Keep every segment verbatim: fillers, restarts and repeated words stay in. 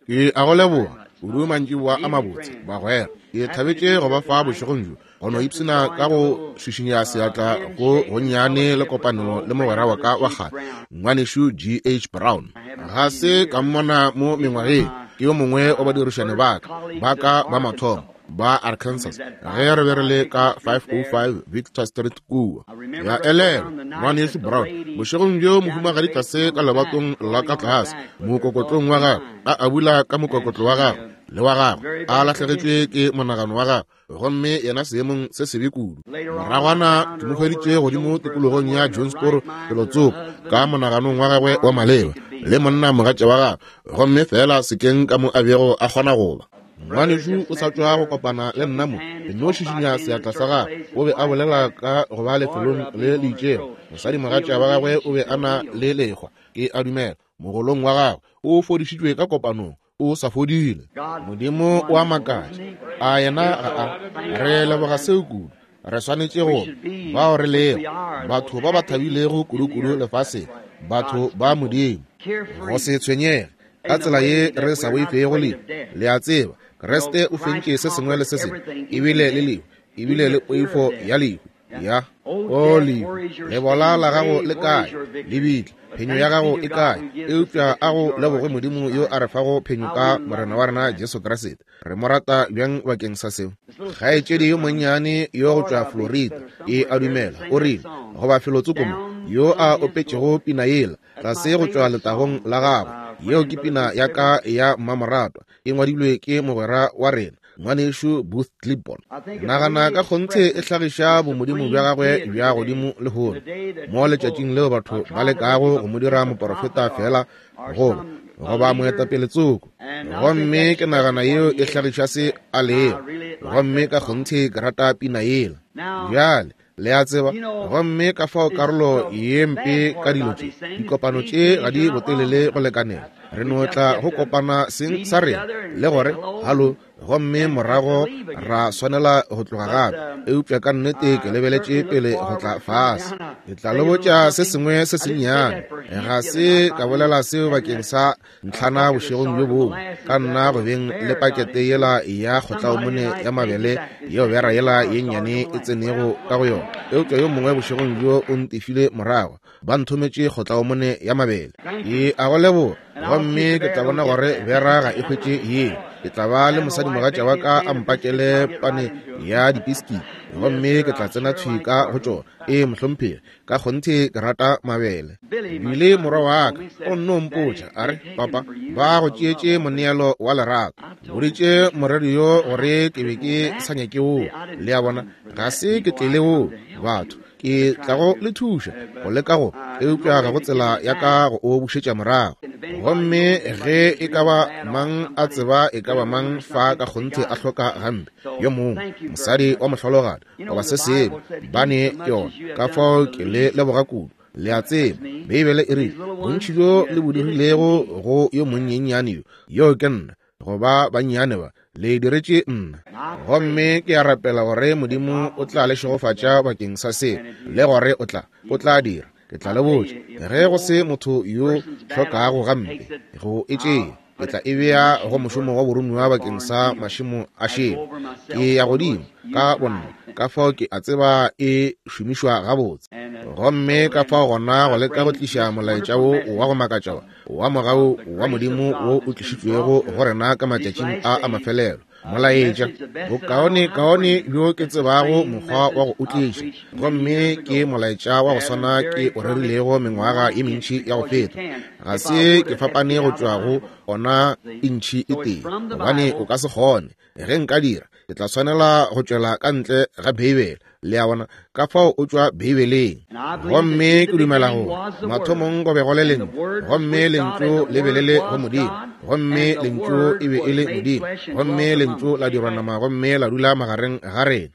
Ke a go leboga kudu mantšiboa a mabotse, bagwera. Ke thabetše go ba fa bošegong bjo, go no ipshina ka go šišinya seatla go gonnyane le kopano le mogwera wa ka wa kgale, ngwanešu G H Brown. Ga se ka mmona mo mengwageng, ke yo mongwe wa badirišani ba ka ba ka ba mathomo ba Arkansas ge re be re le ka five oh five Victor Street kua. Ya elelwa ngwanešu Brown bošegong bjo mohumagadi tlase ka lebatong la ka tlase mokokotlong wa gagwe, a abula ka mokokotlo wa gagwe le wa gagwe, a lahlegetšwe ke monagano wa gagwe, gomme yena seemong se sebe kudu. Moragwana ke mo hweditše godimo tikologong ya Jonesboro felotsoko ka monaganong wa gagwe wa maleba le monna mogatša wa gagwe, gomme fela sekeng ka mo a bego a kgona go ba. Ngwanešu o sa tšwa go kopana le nna mo, ke no šišinya seatla sa gagwe. O be a bolela ka go ba lefelong le le itšego. Mosadi mogatša wa gagwe o be a na le lekgwa, ke a dumela, mogolong wa gagwe. O fodišitšwe ka kopanong, o sa fodile. Modimo o a makatša, a yena ga a re leboga seo kudu. Re swanetše go bao re lego batho ba ba thabilego kudu-kudu lefaseng, batho ba Modimo, go se tshwenyege ka tsela ye re sa boifego lehu. Le a tseba, Kriste o fentše se sengwe le se sengwe, ebile le lehu, ebile le poifo ya lehu. Ya o lehu, lebola la gago le kae? Lebitla, phenyo ya gago e kae? Eupša a go leboge Modimo yo a re fago phenyo ka Morena wa rena Jesu Kriste. Re mo rata bjang bakeng sa seo. Kgaetšedi yo monnyane yo go tšwa Florida, e a dumela, o rile goba felotsoko mo, yo a opetšego pina yela tlase go tšwa letagong la gagwe. Yeo ke pina ya ka ya mmamoratwa, e ngwadilwe ke mogwera wa rena ngwanešu Booth Clibborn. Nagana ka kgonthe e hlagiša bomodimo bja gagwe bja godimo lehono, mo letšatšing leo batho ba lekago go mo dira moporofeta fela goba goba moetapele tsoko. Gomme ke nagana yeo e hlagiša se a lego, gomme ka kgonthe ke rata pina yela. Bjale le a tseba, gomme ka fao karolo ye mpe ka dilo tše, dikopano tše ga di botelele go lekanela. Re no tla go kopana seng sa rena le gore halo, gomme morago ra swanela go tloga gape. Eupša ka nnete ke lebeletše pele go tla fase. Ke tla le botša se sengwe se sennyane. Ga se ka bolela seo bakeng sa ntlhana bošegong bjo bongwe, ka nna go beng le pakete yela ya kgotlaomone ya mabele yeo bera yela ye nnyane e tsenego ka go yona. Eupša yo mongwe bošegong bjo o ntefile morago, ba nthometše kgotlaomone ya mabele. Ke a go leboga, gomme ke tla bona gore bera ga e hwetše yeo. Ke tla ba le mosadi mogatša wa ka a mpakele pane ya dipiski, gomme ke tla tsena thwi ka go tšona. Ee, mohlomphegi, ka kgonthe ke rata mabele. Bile morwa wa ka o nno mpotša a re, papa, ba go tšeetše moneelo wa lerato. Boditše moreri yo gore ke be ke sa nyake woo. Le a bona, ga se ke tlele woo, batho. Ke tla go le thuša go leka go, eupša ga go tsela ya ka go o bušetša morago. Gomme ge e ka ba mang a tseba e ka ba mang fa ka kgonthe a hloka gampe, yo mongwe mosadi wa mohlologadi goba se sengwe, ba ne yona. Ka fao ke le leboga kudu. Le a tseba, Beibele e rile, bontši bjo le bo dirilego go yo monyenyane yo, yo ke nna, goba bannyane ba, le diretše nna. Gomme ke a rapela gore Modimo o tla le šegofatša bakeng sa seo, le gore o tla, o tla dira. Ke tla le botša, ge go se motho yo hlokago gampe go e tšea, ke tla e bea go mošomo wa boromiwa bakeng sa mašemo a šele. Ke ya godimo ka bonna, ka fao ke a tseba e šomišwa gabotse. Gomme ka fao gona go leka go tliša molaetša wo wa go makatša wa mogau wa Modimo wo o tlišitšwego go rena ka matšatšing a a mafelelo. Molaetša bokaone kaone bjo ke tsebago mokgwa wa go o tliša, gomme ke molaetša wa go swana ke o rerilego mengwaga ye mentši ya go feta. Ga se ke fapane go tšwa go ona intšhi e tee, gobane o ka se kgone. Ge nka dira, ke tla swanela go tšwela ka ntle ga Beibele. Le a bona, ka fao o tšwa Beibeleng. Gomme ke dumela gore mathomong go be go le lentšu, gomme lentšu le be le le go Modimo, gomme lentšu e be e le Modimo, gomme lentšu la dirwa nama gomme la dula magareng ga rena.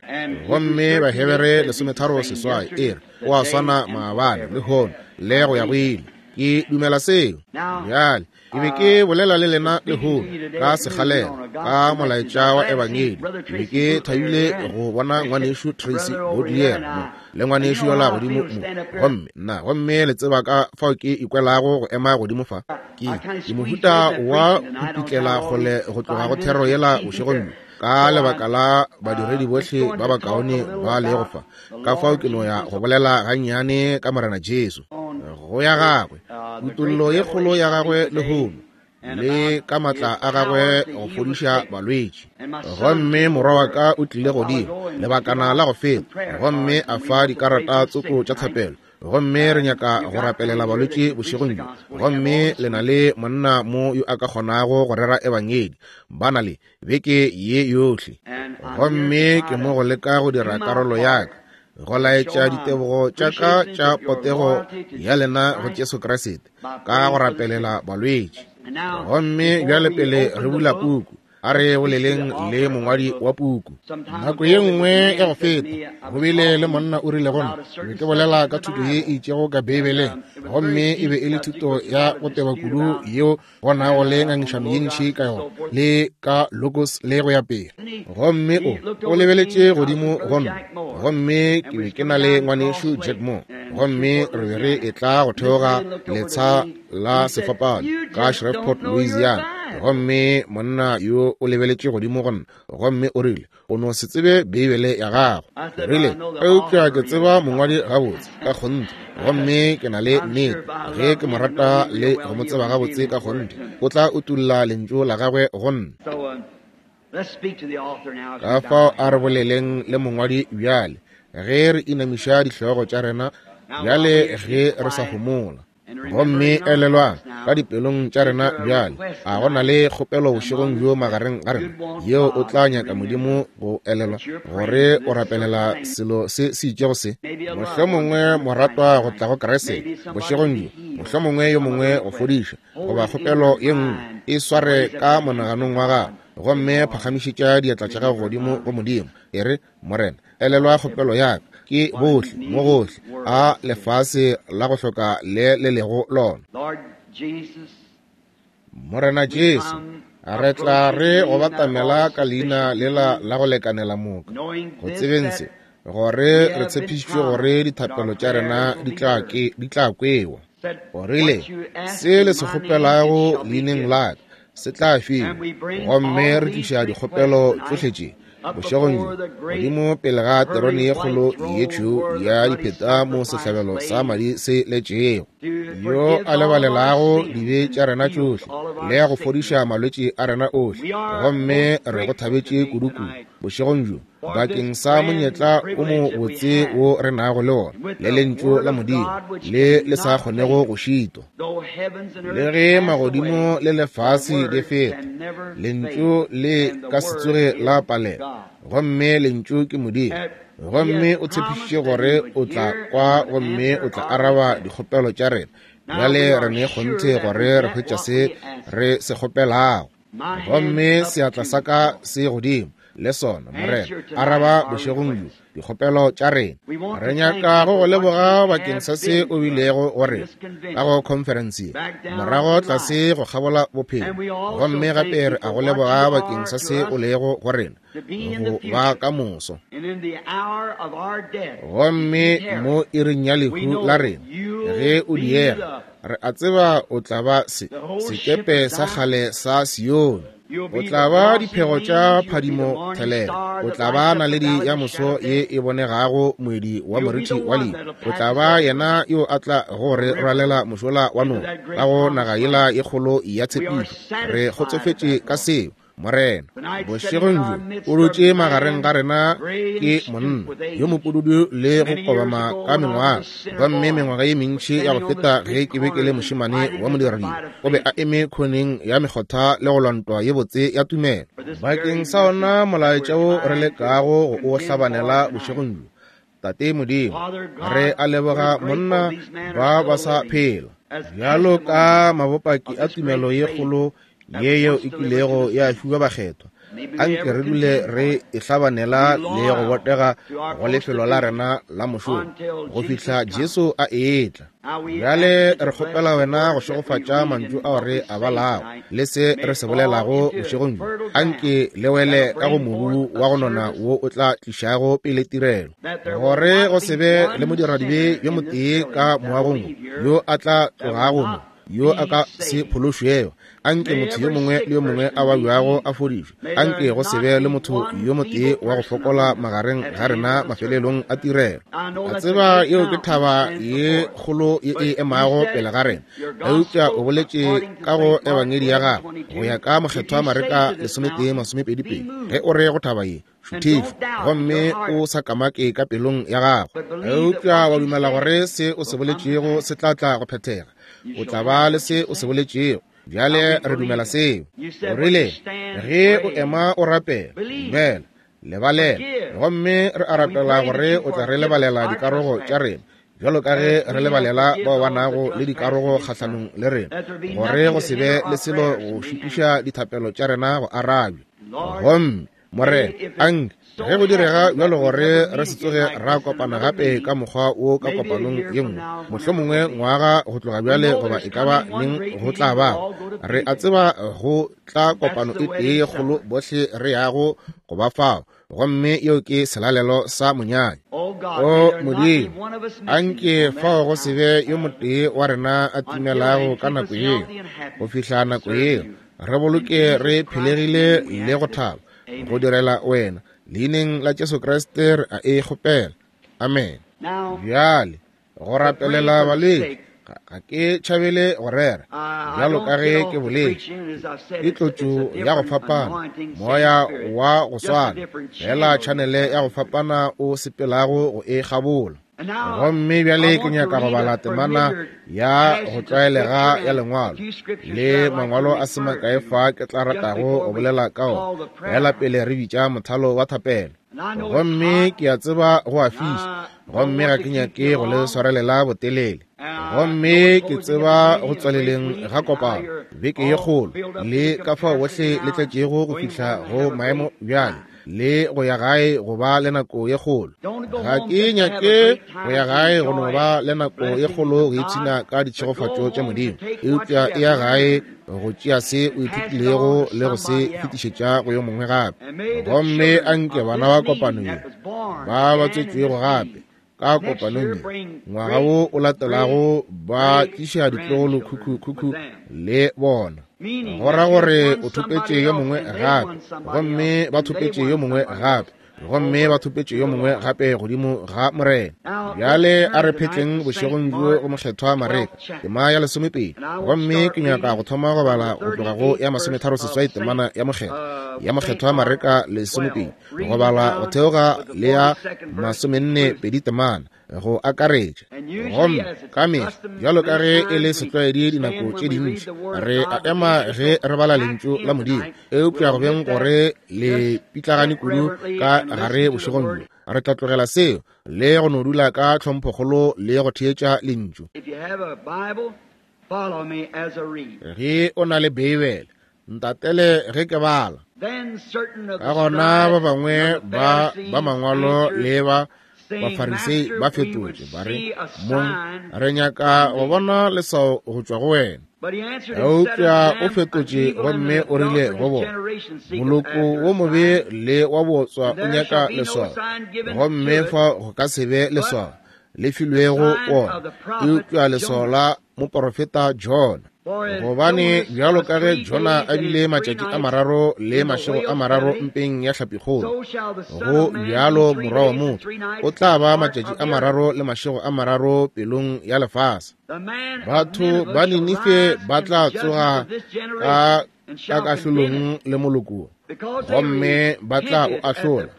Gomme Bahebere lesometharo seswai e re, o a swana maabane, lehono, le go ya go ile. Ke dumela seo. Bjale Ke be ke bolela le lena lehono ka sekgalela ka molaetša wa ebangedi. Ke be ke thabile go bona ngwanešu Tracy Bodier mo le ngwanešu yola godimo mo. Gomme nna, gomme le tseba ka fao ke ikwelago go ema godimo fa. Ke ke mohuta wa go pitlela kgole go tloga go thero yela bošegong bjo, ka lebaka la badiredi bohle ba bakaone ba lego fa. Ka fao ke no ya go bolela gannyane ka Morena Jesu, go ya gagwe, kutollo ye kgolo ya gagwe lehono, le ka matla a gagwe go fodiša balwetši. Gomme morwa wa ka o tlile godimo lebakana la go feta, gomme a fa dikarata tsoko tša thapelo. Gomme re nyaka go rapelela balwetši bošegong bjo. Gomme le na le monna mo yo a ka kgonago go rera ebangedi, ba na le beke ye yohle. Gomme ke mo go leka go dira karolo ya ka, go laetša ditebogo tša ka tša potego ya lena go Jesu Kriste ka go rapelela balwetši. Gomme bjale pele re bula puku, a re boleleng le mongwadi wa puku. Nako ye nngwe ya go feta, go bile le monna o rile go nna, be ke bolela ka thuto ye e itšego ka Beibeleng, gomme e be e le thuto ya go teba kudu yeo go nago le ngangišano ye ntši ka yona, le ka logos le go ya pele. Gomme o o lebeletše godimo go nna, gomme ke be ke na le ngwanešu Jack Moore, gomme re be re etla go theoga letsha la sefapano ka Shreveport, Louisiana. Gomme monna yo o lebeletše godimo go nna, gomme o rile, o no se tsebe Beibele ya gago. Ke rile, eupša ke tseba mongwadi gabotse ka kgonthe, gomme ke na le nnete ge ke mo rata le go mo tseba gabotse ka kgonthe, o tla utulla lentšu la gagwe go nna. Ka fao a re boleleng le mongwadi bjale, ge re inamiša dihlogo tša rena bjale ge re sa homola. Gomme elelwang ka dipelong tša rena bjale, a go na le kgopelo bošegong bjo magareng ga rena yeo o tla nyaka Modimo go elelwa gore o rapelela selo se se itšego se, mohlomongwe moratwa go tla go Kriste bošegong bjo, mohlomongwe yo mongwe go fodiša, goba kgopelo ye nngwe, e sware ka monaganong wa gago, gomme phagamišetša diatla tša gago godimo go Modimo. E re, Morena, elelwa kgopelo ya ka. Ke bohle mo gohle a lefase la go hloka le le lego lona. Morena Jesu, re tla re go batamela ka leina lela la go lekanela moka, go tsebeng se, gore re tshepišitšwe gore dithapelo tša rena di tla ke di tla kwewa. O rile, se le se kgopelago leineng la ka se tla fiwa. Gomme re tliša dikgopelo tšohle tše bošegong bjo godimo pele ga terone ye kgolo ye tšhweu ya dipheta mo sehlabelo sa madi se letšego, yo a lebalelago dibe tša rena tšohle le ya go fodiša malwetši a rena ohle. Gomme re go thabetše kudu-kudu bošegong bjo bakeng sa monyetla o mo botse wo re nago le wona, le lentšu la Modimo le le sa kgonego go šitwa. Le ge magodimo le lefase di feta, lentšu le ka se tsoge la palela. Gomme lentšu ke Modimo, gomme o tshepišitše gore o tla kwa gomme o tla araba dikgopelo tša rena. Bjale re ne kgonthe gore re hwetša se re se kgopelago. Gomme seatla sa ka se godimo le sona, Morena, araba bošegong bjo dikgopelo tša rena. Re nyaka go go leboga bakeng sa se o bilego go rena ka go conference morago tlase go kgabola bophelo, gomme gape re a go leboga bakeng sa se o lego go rena go ba ka moso. Gomme mo iring ya lehu la rena, ge o diega, re a tseba o tla ba se sekepe sa kgale sa Sione. O tla ba diphego tša phadimo thelelo, o tla ba naledi ya moso ye e bonegago moedi wa moriti wa lehu, o tla ba yena yo a tla go re rwalela mošola wa noka ka go naga yela ye kgolo ya tshepišo. Re kgotsofetše ka seo, Morena. Bošegong bjo o dutše magareng ga rena ke monna yo mopududu le go kobama ka mengwaga, gomme mengwaga ye mentši ya go feta ge ke be ke le mošemane wa modiredi, o be a eme khoneng ya mekgotha le go lwa ntwa ye botse ya tumelo. Bakeng sa ona molaetša wo re lekago go o hlabanela bošegong bjo, Tate Modimo, re a leboga monna ba ba sa phela bjalo ka mabopaki a tumelo ye kgolo ye yeo e kilego ya fiwa bakgethwa. Anke re dule re e hlabanela le go botega go lefelo la rena la mošomo go fihla Jesu a etla. Bjale re kgopela wena go šegofatša mantšu ao re a balago le se re se bolelago bošegong bjo. Anke le wele ka go mobu wa go nona wo o tla tlišago pele tirelo, gore go se be le modiradibe yo motee ka moagong yo a tla tlogago mo yo a ka se phološwego. Anke motho yo mongwe le yo mongwe a babjago a fodišwe. Anke go se be le motho yo motee wa go fokola magareng ga rena mafelelong a tirelo. A tseba yeo ke thaba ye kgolo ye e emago pele ga rena, eupša o boletše ka go ebangedi ya gago go ya ka mokgethwa Mareka lesometee masomepedi pedi, ge o re go thaba ye šuthišwa gomme o sa kamake ka pelong ya gago, eupša wa dumela gore se o se boletšego se tla tla go phethega, o tla ba le se o se boletšego. Bjale re dumela seo. O rile ge o ema o rapela, dumela, lebalela, gomme re a rapela gore o tla re lebalela dikarogo tša rena bjalo ka ge re lebalela bao ba nago le dikarogo kgahlanong le rena, gore go se be le selo go šitiša dithapelo tša rena go arabja. Gomme Morena, anke ge go direga bjalo gore re se tsoge ra kopana gape ka mokgwa wo ka kopanong ye nngwe, mohlomongwe ngwaga go tloga bjale goba e ka ba neng go tla ba, re a tseba go tla kopano e tee ye kgolo bohle re yago go ba fao, gomme yeo ke selalelo sa monyanya. O Modimo, anke fao go se be yo motee wa rena a timelago ka nako yeo. Go fihla nako yeo, re boloke re phelegile le go thaba go direla wena. Leineng la Jesu Kriste re a e kgopela. Amen. Bjale go rapelela balwetši ga ke tšhabele go rera, bjalo ka ge ke boletše, ke tlotšo ya go fapana, moya wa go swana, fela tšhanele ya go fapana o sepelago go e kgabola. Gomme bjale ke nyaka go bala temana ya go tlwaelega ya lengwalo le mangwalo a se makae fa ke tla ratago go bolela ka ona, fela pele re bitša mothalo wa thapelo. Gomme ke a tseba go a fiša, gomme ga ke nyake go le swarelela botelele. Gomme ke tseba go tswaleleng ga kopano beke ye kgolo le ka fao bohle le tletšego go fihla go maemo bjale le go ya gae go ba le nako ye kgolo. Ga ke nyake go ya gae go no ba le nako ye kgolo go ipshina ka ditšhegofatšo tša Modimo, eupša e ya gae go tšea se o ithutilego le go se fetišetša go yo mongwe gape. Gomme anke bana ba kopano ye ba ba tswetšwego gape ka kopanong ye ngwaga wo o latelago ba tliša ditlogolo khukhu-khukhu le bona, go ra gore o thopetše yo mongwe gape, gomme ba thopetše yo mongwe gape, gomme ba thopetše yo mongwe gape godimo ga Morena. Bjale a re phetleng bošegong bjo go mokgethwa Mareka tema ya lesomepedi, gomme ke nyaka go thoma go bala go tloga go ya masometharo seswai temana ya mokgethwa ya mokgethwa Mareka lesomepedi go bala go theoga le ya masomenne pedi temana go akaretša. Gomme ka mehla bjalo ka ge e le setlwaedi dinako tše dintši re a ema ge re bala lentšu la Modimo, eupša go beng gore le pitlagane kudu ka gare bošegong bjo, re tla tlogela seo le go no dula ka tlhomphokgolo le go theetša lentšu. Ge o na le Beibele, ntatele ge ke bala. Ka gona ba bangwe ba ba mangwalo le ba Bafarisei ba fetotše ba re, Mong, re nyaka go bona leswao go tšwa go wena. Eupša o fetotše gomme o rile go bona, moloko wo mobe le wa bootswa o nyaka leswao, gomme fa go ka se be leswao le filwego wona, eupša leswao la moporofeta Jona. Gobane bjalo ka ge Jona a bile matšatši a mararo le mašego a mararo mpeng ya hlapikgolo, go bjalo morwa wa motho o tla ba matšatši a mararo le mašego a mararo pelong ya lefase. Batho ba Ninife ba tla tsoga ka ka kahlolong le moloko, gomme ba tla o ahlola,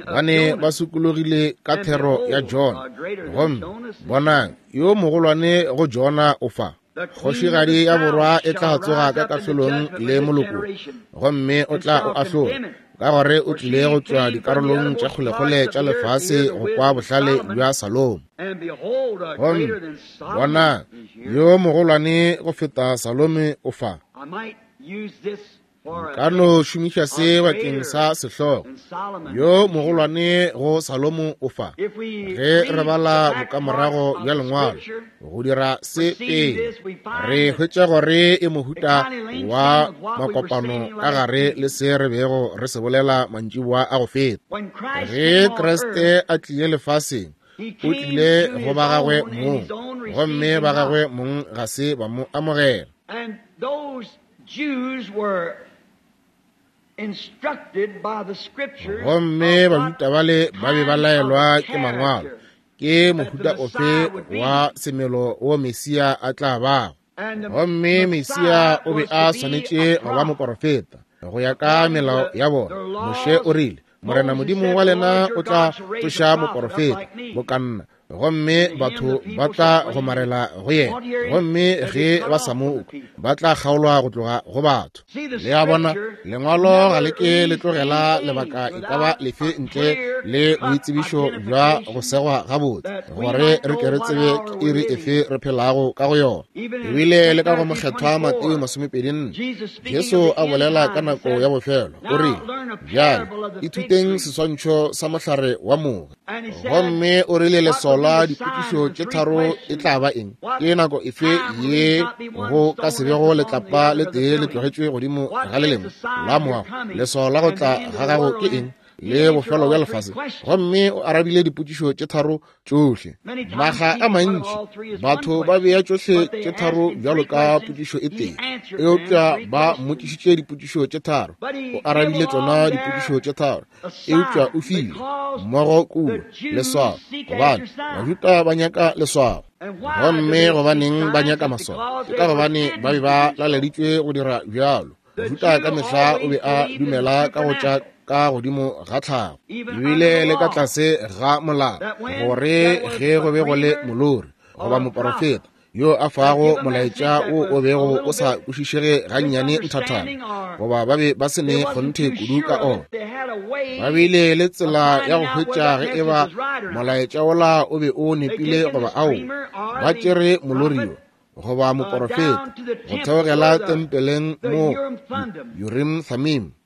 bane ba sokologile ka thero ya Jona. Gomme bonang, yo mogolwane go Jona o fa. Kgošigadi ya borwa e tla tsoga ka kahlolong le moloko, gomme o tla o ahlola, ka gore o tlile go tšwa dikarolong tša kgolekgole tša lefase go kwa bohlale bja Salomo. Gomme bonang, yo mogolwane go feta Salome o fa. Ka no šomiša se bakeng sa sehlogo yo mogolwane go Salomo o fa. Ge re bala bokamorago bja lengwalo go dira se pele, re hwetša gore e mohuta wa makopano ka gare le se re bego re se bolela mantšiboa a go feta. Ge Kriste a tlile lefaseng, o tlile go ba gagwe mong, gomme ba gagwe mong ga se ba mo amogela. Gomme Bajuda bale ba be ba laelwa ke mangwalo ke mohuta ofe wa semelo wo Mesia a tla bago. Gomme Mesia o be a swanetše go ba moporofeta go ya ka melao ya bona. Moshe o rile, Morena Modimo wa lena o tla tsoša moporofeta bokanna, gomme batho ba tla gomarela go yena, gomme ge ba sa mo kwa ba tla kgaolwa go tloga go batho. Le a bona, lengwalo ga le ke le tlogela lebaka e ka ba lefe ntle le boitsebišo bja go segwa gabotse, gore re ke re tsebe ke iri efe re phelago ka go yona. Ebile le ka go mokgethwa Mateo masomepedi nne, Jesu a bolela ka nako ya bofelo, o rile, bjale ithuteng seswantšho sa mohlare wa moge. Gomme o rile leswao la dipotšišo tše tharo e tla ba eng? Ke nako efe ye go ka se bego letlapa le tee le tlogetšwe godimo ga le lengwe la moago? Leswao la go tla ga gago ke eng? Le bofelo bja lefase. Gomme o arabile dipotšišo tše tharo tšohle. Maga a mantši batho ba bea tšohle tše tharo bjalo ka potšišo e tee, eupša ba mmotšišitše dipotšišo tše tharo, o arabile tšona dipotšišo tše tharo, eupša o file mmogo kua leswao, gobane Bajuda ba nyaka leswao. Gomme gobaneng ba nyaka maswao? Ke ka gobane ba be ba laleditšwe go dira bjalo. Mojuda ka mehla o be a dumela ka go tša ka godimo ga tlhago, ebile le ka tlase ga molao, gore ge go be go le molori goba moporofeta yo a fago molaetša wo o bego o sa kwešišege gannyane nthathana, goba ba be ba se ne kgonthe kudu ka ona, ba bile le tsela ya go hwetša ge e ba molaetša wola o be o nepile goba ao. Ba tšere molori yo goba moporofeta go theogela tempeleng mo Urim Thummim.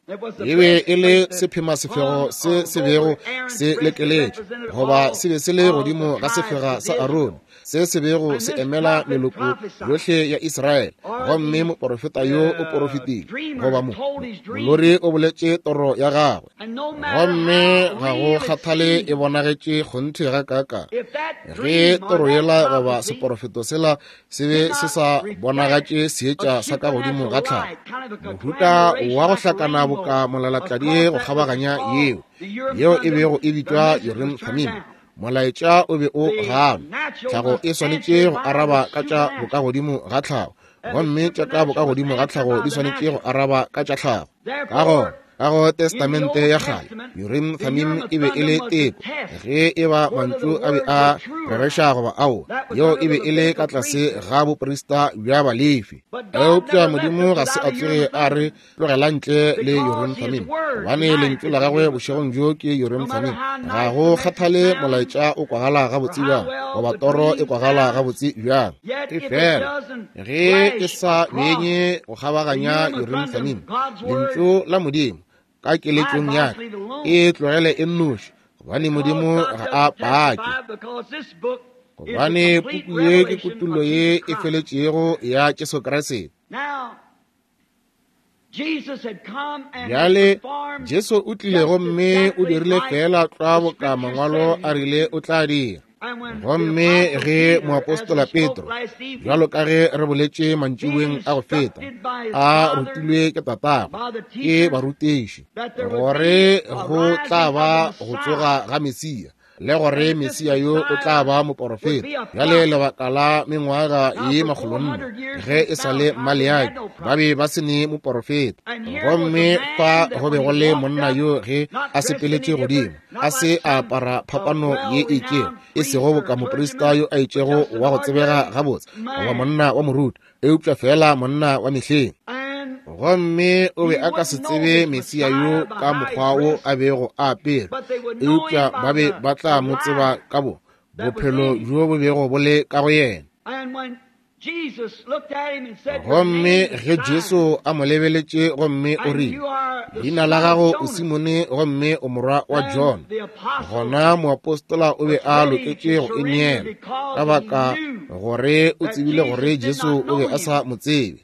E be e le sephemasefego se se bego se lekeletše, goba se be se le godimo ga sefega sa Arone, se se bego se emela meloko yohle ya Israele. Gomme moporofeta yo o porofetile, goba mo molori o boletše toro ya gagwe, gomme ga go kgathale e bonagetše kgonthe ga kaka. Ge toro yela goba seporofeto sela se be se sa bonagatše seetša sa ka godimo ga tlhago, mohuta wa go hlakana boka molalatladi go kgabaganya yeo, yeo e bego e bitšwa Urim Thummim, molaetša o be o ganwa. Tlhago e swanetše go araba ka tša bokagodimo ga tlhago, gomme tša ka bokagodimo ga tlhago di swanetše go araba ka tša tlhago. Ka gona ka go Testamente ya kgale, Urim Thummim e be e le teko ge e ba mantšu a be a rereša goba ao, yeo e be e le ka tlase ga boprista bja Balefi. Eupša Modimo ga se a tsoge a re tlogela ntle le Urim Thummim, gobane lentšu la gagwe bošegong bjo ke Urim Thummim. Ga go kgathale molaetša o kwagala gabotse bjang goba toro e kwagala gabotse bjang, e fela ge e sa benye go kgabaganya Urim Thummim, lentšu la Modimo ka keletšong ya ka, e tlogele e nnoši, gobane Modimo ga a pake. Gobane puku ye ke kutollo ye e feletšego ya Jesu Kriste. Bjale Jesu o tlile gomme o dirile fela tlwa boka mangwalo a rile o tla dira. Gomme ge moapostola Petro, bjalo ka ge re boletše mantšiboeng a go feta, a rutilwe ke tatagwe ke barutiši gore go tla ba go tsoga ga Mesia, le gore Mesia yo o tla ba moporofeta. Bjale lebaka la mengwaga ye makgolonne ge e sa le Maleaki ba be ba se ne moporofeta, gomme fa go be go le monna yo ge a sepeletše godimo a se a apara phapano ye e itšego, e sego boka moprista yo a itšego wa go tsebega gabotse goba monna wa moruti, eupša fela monna wa mehleng. Gomme o be a ka se tsebe Mesia yo ka mokgwa wo a bego a apere, eupša ba be ba tla mo tseba ka bo bophelo bjo bo bego bo le ka go yena. Gomme ge Jesu a mo lebeletše gomme o rile, leina la gago o Simone gomme o morwa wa John, gona moapostola o be a loketše go ineela, ka baka gore o tsebile gore Jesu o be a sa mo tsebe.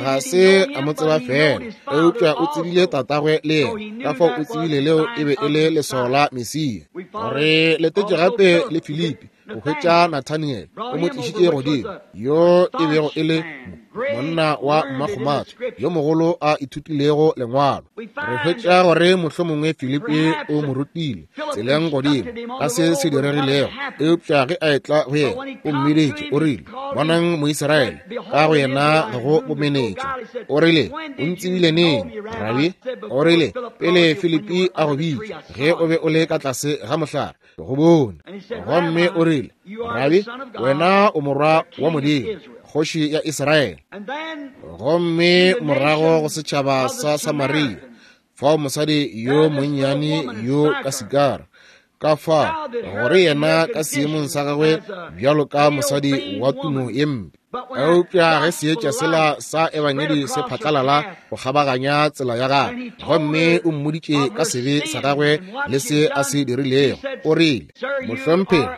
Ga se a mo tseba fela, eupša o tsebile tatagwe le yena, ka fao o tsebile leo e be e le leswao la Mesia. Re letetše gape le Filipi go hwetša Nathaniel, o mo tlišitše godimo, yo e bego e le monna wa mmakgomatho yo mogolo a ithutilego lengwalo. Re hwetša gore mohlomongwe Filipi o mo rutile tseleng godimo ka se se diregilego, eupša ge a etla go yena o mmiditše, o rile, bonang Moisraele, ka go yena ga go bomenetša. O rile, o ntsebile neng, Rabi? O rile, pele Filipi a go bitša, ge o be o le ka tlase ga mohlare, ke go bone. Gomme o rile, Rabi, wena o morwa wa Modimo, kgoši ya Israele. Gomme morago go setšhaba sa Samaria, fao mosadi yo monnyane yo ka Sikara, ka fa gore yena ka seemong sa gagwe bjalo ka mosadi wa tumo ye mpe, eupša ge seetša sela sa ebangedi se phatlalala go kgabaganya tsela ya gagwe, gomme o mmoditše ka sebe sa gagwe le se a se dirilego, o rile, mohlomphegi,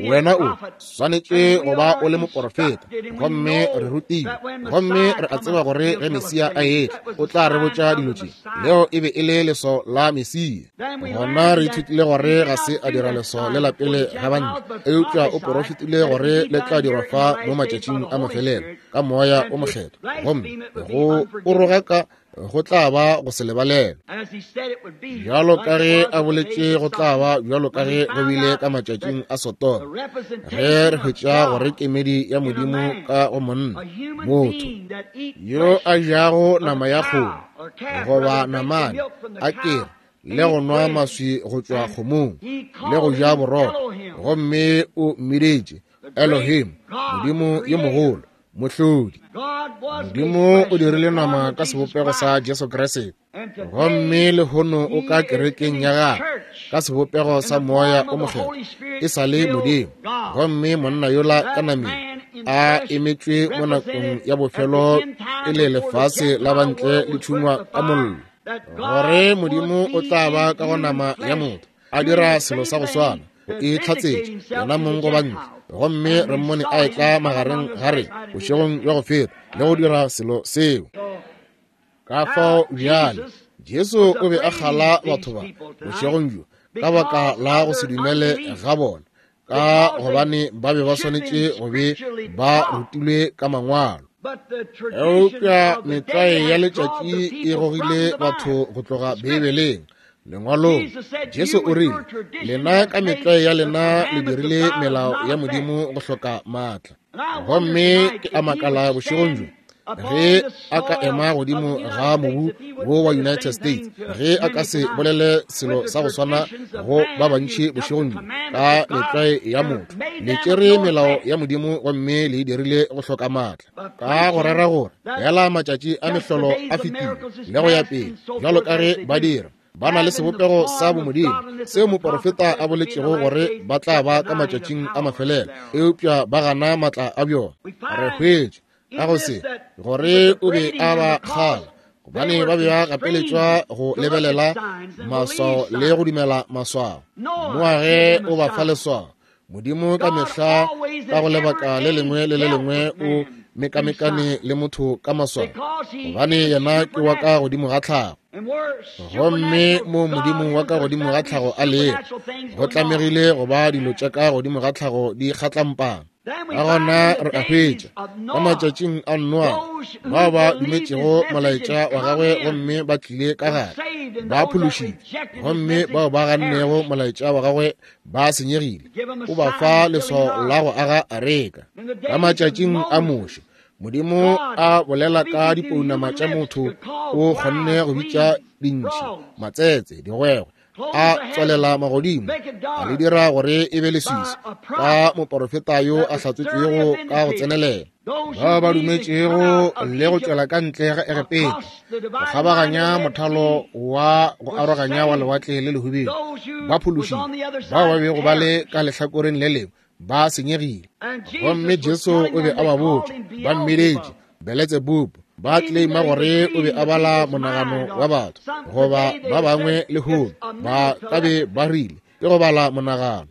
wena o swanetše go ba o le moporofeta, gomme re rutilwe, gomme re a tseba gore ge Mesia a etla o tla re botša dilo tše. Leo e be e le leswao la Mesia. Gona re ithutile gore ga se a dira leswao le la pele ga bantle, eupša o porofetile gore le tla dirwa fa mo matšatšing a mafelelo ka moya o mokgethwa, gomme go o rogaka go tla ba go se lebalelwe. Bjalo ka ge a boletše go tla ba bjalo ka ge go bile ka matšatšing a Sodoma, ge re hwetša gore kemedi ya Modimo ka go monna, motho yo a jago nama ya kgomo goba namane, a kere le go nwa maswi go tšwa kgomong le go ja borotho, gomme o mmiditše Elohim, Modimo yo mogolo, mohlodi. Modimo o dirile nama ka sebopego sa Jesu Kriste, gomme lehono o ka kerekeng ya gagwe ka sebopego sa moya o mokgethwa, e sa le Modimo. Gomme monna yola ka nameng a emetšwe mo nakong ya bofelo pele lefase la bantle le tšhungwa ka mollo, gore Modimo o tla ba ka go nama ya motho a dira selo sa go swana, go e tlhatsetše yena mong go bantle. Gomme re mmone a etla magareng ga re bošegong bja go feta le go dira selo seo. Ka fao bjale Jesu o be a kgala batho ba bošegong bjo ka baka la go se dumele ga bona, ka gobane ba be ba swanetše go be ba rutilwe ka mangwalo. Eupša metlwae ya letšatši e gogile batho go tloga Beibeleng, lengwalong. Jesu o rile, lena ka metlwae ya lena le dirile melao ya Modimo go hloka maatla. Gomme ke a makala bošegong bjo, ge a ka ema godimo ga mobu wo wa United States, ge a ka se bolele selo sa go swana go ba bantši bošegong bjo ka metlwae ya motho. Le tšere melao ya Modimo gomme le e dirile go hloka maatla, ka go rera gore fela matšatši a mehlolo a fetile le go ya pele, bjalo ka ge ba dira. Ba na le sebopego sa bomodimo seo moporofeta a boletšego gore ba tla ba ka matšatšing a mafelelo, eupša ba gana maatla a bjona. Re hwetše ka go se gore o be a ba kgala, gobane ba be ba gapeletšwa go lebelela maswao le go dumela maswao. Noage o ba fa leswao. Modimo ka mehla ka go lebaka le lengwe le le lengwe o mekamekane le motho ka maswao, gobane yena ke wa ka godimo ga tlhago. Gomme mo Modimo wa ka godimo ga tlhago a lego, go tlamegile go ba dilo tša ka godimo ga tlhago di kgatlampana. Ka gona re a hwetša ka matšatšing a Noa, bao ba dumetšego molaetša wa gagwe gomme ba tlile ka gare ba phološitšwe, gomme bao ba gannego molaetša wa gagwe ba senyegile. O ba fa leswao la go aga areka. Ka matšatšing a Moshe, Modimo a bolela ka dipounama tša motho, o kgonne go bitša dintšhi, matsetse, digwegwe, a tswalela magodimo, a le dira gore e be leswiswi ka moporofeta yo a hlatswetšwego ka go tsenelela. Bao ba dumetšego le go tšwela ka ntle ga Egepeta, go kgabaganya mothalo wa go aroganya wa lewatle le lehubedu, ba phološitšwe. Bao ba bego ba le ka lehlakoreng le lengwe Ba senyegile. Gomme Jesu o be a ba botša, ba mmedetše Beletsebubu, ba claima gore o be a bala monagano wa batho, goba ba bangwe lehono ba ka be ba rile ke go bala monagano.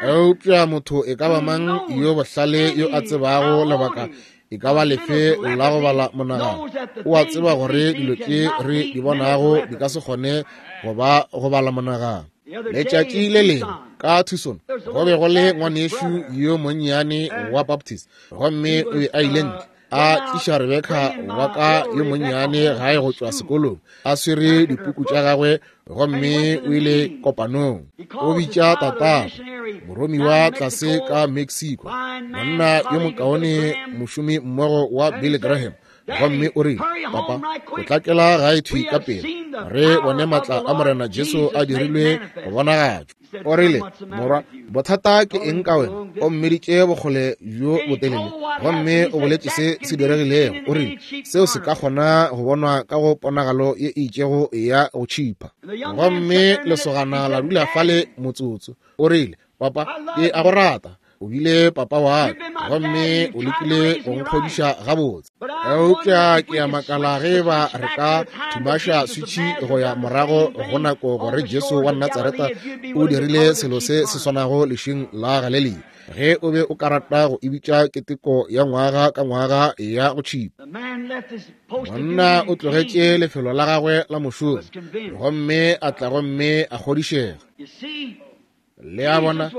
Eupša motho e ka ba mang yo bohlale yo a tsebago lebaka e ka ba lefe la go bala monagano, o a tseba gore dilo tše re di bonago di ka se kgone go ba go bala monagano. Letšatši le lengwe ka Tucson go be go le ngwanešu yo monnyane wa Baptist, gomme o be a ile ntle a tliša Rebecca wa ka yo monnyane gae go tšwa sekolong, a swere dipuku tša gagwe, gomme o ile kopanong. O bitša tatagwe, moromiwa tlase ka Mexico, monna yo mokaone mošomi mmogo wa Billy Graham, gomme o rile, Papa, potlakela gae thwi ka pele, re bone matla a Morena Jesu a dirilwe go bonagatšwa. O rile, morwa, bothata ke eng ka wena? O mmeditše bokgole bjo botelele, gomme o boletše se se diregilego. O rile, seo se ka kgona go bonwa ka go ponagalo ye e itšego ya go tšhipa. Gomme lesogana la dula fale motsotso. O rile, Papa, ke a go rata. O bile papa wa ka, gomme o lekile go nkgodiša gabotse. Eupša ke a makala ge ba re ka thumaša switšhi go ya morago go nako gore Jesu wa Natsaretha o dirile selo se se swanago lešing la Galilea, ge o be o ka rata go e bitša keteko ya ngwaga ka ngwaga ya go tšhipa. Monna o tlogetše lefelo la gagwe la mošomo, gomme a tla gomme a kgodišega. Le a bona,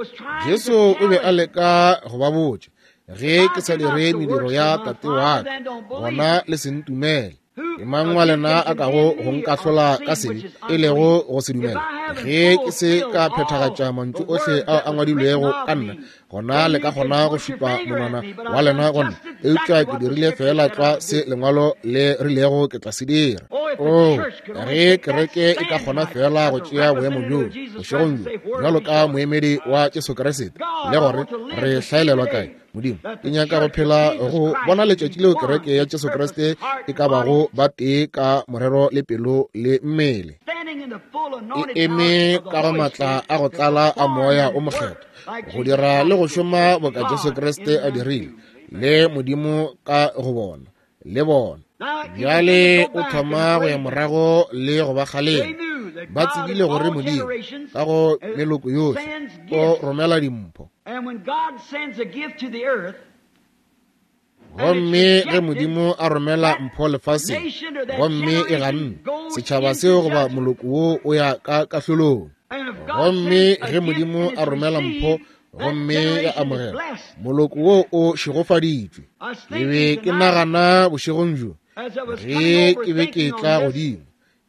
Jesu o be a leka go ba botša, ge ke sa dire mediro ya tate wa ka, gona le se ntumele. Ke mang wa lena a kago go nkahlola ka sebe, e lego go se dumela? Ge ke se ka phethagatša mantšu ohle ao a ngwadilwego ka nna, gona le ka kgona go šupa monwana wa lena go nna. Eupša ke dirile fela tlwa se lengwalo le rilego ke tla se dira. Oh, ge kereke e ka kgona fela go tšea boemo bjo bošegong bjo bjalo ka moemedi wa Jesu Kriste, le gore re hlaelelwa kae. Modimo, ke nyaka go phela go bona letšatši leo kereke ya Jesu Kriste e ka bago ba tee ka morero le pelo le mmele, e eme ka go matla a go tlala a moya o mokgethwa go dira le go šoma boka Jesu Kriste a dirile, le Modimo ka go bona le bona. Bjale o thoma go ya morago le go ba kgalema. Ba tsebile gore Modimo ka go meloko yohle o romela dimpho. Gomme ge Modimo a romela mpho lefaseng, gomme e ganne, setšhaba seo goba moloko wo o ya ka kahlolong. Gomme ge Modimo a romela mpho gomme ya amogela, moloko wo o šegofaditšwe. Ke be ke nagana bošegong bjo, ge ke be ke tla godimo,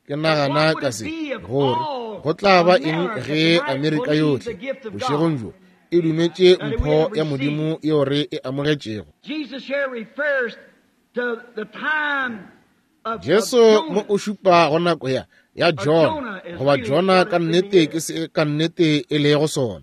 ke nagana ka se, gore go tla ba eng ge Amerika yohle bošegong bjo e dumetše mpho ya Modimo yeo re e amogetšego. Jesu mo o šupa go nako ya ya Jona, goba Jona ka nnete ke se ka nnete e lego sona.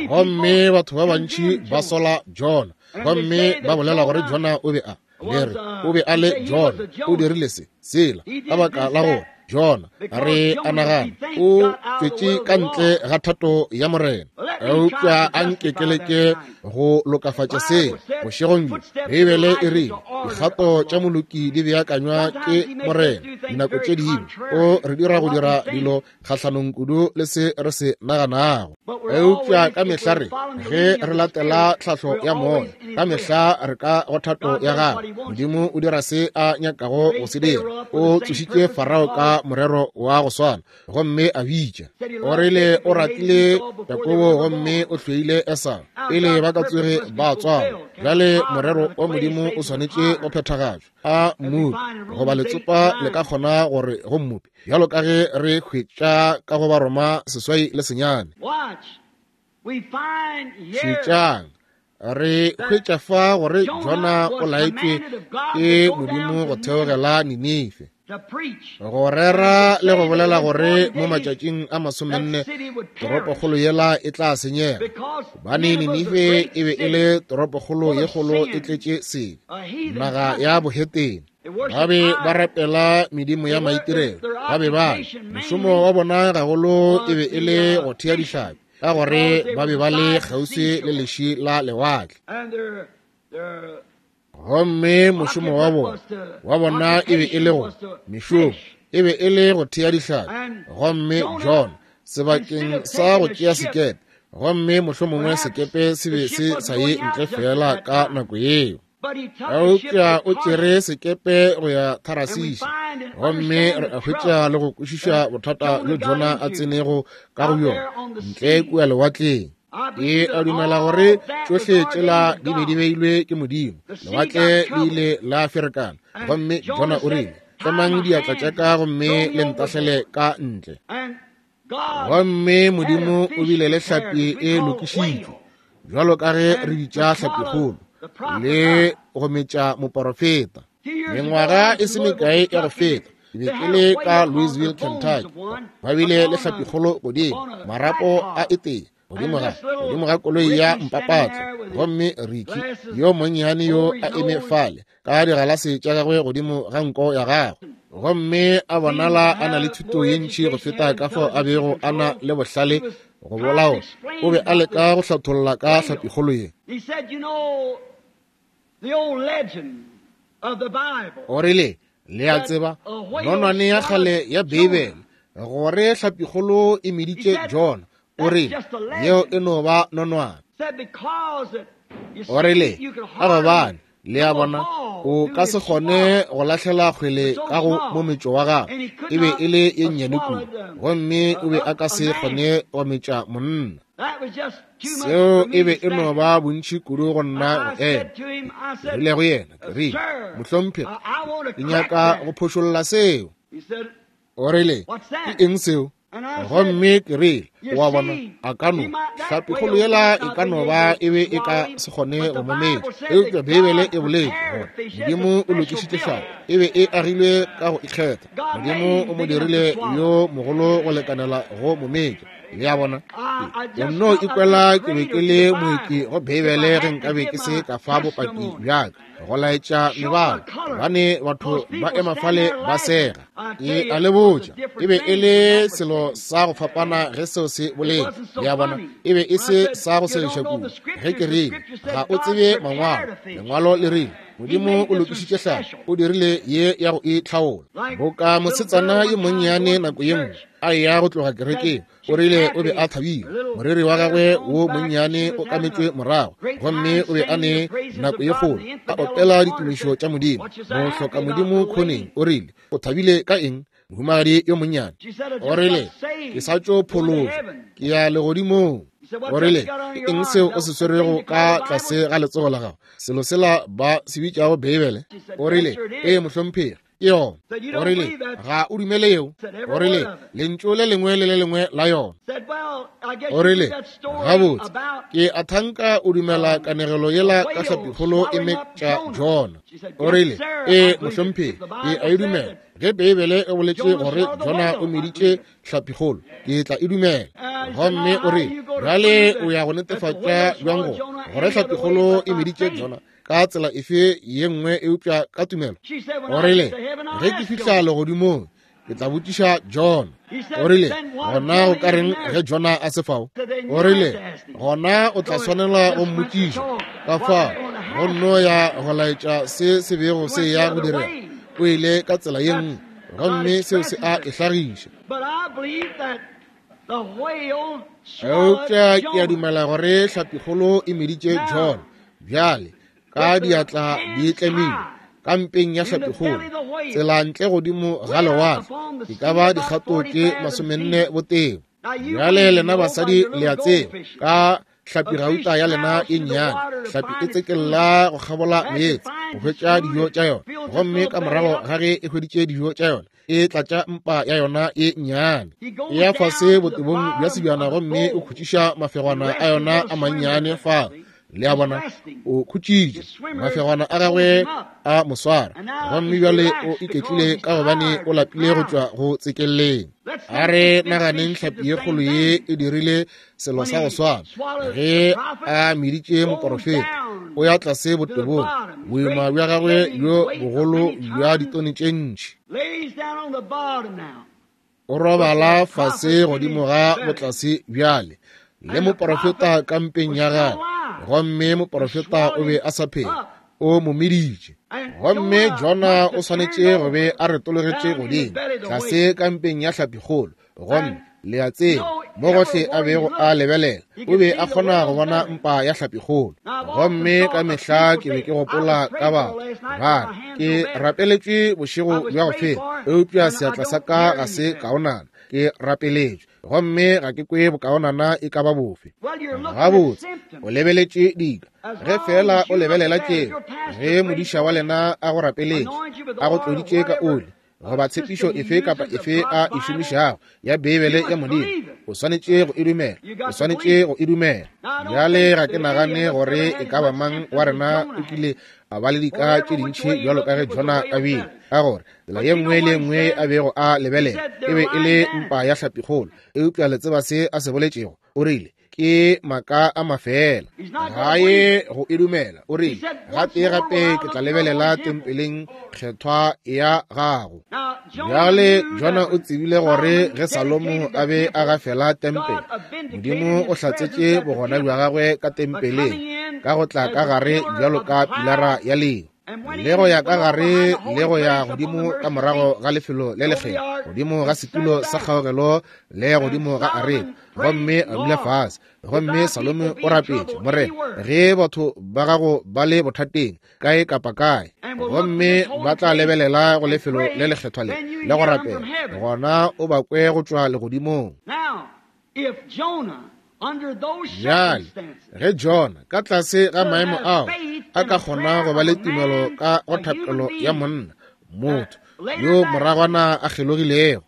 Gomme batho ba bantši ba sola Jona, gomme ba bolela gore Jona o be a le re o be a le Jona, o dirile se sela ka baka la gore Jona re a nagana o tšwetše ka ntle ga thato ya Morena. Eupša a nke ke leke go lokafatša seo bošegong bjo. Beibele e rile dikgato tša moloki di beakanywa ke Morena. Dinako tše dingwe o re dira go dira dilo kgahlanong kudu le se re se naganago. Eupša ka mehla re ge re latela tlhahlo ya moya, ka mehla re ka go thato ya gagwe. Modimo o dira se a nyakago go se dira. O tsošitše Farao ka morero wa go swana, gomme a bitša. O rile o ratile Jakobo gomme o hloile Esau, pele ba ka tsoge ba tswalwa. Bjale morero wa Modimo o swanetše go phethagatšwa. A mmopi goba letsopa le ka kgona gore go mmopi, bjalo ka ge re hwetša ka go Baroma seswai le senyane. Šetšang, re hwetša fa gore Jona o laetšwe ke Modimo go theogela Ninife, go rera le go bolela gore mo matšatšing a masomenne toropokgolo yela e tla senyega, gobane Ninife e be e le toropokgolo ye kgolo e tletše sebe, naga ya bohetene. Ba be ba rapela medimo ya maitirelo, ba be ba mošomo wa bona gagolo e be e le go thea dihlapi. ka gore ba be ba le kgauswi le leši la lewatle. Gomme mošomo wa bona wa bona e be e le go mešomo e be e le go thea dihlapi. Gomme John sebakeng sa go tšea sekepe, gomme mohlomongwe sekepe se be se sa ye ntle fela ka nako yeo, eupša o tšere sekepe go ya Tarasisi. Gomme re a hwetša le go kwešiša bothata bjo Jona a tsenego ka go bjona ntle kua lewatleng. Ke a dumela gore tšohle tšela di be di beilwe ke Modimo. Lewatle le ile la ferekana, gomme Jona o rile, tlemang diatla tša ka gomme le ntahlele ka ntle. Gomme Modimo o bile le hlapi e lokišitšwe, bjalo ka ge re bitša hlapikgolo, le go metša moporofeta. Mengwaga e se mekae ya go feta, ke be ke le ka Louisville, Kentucky. Ba bile le hlapikgolo godimo, marapo a e tee godimo ga godimo ga koloi ya mpapatlo. Gomme Ricky yo monnyane yo a eme fale ka digalase tša gagwe godimo ga nko ya gagwe, gomme a bonala a na le thuto ye ntši go feta ka fao a bego a na le bohlale go bolaola. O be a leka go hlatholla ka hlapikgolo ye. O rile, le a tseba nonwane ya kgale ya Beibele gore hlapikgolo e meditše Jona. O rile, yeo e no ba nonwane. O rile, ka gobane le a bona o ka se kgone go lahlela kgwele ka go mometšo wa gagwe, e be e le ye nnyane kudu, gomme o be a ka se kgone go metša monna. Seo e be e no ba bontši kudu go nna go ema. Ke rile go yena, ke rile, mohlomphegi, ke nyaka go phošolla seo. O rile, ke eng seo? Gomme ke rile, wa bona, a ka no hlapikgolo yela e ka no ba e be e ka se kgone go mo metša, eupša Beibele e boletše gore Modimo o lokišitše hlapi, e be e agilwe ka go ikgetha. Modimo o mo dirile yo mogolo go lekanela go mo metša. Le a bona, ke nno ikwela ke be ke le moeki go Beibele ge nkabe ke se ka fa bopaki bjaka go laetša mebala, gobane batho ba ema fale ba sega. Ke a le botša, e be e le selo sa go fapana ge seo se boletše. Le a bona, e be e se sa go segiša kudu ge ke rile, ga o tsebe mangwalo. Lengwalo le rile Modimo o lokišitše hlapi, o dirile ye ya go itlhaola. Boka mosetsana yo monnyane nako ye nngwe a eya go tloga kerekeng, o rile o be a thabile, moriri wa gagwe wo monnyane o kametšwe morago, gomme o be a ne nako ye kgolo a opela ditumišo tša Modimo. Mohloka Modimo khoneng o rile, o thabile ka eng, mohumagadi yo monnyane? O rile, ke sa tšo phološwa, ke ya legodimong. O rile, ke eng seo o se swerego ka tlase ga letsogo la gago, selo sela ba se bitšago Beibele? O rile, ee mohlomphegi, ke yona. O rile, ga o dumele yeo? O rile, lentšu le lengwe le le lengwe la yona. O rile, gabotse, ke a thanka o dumela kanegelo yela ka hlapikgolo e metša Jona. O rile, ee mohlomphegi, ke a e dumela. Ge Beibele e boletše gore Jona o meditše hlapikgolo, ke tla e dumela. Gomme o rile, bjale o ya go netefatša bjang go gore hlapikgolo e meditše Jona ka tsela efe ye nngwe eupša ka tumelo? O rile, ge ke fihla legodimong ke tla botšiša Jona. O rile, gona o ka reng ge Jona a se fao? O rile, gona o tla swanela go mmotšiša. Ka fao go nno ya go laetša se se bego se ya go direga. O ile ka tsela ye nngwe, gomme seo se a e hlagiša. Eupša ke a dumela gore hlapikgolo e meditše Jona bjale ka diatla di tlemile ka mpeng ya hlapikgolo, tsela ntle godimo ga lewatle, e ka ba dikgato tše masomenne botebo. Bjale lena basadi le a tseba ka hlapi gauta ya lena e nnyane, hlapi e tsekella go kgabola meetse go hwetša dijo tša yona, gomme ka morago ga ge e hweditše dijo tša yona, e tlatša mpa ya yona e nnyane, e ya fase botebong bja sebjana gomme o khutšiša mafegwana a yona a mannyane fa. Le a bona, o khutšitše mafegwana a gagwe a moswara, gomme bjale o iketlile ka gobane o lapile go tšwa go tsekelleng. A re naganeng hlapi ye kgolo ye e dirile selo sa go swana ge a meditše moporofeta. O ya tlase botebong, boima bja gagwe bjo bogolo bja ditone tše ntši. O robala fase godimo ga botlase bjale le moprofeta kampeng ya gagwe, gomme moprofeta o be a sa phela, o mo meditše. Gomme Jona o swanetše go be a retologetše godimo tlase kampeng ya hlapikgolo, gomme le a tseba mo gohle a bego a lebelela o be a kgona go bona mpa ya hlapikgolo. Gomme ka mehla ke be ke gopola ka batho ba re, ke rapeletšwe bošego bja go feta, eupša seatla sa ka ga se kaonana. Ke rapeletšwe gomme ga ke kwe bokaonana e ka ba bofe. Gabotse, o lebeletše dika. Ge fela o lebelela tšeo, ge modiša wa lena a go rapeletše, a go tloditše ka oli, goba tshepišo efe kapa efe a e šomišago ya Beibele ya Modimo, o swanetše go e dumela, o swanetše go e dumela. Bjale ga ke nagane gore e ka ba mang wa rena o kile a ba le dika tše dintši bjalo ka ge Jona a bile, ka gore tsela ye nngwe le ye nngwe a bego a lebelela e be e le mpa ya hlapikgolo. Eupša le tseba se a se boletšego, o rile ke maka a mafela, ga ye go e dumela. O rile, gape gape ke tla lebelela tempeleng kgethwa ya gago. Bjale Jona o tsebile gore ge Salomo a be a gafela tempele, Modimo o hlatsetše bogona bja gagwe ka tempeleng ka go tla ka gare bjalo ka pilara ya leo, le go ya ka gare le go ya godimo ka morago ga lefelo le lekgethwa, godimo ga setulo sa kgaogelo le godimo ga areka, gomme a dula fase. Gomme Salome o rapetše, Morena, ge batho ba gago ba le bothateng kae kapa kae, gomme ba tla lebelela go lefelo le lekgethwa le le go rapela, gona o ba kwe go tšwa legodimong. Bjale ge Jona ka tlase ga maemo ao a ka kgona go ba le tumelo ka go thapelo ya monna motho yo moragwana a kgelogilego,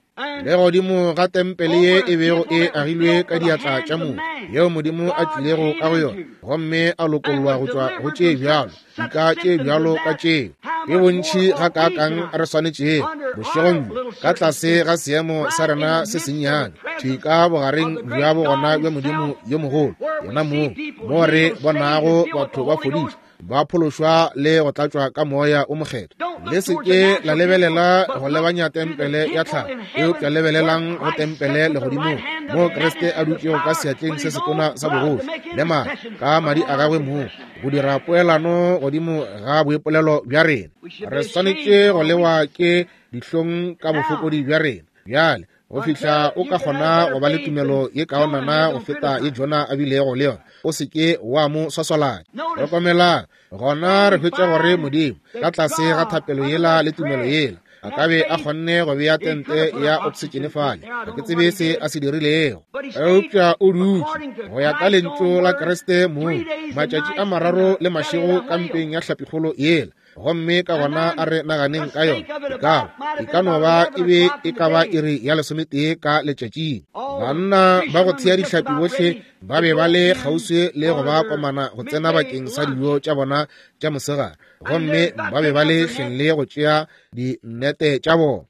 le godimo ga tempele ye e bego e agilwe ka diatla tša motho, yeo Modimo a tlilego ka go yona gomme a lokollwa go tšwa go tše bjalo, dika tše bjalo ka tšeo, ke bontši gakaakang re swanetšego bošegong bjo ka tlase ga seemo sa rena se sennyane, thwi ka bogareng bja bogona bja Modimo yo mogolo, yena moo mo re bonago batho ba fodišwa, ba phološwa le go tlatšwa ka moya o mokgethwa. Le se ke la lebelela go lebanya tempele ya tlhago, eupša lebelelang go tempele legodimong, moo Kriste a dutšego ka seatleng se setona sa bogoši le maatla ka madi a gagwe moo go dira poelano godimo ga boipolelo bja rena. Re swanetše go lewa ke dihlong ka bofokodi bja rena bjale go fihla o ka kgona go ba le tumelo ye kaonana go feta ye Jona a bilego le yona. O se ke wa mo swaswalanya. Hlokomelang, gona re hwetša gore Modimo ka tlase ga thapelo yela le tumelo yela a ka be a kgonne go bea tente ya oksitšene fale. Ga ke tsebe se a se dirilego, eupša o dutše go ya ka lentšu la Kriste moo matšatši a mararo le mašego kampeng ya hlapikgolo yela. Gomme ka gona a re naganeng ka yona, e ka e ka no ba e be e ka ba iri ya lesometee ka letšatšing. Banna ba go thea dihlapi bohle ba be ba le kgauswi le go ba komana go tsena bakeng sa dijo tša bona tša mosegare, gomme ba be ba le hleng le go tšea dinete tša bona.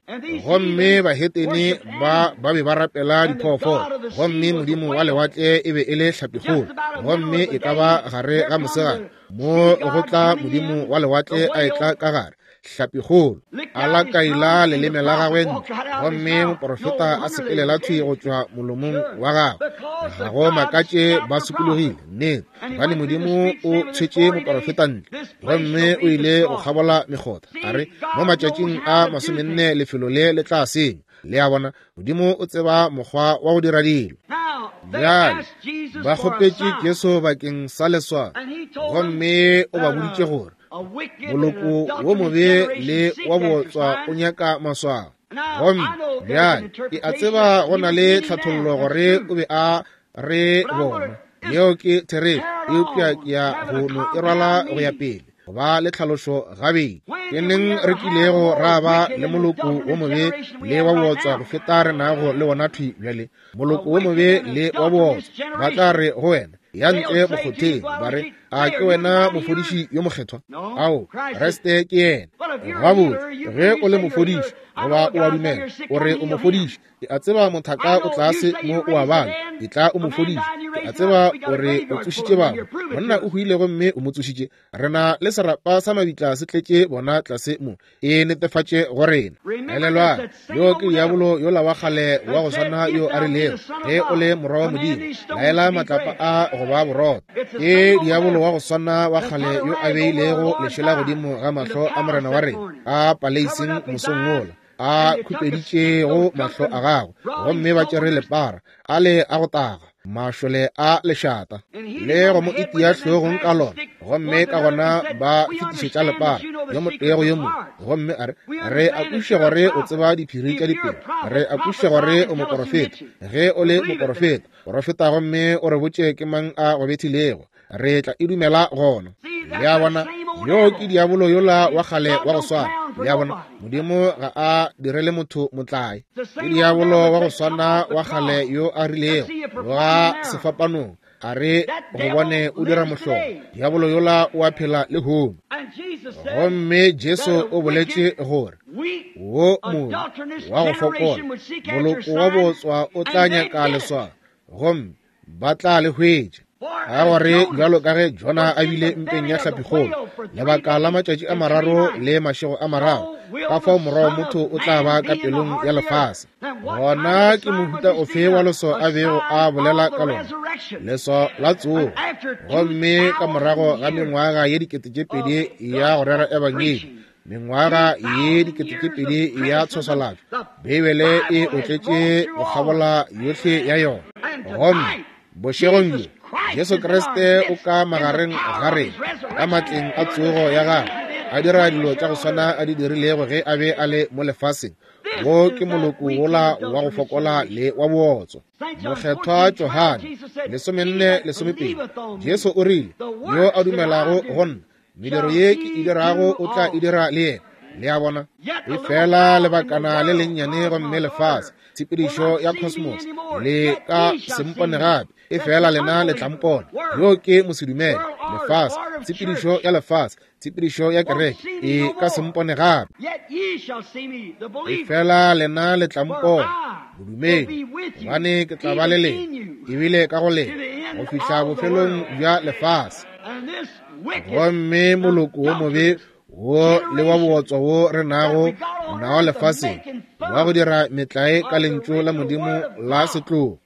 Gomme bahetene ba ba be ba rapela diphoofolo, gomme modimo wa lewatle e be e le hlapikgolo. Gomme e ka ba gare ga mosegare mo go tla modimo wa lewatle a etla ka gare hlapikgolo, a lakaila leleme la gagwe ntle, gomme moprofeta a sepelela thwi go tšwa molomong wa gagwe. Ga go makatše ba sokologile, nnete, gobane Modimo o tshwetše moprofeta ntle, gomme o ile go kgabola mekgotha. A re, mo matšatšing a masomenne lefelo le le tla senywa. Le a bona, Modimo o tseba mokgwa wa go dira dilo. Bjale ba kgopetše Jesu bakeng sa leswao, gomme o ba boditše gore moloko wo mobe le wa bootswa o nyaka maswao. Gomme bjale ke a tseba go na le tlhathollo gore o be a re bona, yeo ke therešo, eupša ke ya go no e rwala go ya pele go ba le tlhalošo gabedi. Ke neng re kilego ra ba le moloko wo mobe le wa bootswa go feta re nago le wona thwi bjale? Moloko wo mobe le wa bootswa ba tla re go wena, ya ntle mokgotheng, ba re A ke wena mofodiši yo mokgethwa? Ao, Kriste ke yena. Gabotse, ge o le mofodiši, goba o a dumela o re o mofodiši, ke a tseba mothaka o tlase mo o a bala, e tla o mofodiši. Ke a tseba o re o tsošitše bangwe, monna o hwile gomme o mo tsošitše. Re na le serapa sa mabitla se tletše bona tlase mo, e netefatše go rena. Elelwang, yo ke diabolo yola wa kgale wa go swana yo a rilego, ge o le morwa wa Modimo, laela matlapa a go ba borotho. Ke diabolo wa go swana wa kgale yo a beilego lešela godimo ga mahlo a morena wa rena a paleiseng mosong wola, a khupeditšego mahlo a gagwe, gomme ba tšere lepara a le a go taga, mašole a lešata, le go mo itia hlogong ka lona, gomme ka gona ba fetišetša lepara yo motee go yo mongwe, gomme a re, re a kwešiša gore o tseba diphiri tša dipelo, re a kwešiša gore o moporofeta. Ge o le moporofeta, porofeta gomme o re botše ke mang a go bethilego, re tla e dumela gona. Le a bona, yo ke diabolo yola wa kgale wa go swana. Le a bona, Modimo ga a direle motho motlae. Ke diabolo wa go swana wa kgale yo a rilego ga sefapanong, a re go bone o dira mohlolo. Diabolo yola o a phela lehono. Gomme Jesu o boletše gore wo mobe wa go fokola, moloko wa botswa o tla nyaka leswao, gomme ba tla le hwetša. Ka gore bjalo ka ge Jona a bile mpeng ya hlapikgolo lebaka la matšatši a mararo le mašego a mararo, ka fao morwa wa motho o tla ba ka pelong ya lefase. Gona ke mohuta ofe wa leswao a bego a bolela ka lona? Leswao la tsogo. Gomme ka morago ga mengwaga ye dikete tše pedi ya go rera ebangedi, mengwaga ye dikete tše pedi ya tshwaswalatšo, Beibele e otletše go kgabola yohle ya yona. Gomme bošegong bjo Jesu Kriste o ka magareng ga rena ka matleng a tsogo ya gagwe, a dira dilo tša go swana a di dirilego ge a be a le mo lefaseng. Wo ke moloko wola wa go fokola le wa bootswa. Mokgethwa Johane lesomenne lesomepedi, Jesu o rile, yo a dumelago go nna, mediro ye ke e dirago o tla e dira le yena. Le a bona, e fela lebakana le lennyane gomme lefase, tshepedišo ya cosmos, le ka sempone gape, e fela lena le tlampone. Yo ke mosedumele. Lefase, tshepedišo ya lefase, tshepedišo ya kereke, e ka sempone gape, e fela lena le tlampone, bodumedi, gobane ke tla ba le lena, ebile ka go lena, go fihla bofelong bja lefase. Gomme moloko wo mobe wo le wa bootswa wo re nago nao lefaseng, wa go dira metlae ka lentšu la Modimo la setlogo,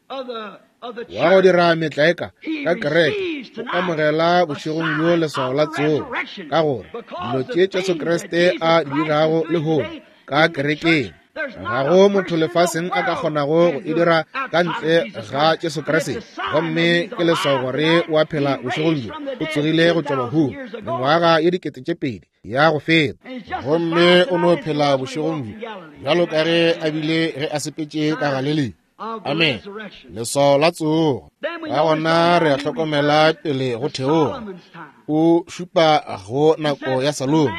wa go dira metlae ka ka kereke, o amogela bošegong bjo leswao la tsogo, ka gore dilo tše Jesu Kriste a di dirago lehono ka kerekeng, ga go motho lefaseng a ka kgonago go e dira ka ntle ga Jesu Kriste. Gomme ke leswao gore o a phela bošegong bjo, o tsogile go tšwa bahung mengwaga ye dikete tše pedi ya go feta, gomme o no phela bošegong bjo bjalo ka ge a bile ge a sepetše ka Galilea. Amen. Leswao la tsogo. Ka gona re a hlokomela pele go theoga, o šupa go nako ya Salomo.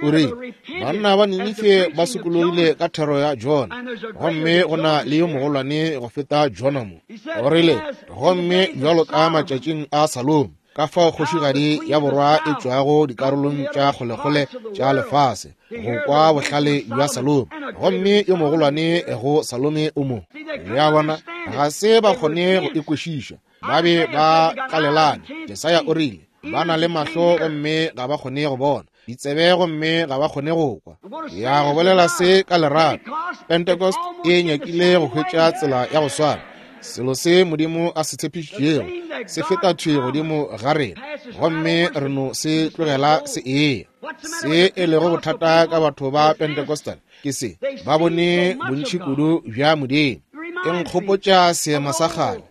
O rile, banna ba Ninife ba sokologile ka thero ya Jona, gomme go na le yo mogolwane go feta Jona mo. O rile, gomme bjalo ka matšatšing a Salomo, ka fao kgošigadi ya borwa e tšwago dikarolong tša kgolekgole tša lefase go kwa bohlale bja Salome, gomme yo mogolwane go Salome o mo. Le a bona, ga se ba kgone go e kwešiša, ba be ba tlalelane. Jesaya o rile, ba na le mahlo gomme ga ba kgone go bona, ditsebe gomme ga ba kgone go kwa. Ya go bolela se ka lerato, Pentecost e nyakile go hwetša tsela ya go swana. Selo se Modimo a se tshepišitšego se feta thwi godimo ga rena, gomme re no se tlogela se eya. Se e lego bothata ka batho ba Pentecostal ke se, ba bone bontši kudu bja Modimo. E nkgopotša seema sa kgale,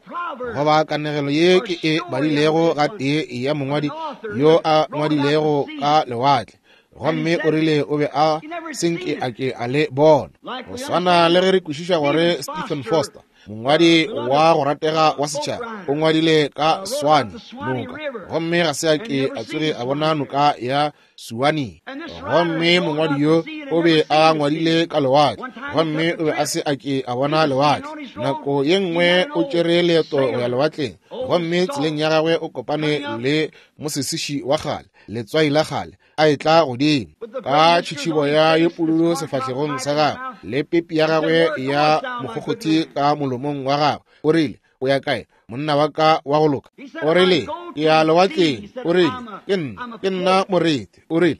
goba kanegelo ye ke e badilego gatee ya mongwadi yo a ngwadilego ka lewatle, gomme o rile o be a senke a ke a le bona. Go swana le ge re kwešiša gore Stephen Foster, mongwadi wa go ratega wa setšhaba, o ngwadile ka Swane noka, gomme ga se a ke a tsoge a bona noka ya Suwani. Gomme mongwadi yo o be a ngwadile ka lewatle, gomme o be a se a ke a bona lewatle. Nako ye nngwe o tšere leeto go ya lewatleng, Gomme tseleng ya gagwe o kopane le mosesiši wa kgale, letswai la kgale, a etla godimo ka tšhitšhibo ya ye pududu sefahlegong sa gagwe le pepi ya gagwe ya mokgokgothi ka molomong wa gagwe. O rile, o ya kae, monna wa ka wa go loka? O rile, ke ya lewatleng. O rile, ke nna, ke nna moreti. O rile,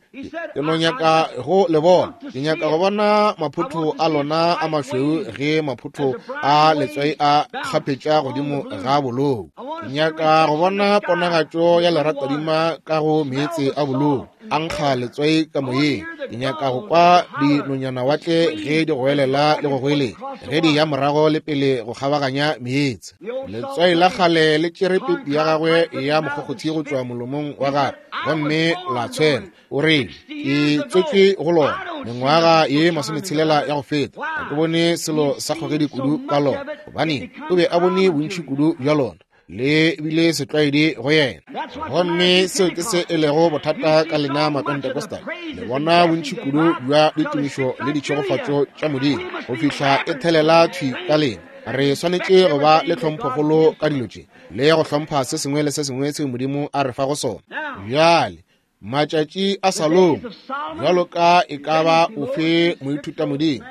ke no nyaka go le bona, ke nyaka go bona maphotho a lona a mašweu ge maphotho a letswai a kgapetša godimo ga bolou. Ke nyaka go bona ponagatšo ya leratadima ka go meetse a bolou, a nkga letswai ka moyeng. Ke nyaka go kwa dinonyanawatle ge di goelela le go goeletša ge di ya morago le pele go kgabaganya meetse. Letswai la kgale le tšere pepi ya gagwe ya mokgokgothi go tšwa molomong wa gagwe gomme la tshwela. O rile, ke tswetšwe go lona mengwaga ye masometshelela ya go feta, ga ke bone selo sa kgogedi kudu ka lona, gobane o be a bone bontši kudu bja lona, le bile setlwaedi go yena. Gomme seo ke se e lego bothata ka lena Mapentecostal, le bona bontši kudu bja ditumišo le ditšhegofatšo tša Modimo go fihla e thelela thwi ka lena. Re swanetše go ba le tlhomphokgolo ka dilo tše le go hlompha se sengwe le se sengwe seo Modimo a re fago sona. Bjale matšatši a Salomo, bjalo ka e ka ba ofe moithutamodimo,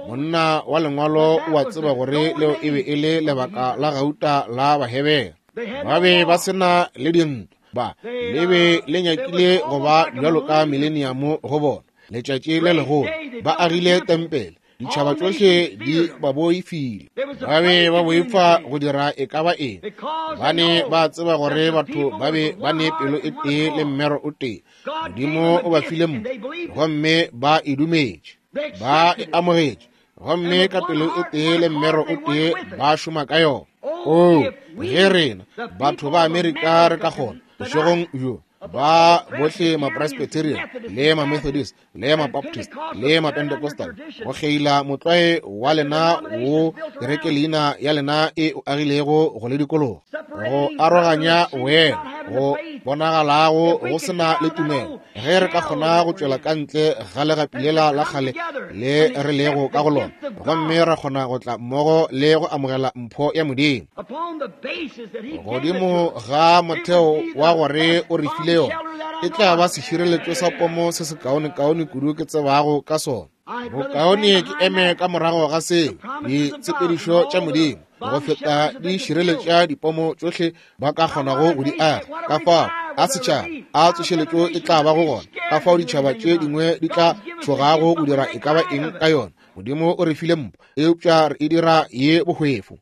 monna wa lengwalo o a tseba gore leo e be e le lebaka la gauta la Bahebere. Ba be ba se na le dintwa, ba le be le nyakile go ba bjalo ka mileniamo go bona. Letšatši le legolo ba agile tempele, ditšhaba tšohle di ba boifile. Ba be ba boifa go dira e ka ba eng, gobane ba tseba gore batho ba be ba ne pelo e tee le mmero o tee. Modimo o ba file mpho gomme ba e dumetše, ba e amogetše, gomme ka pelo e tee le mmero o tee ba šoma ka yona. Oo, ge rena batho ba Amerika re ka kgona bošegong bjo, ba bohle ma-Presbyterian le ma-Methodist le ma-Baptist le ma-Pentecostal, go kgeila motlwae wa lena wo kereke leina ya lena e o agilego go le dikologa, go aroganya wena go bonagalago go se na le tumelo. Ge re ka kgona go tšwela ka ntle ga legapi lela la kgale le re lego ka go lona, gomme ra kgona go tla mmogo le go amogela mpho ya Modimo godimo ga motheo wa gore o re file yona, e tla ba sešireletšo sa pomo se sekaonekaone kudu ke tsebago ka sona. Bokaone ke eme ka morago ga seo, ditshepedišo tša Modimo go feta di šireletša dipomo tšohle ba ka kgonago go di aga. Ka fao a setšhaba a tsošeletšo e tla ba go gona, ka fao ditšhaba tše dingwe di tla tšhogago go dira e ka ba eng ka yona. Modimo o re file mpho, eupša re e dira ye bohwefo.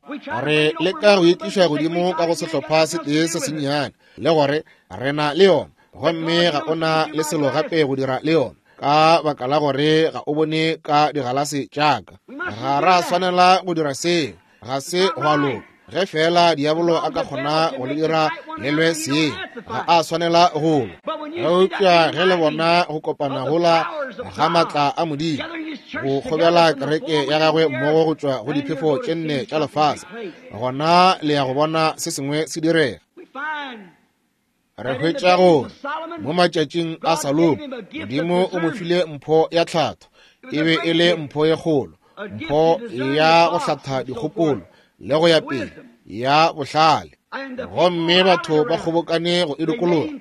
Re leka go e tliša godimo ka go sehlopha se tee se sennyane, le gore re na le yona, gomme ga o na le selo gape go dira le yona, ka baka la gore ga o bone ka digalase tša ka. Ga ra swanela go dira seo, ga se gwa loka. Ge fela diabolo a ka kgona go le dira le lwe seo, ga a swanela go lwa. Eupša ge le bona go kopana gola ga maatla a Modimo go kgobela kereke ya gagwe mmogo go tšwa go diphefo tše nne tša lefase, gona le ya go bona se sengwe se direga. Re hwetša gore mo matšatšing a Salomo, Modimo o mo file mpho ya tlhatho. E be e le mpho ye kgolo, mpho ya go hlatha dikgopolo le go ya pele, ya bohlale. Gomme batho ba kgobokane go e dikologa,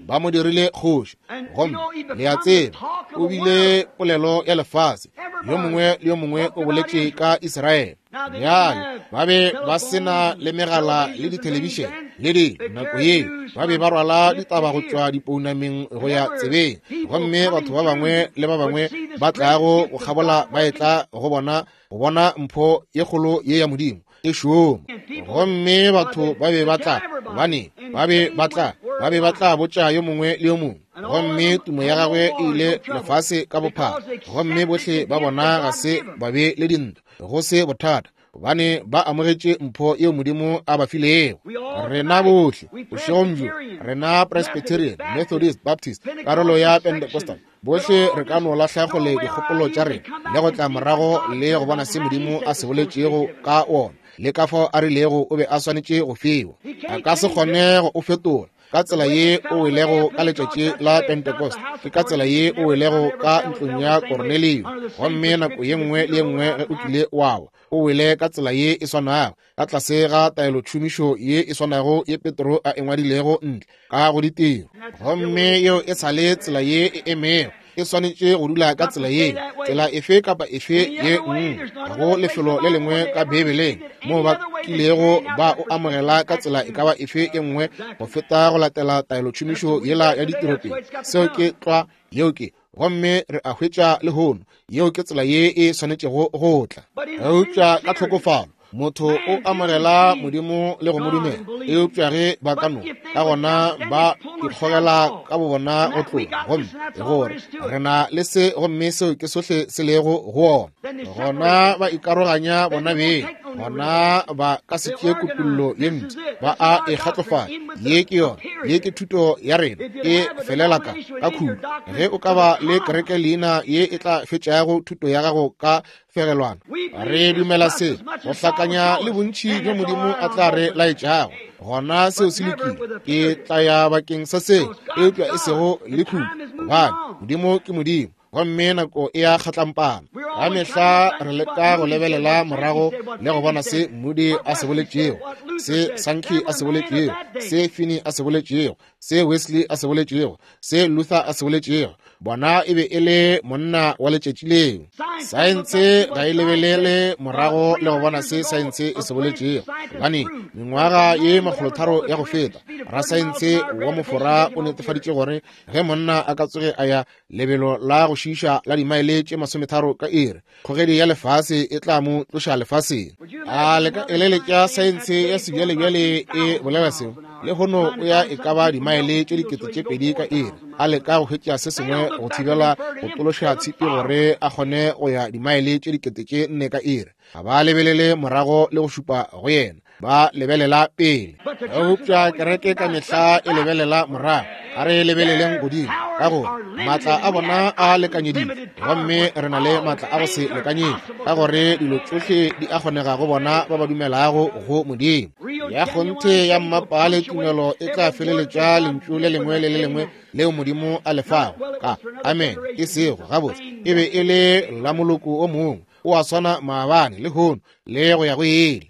ba mo dirile kgoši. Gomme le a tseba, o bile polelo ya lefase, yo mongwe le yo mongwe o boletše ka Israele. Bjale ba be ba se na le megala le dithelebišene le dilo nako yeo, ba be ba rwala ditaba go tšwa dipounameng go ya tsebeng, gomme batho ba bangwe le ba bangwe ba tlago go kgabola ba etla go bona go bona mpho ye kgolo ye ya Modimo e šoma. Gomme batho ba be ba tla, gobane ba be ba tla, ba be ba tla botša yo mongwe le yo mongwe, gomme tumo ya gagwe e ile lefase ka bophara. Gomme bohle ba bona ga se ba be le dintwa, go se bothata, gobane ba amogetše mpho yeo Modimo a ba filego. Rena bohle bošegong bjo, rena Presbyterian, Methodist, Baptist, karolo ya Pentecostal, bohle re ka no lahla kgole dikgopolo tša rena le go tla morago le go bona se Modimo a se boletšego ka wona, le ka fao a rilego o be a swanetše go fiwa. A ka se kgone go o fetola. Ka tsela ye o welego ka letšatši la Pentecost, ke ka tsela ye o welego ka ntlong ya Kornelio. Gomme nako ye nngwe le ye nngwe ge o kile wa wa, o wele ka tsela ye e swanago, ka tlase ga taelotšhomišo ye e swanago ye Petro a e ngwadilego ntle ka go ditiro. Gomme yeo e sa le tsela ye e emego. E swanetše go dula ka tsela ye, tsela efe kapa efe ye nngwe. Ga go lefelo le lengwe ka Beibeleng moo ba kilego ba o amogela ka tsela e ka ba efe e nngwe go feta go latela taelotšhomišo yela ya ditiro pele. Seo ke tlwa, yeo ke. Gomme re a hwetša lehono, yeo ke tsela ye e swanetšego go tla. Eupša ka tlhokofalo motho o amogela Modimo le go mo dumela, eupša ge ba ka no ka gona ba ikgogela ka bobona go tloga, gomme gore re na le se, gomme seo ke sohle se lego go ona. Gona ba ikaroganya bona beng, gona ba ka se tšee kutullo ye mpsha, ba a e kgatlofatša. Ye ke yona, ye ke thuto ya rena, e felela ka ka khudu. Ge o ka ba le kereke leina ye e tla fetšago thuto ya gago ka fegelwana, re dumela se go hlakanya le bontši bjo Modimo a tla re laetšago, gona seo se lokile. Ke tla ya bakeng sa seo, eupša e sego le khudu, gobane Modimo ke Modimo, gomme nako e a kgatlampana. Ka mehla re leka go lebelela morago le go bona se Moody a se boletšego, se Sankey a se boletšego, se Finney a se boletšego, se Wesley a se boletšego, se Luther a se boletšego. Bona e be e le monna wa letšatši leo. Saense ga e lebelele morago le go bona se saense e se boletšego, gobane mengwaga ye makgolotharo ya go feta, rasaense wa Mofora o netefaditše gore ge monna a ka tsoge a ya lebelo la go šiiša la dimaele tše masometharo ka iri, kgogedi ya lefase e tla mo tloša lefaseng. A le ka eleletša saense ya sebjalebjale e bolela seo? Lehono o ya e ka ba dimaele tše dikete tše pedi ka iri, a leka go hwetša se sengwe go thibela go tološa tshipi gore a kgone go ya dimaele tše dikete tše nne ka iri. Ga ba lebelele morago le go šupa go yena, ba lebelela pele. Eupša kereke ka mehla e lebelela morago. A re lebeleleng godimo, ka gore maatla a bona a lekanyeditšwe, gomme re na le maatla a go se lekanyetšwe, ka gore dilo tšohle di a kgonega go bona ba ba dumelago go Modimo. Ya kgonthe ya mmapale tumelo e tla feleletša lentšu le lengwe le le lengwe leo Modimo a le fago ka amen, e sego gabotse e be e le la moloko o mongwe, o a swana maabane lehono le go ya go ile.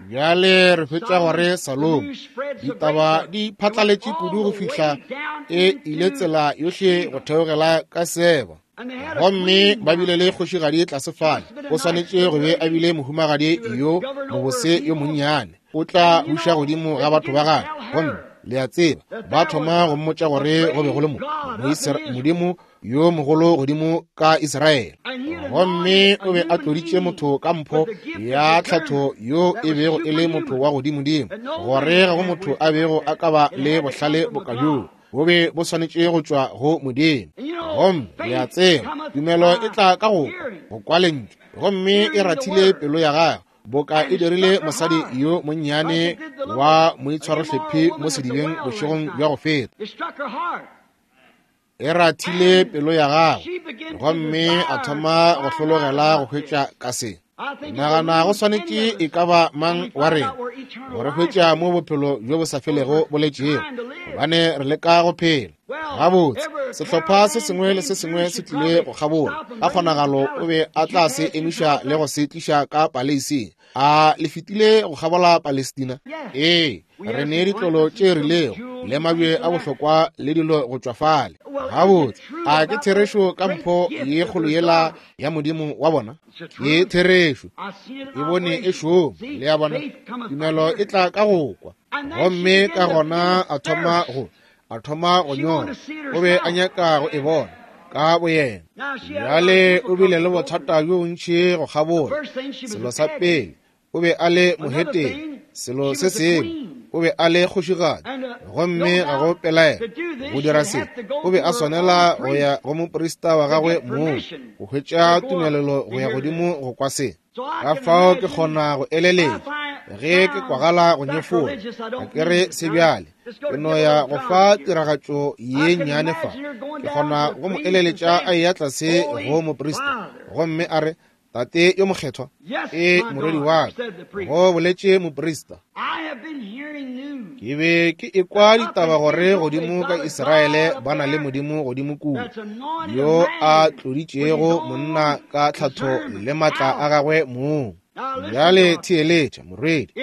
Bjale re hwetša gore Salomo ditaba di phatlaletše kudu go fihla e ile tsela yohle go theogela ka Seba. Gomme ba bile le kgošigadi tlase fale, o swanetše go be a bile mohumagadi yo mobose yo monnyane, o tla buša godimo ga batho ba gagwe. Gomme le a tseba, ba thoma go mmotša gore go be go le mo Modimo yo mogolo godimo ka Israele, gomme o be a tloditše motho ka mpho ya tlhatho yo e bego e le motho wa godimodimo, gore ga go motho a bego a ka ba le bohlale boka bjoo, bo be bo swanetše go tšwa go Modimo. Gomme le a tseba, tumelo e tla ka go kwa, go kwa lentšu, gomme e rathile pelo ya gagwe boka e dirile mosadi yo monnyane wa moitshwarohlephi mo sedibeng bošegong bja go feta. E rathile pelo ya gagwe, gomme a thoma go hlologela go hwetša ka se. Nagana go swanetše e ka ba mang wa rena gore hwetša mo bophelo bjo bo sa felego bo letšego, gobane re leka go phela gabotse. Sehlopha se sengwe le se sengwe se tlile go kgabola, ka kgonagalo o be a tla se emiša le go se tliša ka paleising. A le fetile go kgabola Palestina? Ee, re ne ditlolo tše rilego le mabje a bohlokwa le dilo go tšwa fale. Gabotse, a ke therešo ka mpho ye kgolo yela ya Modimo wa bona? Ke therešo, e bone e šoma. Le a bona, tumelo e tla ka go kwa. Gomme ka gona a thoma go a thoma go nyora, o be a nyaka go e bona ka boyena. Bjale o bile le bothata bjo bontši go kgabola. Selo sa pele, o be a le mohetene. Selo se sengwe, o be a le kgošigadi, gomme ga go pelaelo go dira se, o be a swanela go ya go moprista wa gagwe mong go hwetša tumelelo go ya godimo go kwa se. Ka fao ke kgona go eleletša ge ke kwagala go nyefola, ga ke re se bjale, ke no ya go fa tiragatšo ye nnyane fa. Ke kgona go mo eleletša a eya tlase go moprista, gomme a re, Tate yo mokgethwa? Ee, morwedi wa ka, go boletše moprista. Ke be ke ekwa ditaba gore godimo ka Israele ba na le Modimo godimo kua, yo a tloditšego monna ka tlhatho le matla a gagwe mong. Bjale theeletša, morwedi,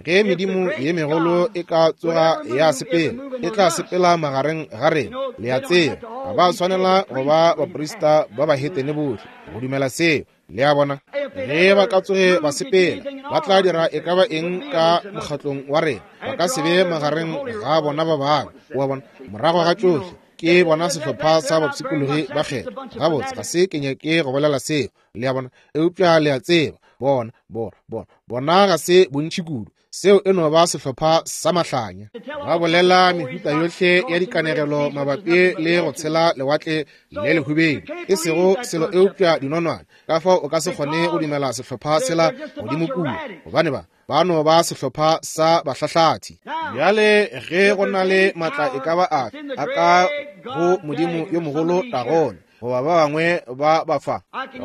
ge medimo ye megolo e ka tsoga ya sepela, e tla sepela magareng ga rena. Le a tseba, ga ba swanela go ba baprista ba bahetene bohle go dumela seo. Le a bona, ge ba ka tsoge ba sepela, ba tla dira e ka ba eng ka mokgatlong wa rena. Ba ka se be magareng ga bona ba bangwe. Wa bona, morago ga tšohle ke bona sehlopha sa bapshikologi ba kgetho. Gabotse, ga se ke nyake go bolela seo, le a bona, eupša le a tseba, bona, bona, bona, bona ga se bontši kudu. Seo e no ba sehlopha sa mahlanya. Ba bolela mehuta yohle ya dikanegelo mabapi le go tshela lewatle le lehubedi, e sego selo eupša dinonwane. Ka fao o ka se kgone go dumela sehlopha sela godimo kua, gobane ba ba no ba sehlopha sa bahlahlathi. Bjale ge go na le matla e ka ba afe a ka go Modimo yo mogolo Dagone, goba ba bangwe ba ba fa,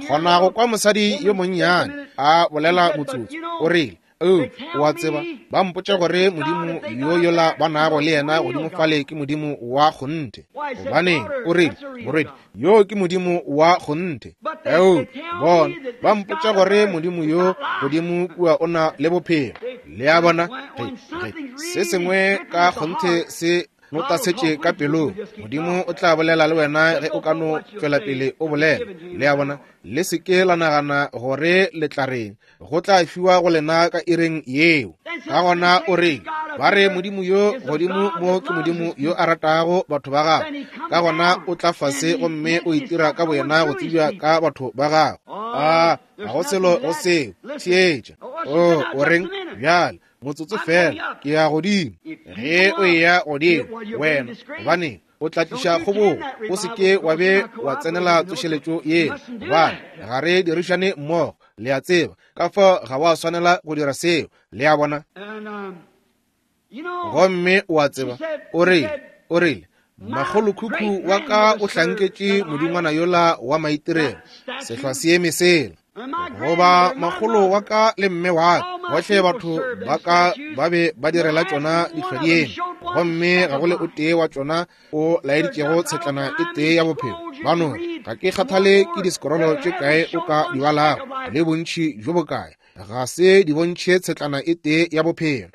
kgona go kwa mosadi yo monnyane a bolela motsotso, o rile, o wa tseba, ba mpotša gore Modimo yo yola ba nago le yena godimo fale ke Modimo wa kgonthe. Gobaneng, o rile, morwedi, yo ke Modimo wa kgonthe. Eo, bona, ba mpotša gore Modimo yo godimo kua o na le bophelo. Le a bona, ge, ge se sengwe ka kgonthe se notasetše ka pelong, Modimo o tla bolela le wena ge o ka no tšwela pele o bolela. Le a bona, le se ke la nagana gore le tla reng, go tla fiwa go lena ka iring yeo. Ka gona o reng, ba re Modimo yo godimo mo ke Modimo yo a ratago batho ba gagwe. Ka gona o tla fase gomme o itira ka boyena go tsebja ka batho ba gagwe. A ga go selo go seo. Theetša. O o reng bjale, motsotso fela, ke ya godimo. Ge o eya godimo wena, gobaneng o tla tliša kgobogo? O se ke wa be wa tsenela tsošeletšo yeo, gobane ga re dirišane mmogo. Le a tseba, ka fao ga wa swanela go dira seo. Le a bona. Gomme o a tseba, o rile, o rile, makgolokhukhu wa ka o hlanketše modingwana yola wa maitirelo, sehlwa se eme sela. Goba makgolo wa ka le mme wa ka, bohle batho ba ka ba be ba direla tšona dihlwadieme, gomme ga go le o tee wa tšona o laeditšego tshetlana e tee ya bophelo. Ba no, ga ke kgathale ke disekorolo tše kae o ka di balago le bontši bjo bokae, ga se di bontšhe tshetlana e tee ya bophelo.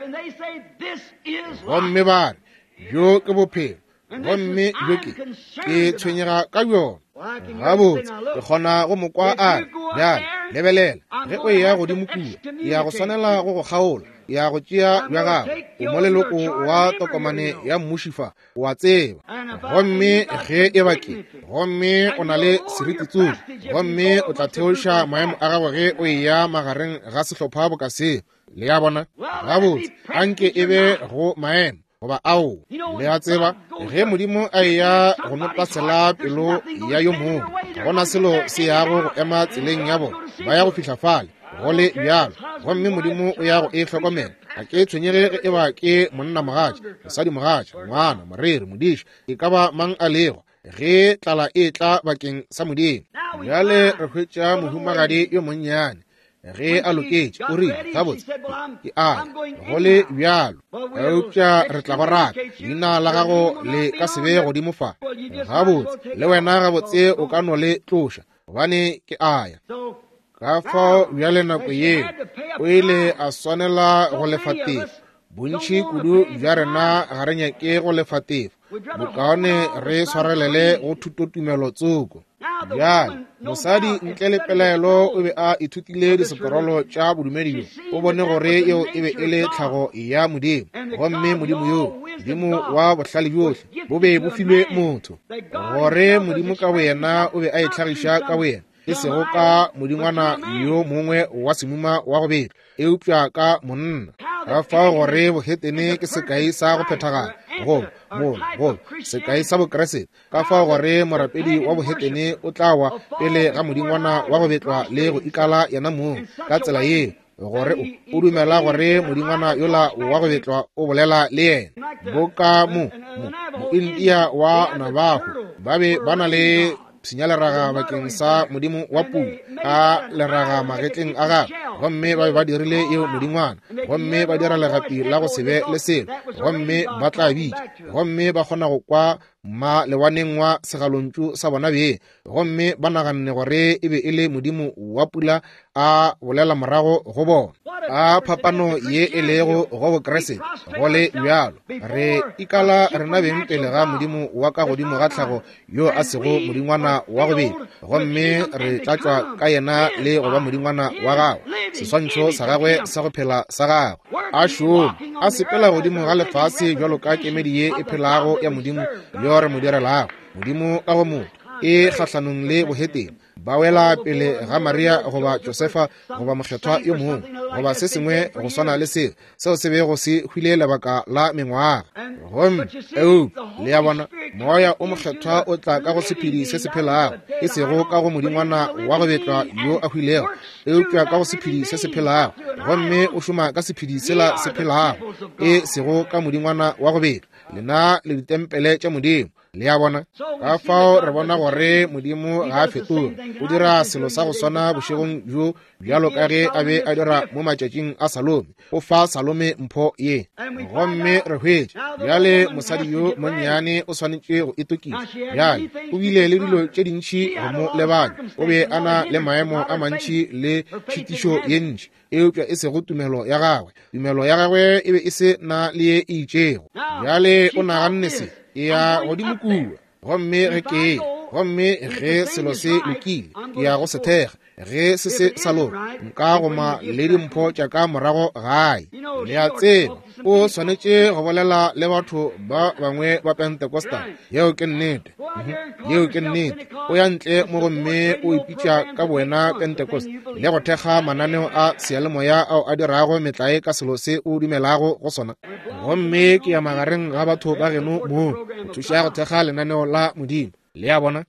Gomme ba re, bjo ke bophelo, gomme bjo ke ke tshwenyega ka bjona. Gabotse, ke kgona go mo kwa a re, bjale lebelela, ge o eya godimo kua, ke ya go swanela go go kgaola, ke ya go tšea bja gago, o mo leloko wa tokomane ya mmuši fa, o a tseba. Gomme ge e ba ke, gomme o na le seriti-tsoši, gomme o tla theoša maemo a gago ge o eya magareng ga sehlopha boka seo. Le a bona. Gabotse, anke e be go maemo goba ao. Le a tseba, ge Modimo a eya go notasela pelo ya yo mongwe, ga gona selo se yago go ema tseleng ya bona, ba ya go fihla fale go le bjalo, gomme Modimo o ya go e hlokomela. Ga ke tshwenyege ge e ba ke monna mogatša, mosadi mogatša, ngwana, moreri, modiši, e ka ba mang a lego, ge tlala e tla bakeng sa Modimo. Bjale re hwetša mohumagadi yo monnyane ge a loketše, o rile, gabotse, ke a go le bjalo, eupša re tla go raka, leina la gago le ka se be godimo fa. Gabotse, le wena gabotse o ka no le tloša, gobane ke a ya. Ka fao bjale nako yeo o ile a swanela go lefa tefo. Bontši kudu bja rena ga re nyake go lefa tefo, bokaone re swarelele go thutotumelo tsoko. Bjale mosadi ntle le pelaelo o be a ithutile disekorolo tša bodumedi bjo, o bone gore yeo e be e le tlhago ya Modimo, gomme Modimo yo, Modimo wa bohlale bjohle, bo be bo filwe motho, gore Modimo ka boyena o be a itlhagiša ka boyena, e sego ka modingwana yo mongwe wa semuma wa go betla, eupša ka monna. Ka fao gore bohetene ke sekai sa go phethagala, goba mola goba sekai sa bokeresete. Ka fao gore morapedi wa bohetene o tla wa pele ga modingwana wa go betlwa le go ikala yena mong ka tsela yeo, gore o o dumela gore modingwana yola wa go betlwa o bolela le yena. Boka mo mo Moindia wa Navajo ba be ba na le pshinya leraga bakeng sa modimo wa pula ka leraga magetleng a gagwe, gomme ba be ba dirile yeo modingwana, gomme ba dira legapi la go se be le selo, gomme ba tla bitša, gomme ba kgona go kwa ma lewaneng wa segalontšu sa bona beng, gomme ba naganne gore e be e le modimo wa pula a bolela morago go bona. A phapano ye e lego go Bokriste go le bjalo, re ikala rena beng pele ga modimo wa ka godimo ga tlhago yo a sego modingwana wa go beta, gomme re tlatšwa ka yena le go ba modingwana wa gagwe, seswantšho sa gagwe sa go phela sa gagwe. A šoma a sepela godimo ga lefase bjalo ka kemedi ye e phelago ya modimo yo re mo direlago, modimo ka go motho, e kgahlanong le bohetene. Ba wela pele ga Maria goba Josefa goba mokgethwa yo mongwe goba se sengwe go swana le seo, seo se bego se hwile lebaka la mengwaga. Gomme eupša le ya bona, moya o mokgethwa o tla ka go sephedi se se phelago, e sego ka go modingwana wa go betlwa yo a hwilego, eupša ka go sephedi se se phelago, gomme o šoma ka sephedi sela se phelago, e sego ka modingwana wa go betlwa. Lena le ditempele tša Modimo. Le a bona? Ka fao re bona gore Modimo ga a fetoge, o dira selo sa go swana bošegong bjo bjalo ka ge a be a dira mo matšatšing a Salome. O fa Salome mpho ye, gomme re hwetša bjale mosadi yo monnyane o swanetše go itokiša. Bjale o bile le dilo tše dintši go mo lebanya, o be a na le maemo a mantši le tšhitišo ye ntši, eupša e sego tumelo ya gagwe. Tumelo ya gagwe e be e se na le ye e itšego. Bjale o naganne se, ke ya godimo kua, gomme ge ke gomme ge selo se lokile, ke ya go se thekga. Ge se se sa loka, nka goma le dimpho tša ka morago gae. Le a tseba, o swanetše go bolela le batho ba bangwe ba Pentecostal. Yeo ke nnete. Yeo ke nnete. O ya ntle mo gomme o ipitša ka bowena Pentecost le go thekga mananeo a seyalemoya ao a dirago metlae ka selo se o dumelago go sona. Gomme ke ya magareng ga batho ba geno moo go thuša go thekga lenaneo la Modimo. Le a bona?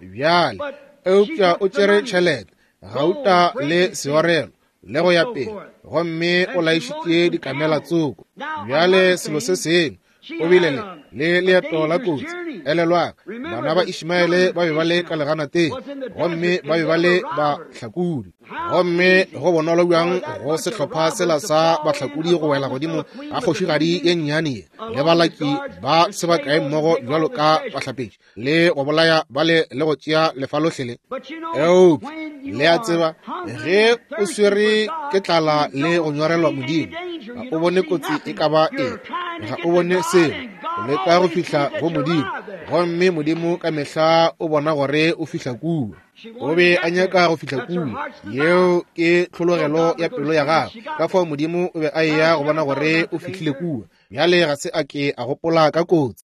Bjale, eupša o tšere tšhelete, gauta le seorelo le go ya pele, gomme o laišitše dikamela tsoko. Bjale selo se sengwe, o bile le le leeto la kotsi. Elelwang, bana ba Ishmaele ba be ba le ka leganateng, gomme ba be ba le bahlakodi. Gomme go bonolo bjang go sehlopha sela sa bahlakodi go wela godimo ga kgošigadi ye nnyane ye le balaki ba se bakae mmogo bjalo ka bahlapetši, le go bolaya bale le go tšea lefa lohle le. Eupša le a tseba, ge o swere ke tlala le go nyorelwa Modimo, ga o bone kotsi e ka ba eng, ga o bone selo, o leka go fihla go Modimo, gomme Modimo ka mehla o bona gore o fihla kua. O be a nyaka go fihla kua. Yeo ke tlhologelo ya pelo ya gagwe. Ka fao Modimo o be a eya go bona gore o fihlile kua. Bjale ga se a ke a gopola ka kotsi.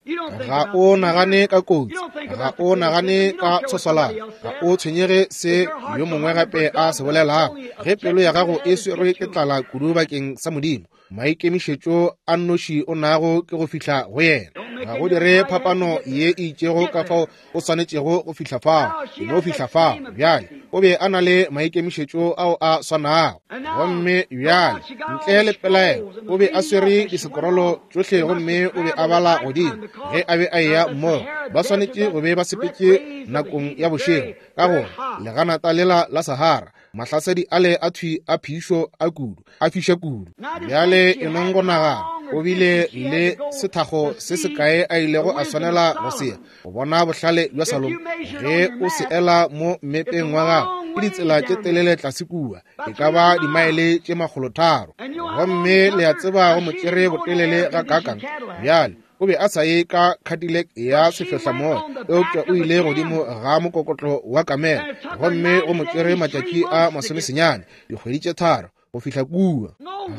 Ga o nagane ka kotsi, ga o nagane ka tshoswalano, ga o tshwenyege se yo mongwe gape a se bolelago. Ge pelo ya gago e swerwe ke tlala kudu bakeng sa Modimo, maikemišetšo a nnoši o nago ke go fihla go yena. Ga go dire phapano ye e itšego ka fao o swanetšego go fihla fao, e no fihla fao. Bjale o be a na le maikemišetšo ao a swanago, gomme bjale ntle le pelaelo o be a swere disekorolo tšohle, gomme o be a bala godimo ge a be a eya mmogo. Ba swanetše go be ba sepetše nakong ya bošego, ka gore leganata lela la Sahara, mahlasedi ale a thwi a phišo a kudu, a fiša kudu. Bjale e nong go nagana, o bile le sethago se sekae a ilego a swanela go se ya go bona bohlale bja Salomo. Ge o se ela mo mmepeng wa gago, ke ditsela tše telele tlase kua, e ka ba dimaele tše makgolotharo, gomme le a tseba go mo tšere botelele ga kakang. Bjale o be a sa ye ka Cadillac ya sefehlamoya, eupša o ile godimo ga mokokotlo wa kamela, gomme go mo tšere matšatši a masomesenyane, dikgwedi tše tharo, go fihla kua.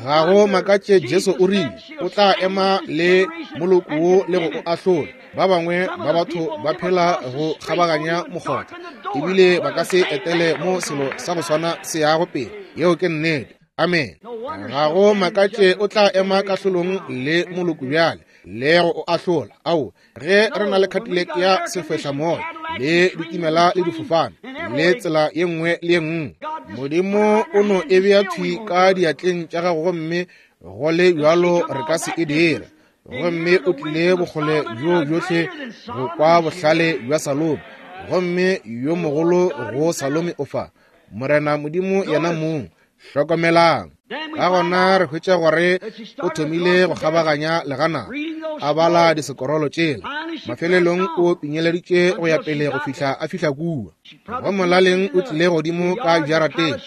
Ga go makatše Jesu o rile o tla ema le moloko wo le go o ahlola. Ba bangwe ba batho ba phela go kgabaganya mokgotha, ebile ba ka se etele mo selo sa go swana se yago pele. Yeo ke nnete. Amen. Ga go makatše o tla ema kahlolong le moloko bjale le go o ahlola. Ao, ge re na le Cadillac ya sefehlamoya le ditimela le difofane le tsela ye nngwe le ye nngwe, Modimo o no e bea thwi ka diatleng tša gago, gomme go le bjalo re ka se e dire. Gomme o tlile bokgole bjo bjohle go kwa bohlale bja Salomo, Gomme yo mogolo go Salome o fa, Morena Modimo yena mong. Hlokomelang. Ka gona re hwetša gore o thomile go kgabaganya legana, a bala disekorolo tšela. Mafelelong o pinyeleditše go ya pele go fihla a fihla kua. Go molaleng o tlile godimo ka jarateng,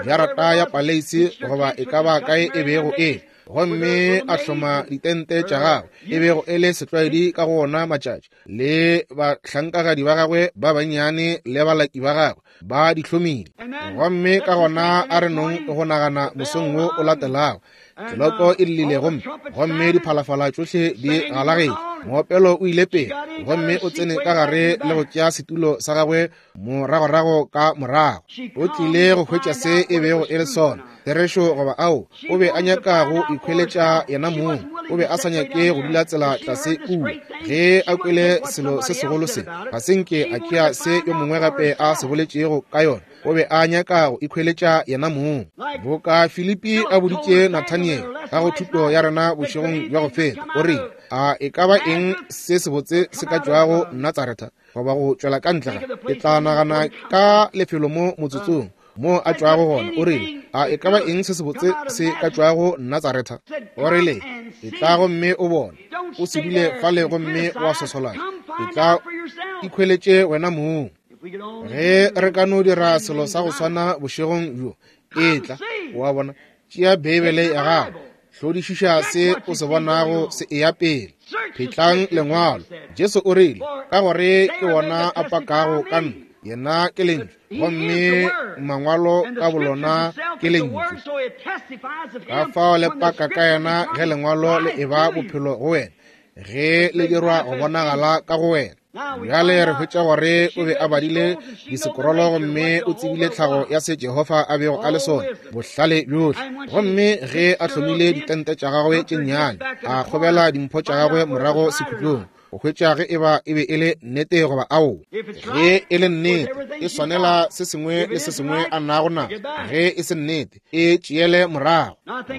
jarata ya paleisi goba e ka ba kae e bego e, gomme a hloma ditente tša gagwe, e bego e le setlwaedi ka go ona matšatši, le bahlankagadi ba gagwe ba bannyane le balaki ba gagwe ba di hlomile. Gomme ka gona a re nong go nagana mosong wo o latelago, tleloko e llile gomme gomme diphalafala tšohle di galagetše, moopelo o ile pele, gomme o tsene ka gare le go tšea setulo sa gagwe moragorago ka morago. O tlile go hwetša se e bego e le sona, therešo goba ao. O be a nyaka go ikhweletša yena mong. O be a sa nyake go dula tsela tlase kua. Ge a kwele selo se segolo se, ga se nke a tšea se yo mongwe gape a se boletšego ka yona. O be a nyaka go ikhweletša yena mong. Boka Filipi a boditše Nathaniel ka go thuto ya rena bošegong bja go feta, o rile, a e ka ba eng se sebotse se ka tšwago Natsaretha goba go tšwela ka ntle ga? Ke tla nagana ka lefelo mo motsotsong mo a tšwago gona. O rile, a e ka ba eng se sebotse se ka tšwago Natsaretha? O rile, e tla gomme o bone. O se dule fale gomme wa sosolana. E tla ikhweletše wena mong. Ge re ka no dira selo sa go swana bošegong bjo, e tla, wa bona, tšea Beibele ya gago, hlodišiša se o se bonago se eya pele. Phetlang lengwalo. Jesu o rile, ka gore ke wona a pakago ka nna, yena ke lentšu, gomme mangwalo ka bolona ke lentšu. Ka fao le paka ka yena ge lengwalo le eba bophelo go wena, ge le dirwa go bonagala ka go wena. Bjale re hwetša gore o be a badile disekorolo gomme o tsebile tlhago ya se Jehofa a bego a le sona, bohlale bjohle. Gomme ge a hlomile ditente tša gagwe tše nnyane, a kgobela dimpho tša gagwe morago sekhutlong, go hwetša ge eba e be e le nnete goba ao. Ge e le nnete, e swanela se sengwe le se sengwe a nago naso. Ge e se nnete, e tšeele morago.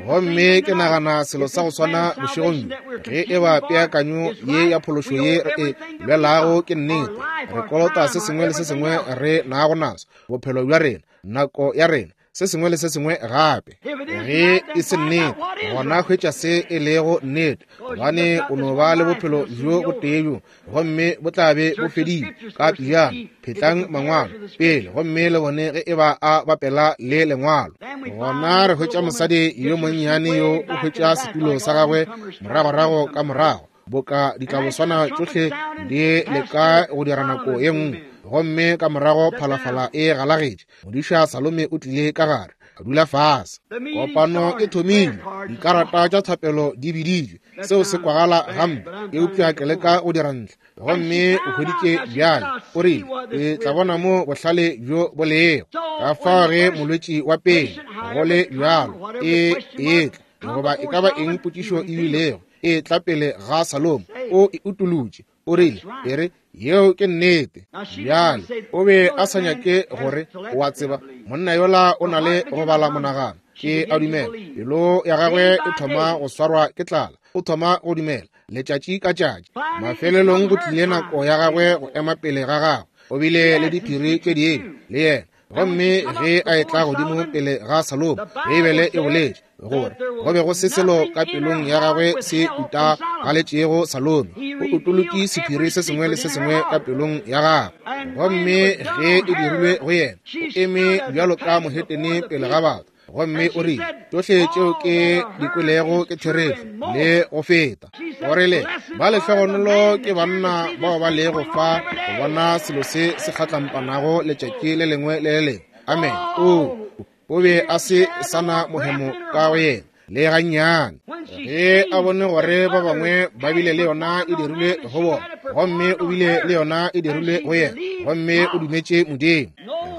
Gomme ke nagana selo sa go swana bošegong bjo. Ge eba peakanyo ye ya phološo ye re e lwelago ke nnete, re kolota se sengwe le se sengwe re nago naso, bophelo bja rena, nako ya rena, se sengwe le se sengwe gape. Ge e se nnete, gona hwetša se e lego nnete, gobane o no ba le bophelo bjo botee bjo, gomme bo tla be bo fedile ka pejana. Phetlang mangwalo pele gomme le bone ge eba a bapela le lengwalo. Gona re hwetša mosadi yo monnyane yo o hwetša setulo sa gagwe moragorago ka morago, boka ditlaboswana tšohle di leka go dira nako ye nngwe. Gomme ka morago phalafala e galagetše, modiša Salome o tlile ka gare, a dula fase. Kopano e thomile, dikarata tša thapelo di biditšwe. Seo se kwagala gampe, eupša ke leka go dira ntle. Gomme o hweditše bjale, o rile, ke tla bona mo bohlale bjo bo lego. Ka fao ge molwetši wa pele go le bjalo e etla, goba e ka ba eng potšišo e bilego, e tla pele ga Salome, o e utolotše. O rile, e re, yeo ke nnete. Bjale o be a sa nyake gore, o a tseba, monna yola o na le go bala monagano. Ke a dumela pelo ya gagwe e thoma go swarwa ke tlala, o thoma go dumela letšatši ka tšatši. Mafelelong go tlile nako ya gagwe go ema pele ga gagwe. O bile le diphiri tše dingwe le yena. Gomme ge a etla godimo pele ga Salome, Beibele e boletše gore go be go se selo ka pelong ya gagwe se utagaletšego Salome. O utolotše sephiri se sengwe le se sengwe ka pelong ya gagwe. Gomme ge e dirilwe go yena, o eme bjalo ka mohetene pele ga batho. Gomme o rile, tšohle tšeo ke di kwelego ke therešo le go feta. O rile, ba lehlogonolo ke banna bao ba lego fa go bona selo se se kgatlampanago letšatši le lengwe le le lengwe. Amen. O o be a se sana mohemo ka go yena le gannyane. Ge a bone gore ba bangwe ba bile le yona e dirilwe go bona, gomme o bile le yona e dirilwe go yena, gomme o dumetše Modimo.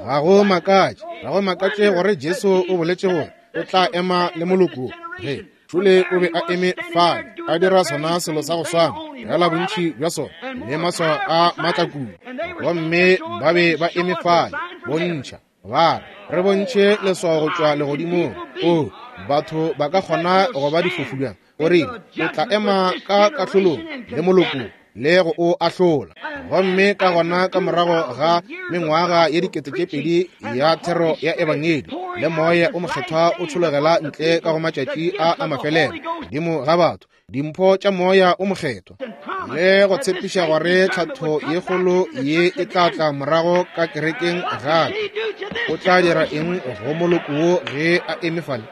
Ga go makatše, ga go makatše gore Jesu o boletše gore o tla ema le moloko. Ge Šole o be a eme fale, a dira sona selo sa go swana, fela bontši bja sona le maswao a maatla kudu. Gomme ba be ba eme fale, bontšha, ba re, re bontšhe leswao go tšwa legodimong. O, batho ba ka kgona go ba difofu bjang? O rile, o tla ema ka kahlolong le moloko le go o ahlola. Gomme ka gona ka morago ga mengwaga ye dikete tše pedi ya thero ya ebangedi le moya o mokgethwa o tšhologela ntle ka go matšatši a a mafelelo godimo ga batho, dimpho tša moya o mokgethwa, le go tshepiša gore tlhatho ye kgolo ye e tla tla morago ka kerekeng gape. O tla dira eng go moloko wo ge a eme fale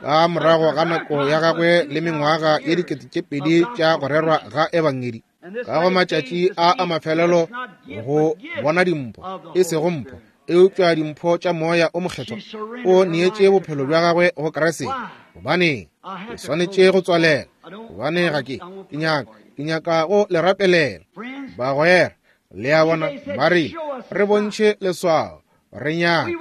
ka morago ga nako ya gagwe le mengwaga ye dikete tše pedi tša go rerwa ga ebangedi ka go matšatši a a mafelelo go bona dimpho, e sego mpho, eupša dimpho tša moya o mokgethwa? O neetše bophelo bja gagwe go Kriste. Gobaneng? Ke swanetše go tswalela, gobane ga ke ke nyaka ke nyaka go le rapelela. Bagwera, le a bona, ba re re bontšhe leswao, re nyaka.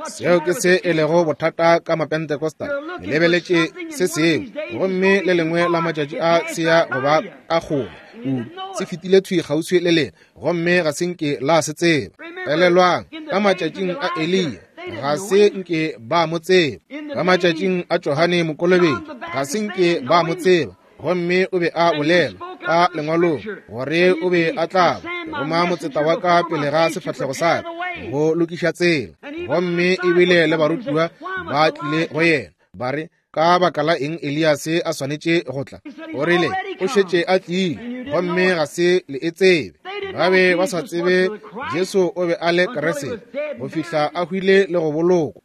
Seo ke se e lego bothata ka Mapentecostal. Le lebeletše se sengwe, gomme le lengwe la matšatši a se ya go ba ka kgole kudu, se fetile thwi kgauswi le lena, gomme ga se nke la se tseba. Elelwang, ka matšatšing a Eliya ga se nke ba mo tseba. Ka matšatšing a Johane Mokolobetši ga se nke ba mo tseba, gomme o be a bolela ka lengwalong gore o be a tla roma motseta wa ka pele ga sefahlego sa ka go lokiša tsela. Gomme ebile le barutiwa ba tlile go yena ba re, ka baka la eng Eliase a swanetše go tla? O rile, o šetše a tlile, gomme ga se le e tsebe. Ba be ba sa tsebe Jesu o be a le Kriste go fihla a hwile le go bolokwa.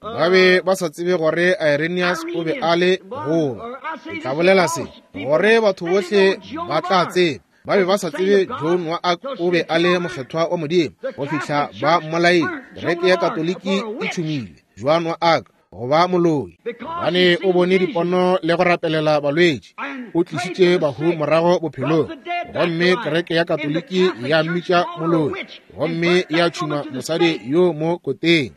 Ba be ba sa tsebe gore Irenaeus o be a le goba. Ke tla bolela se gore batho bohle ba tla tseba. Ba be ba sa tsebe Joan wa Arc o be a le mokgethwa wa Modimo go fihla ba mmolaile. Kereke ya Katoliki e tšhumile Joan wa Arc go ba moloi, gobane o bone dipono le go rapelela balwetši, o tlišitše bahu morago bophelong. Gomme kereke ya Katoliki ya mmitša moloi, gomme ya tšhuma mosadi yo mo koteng.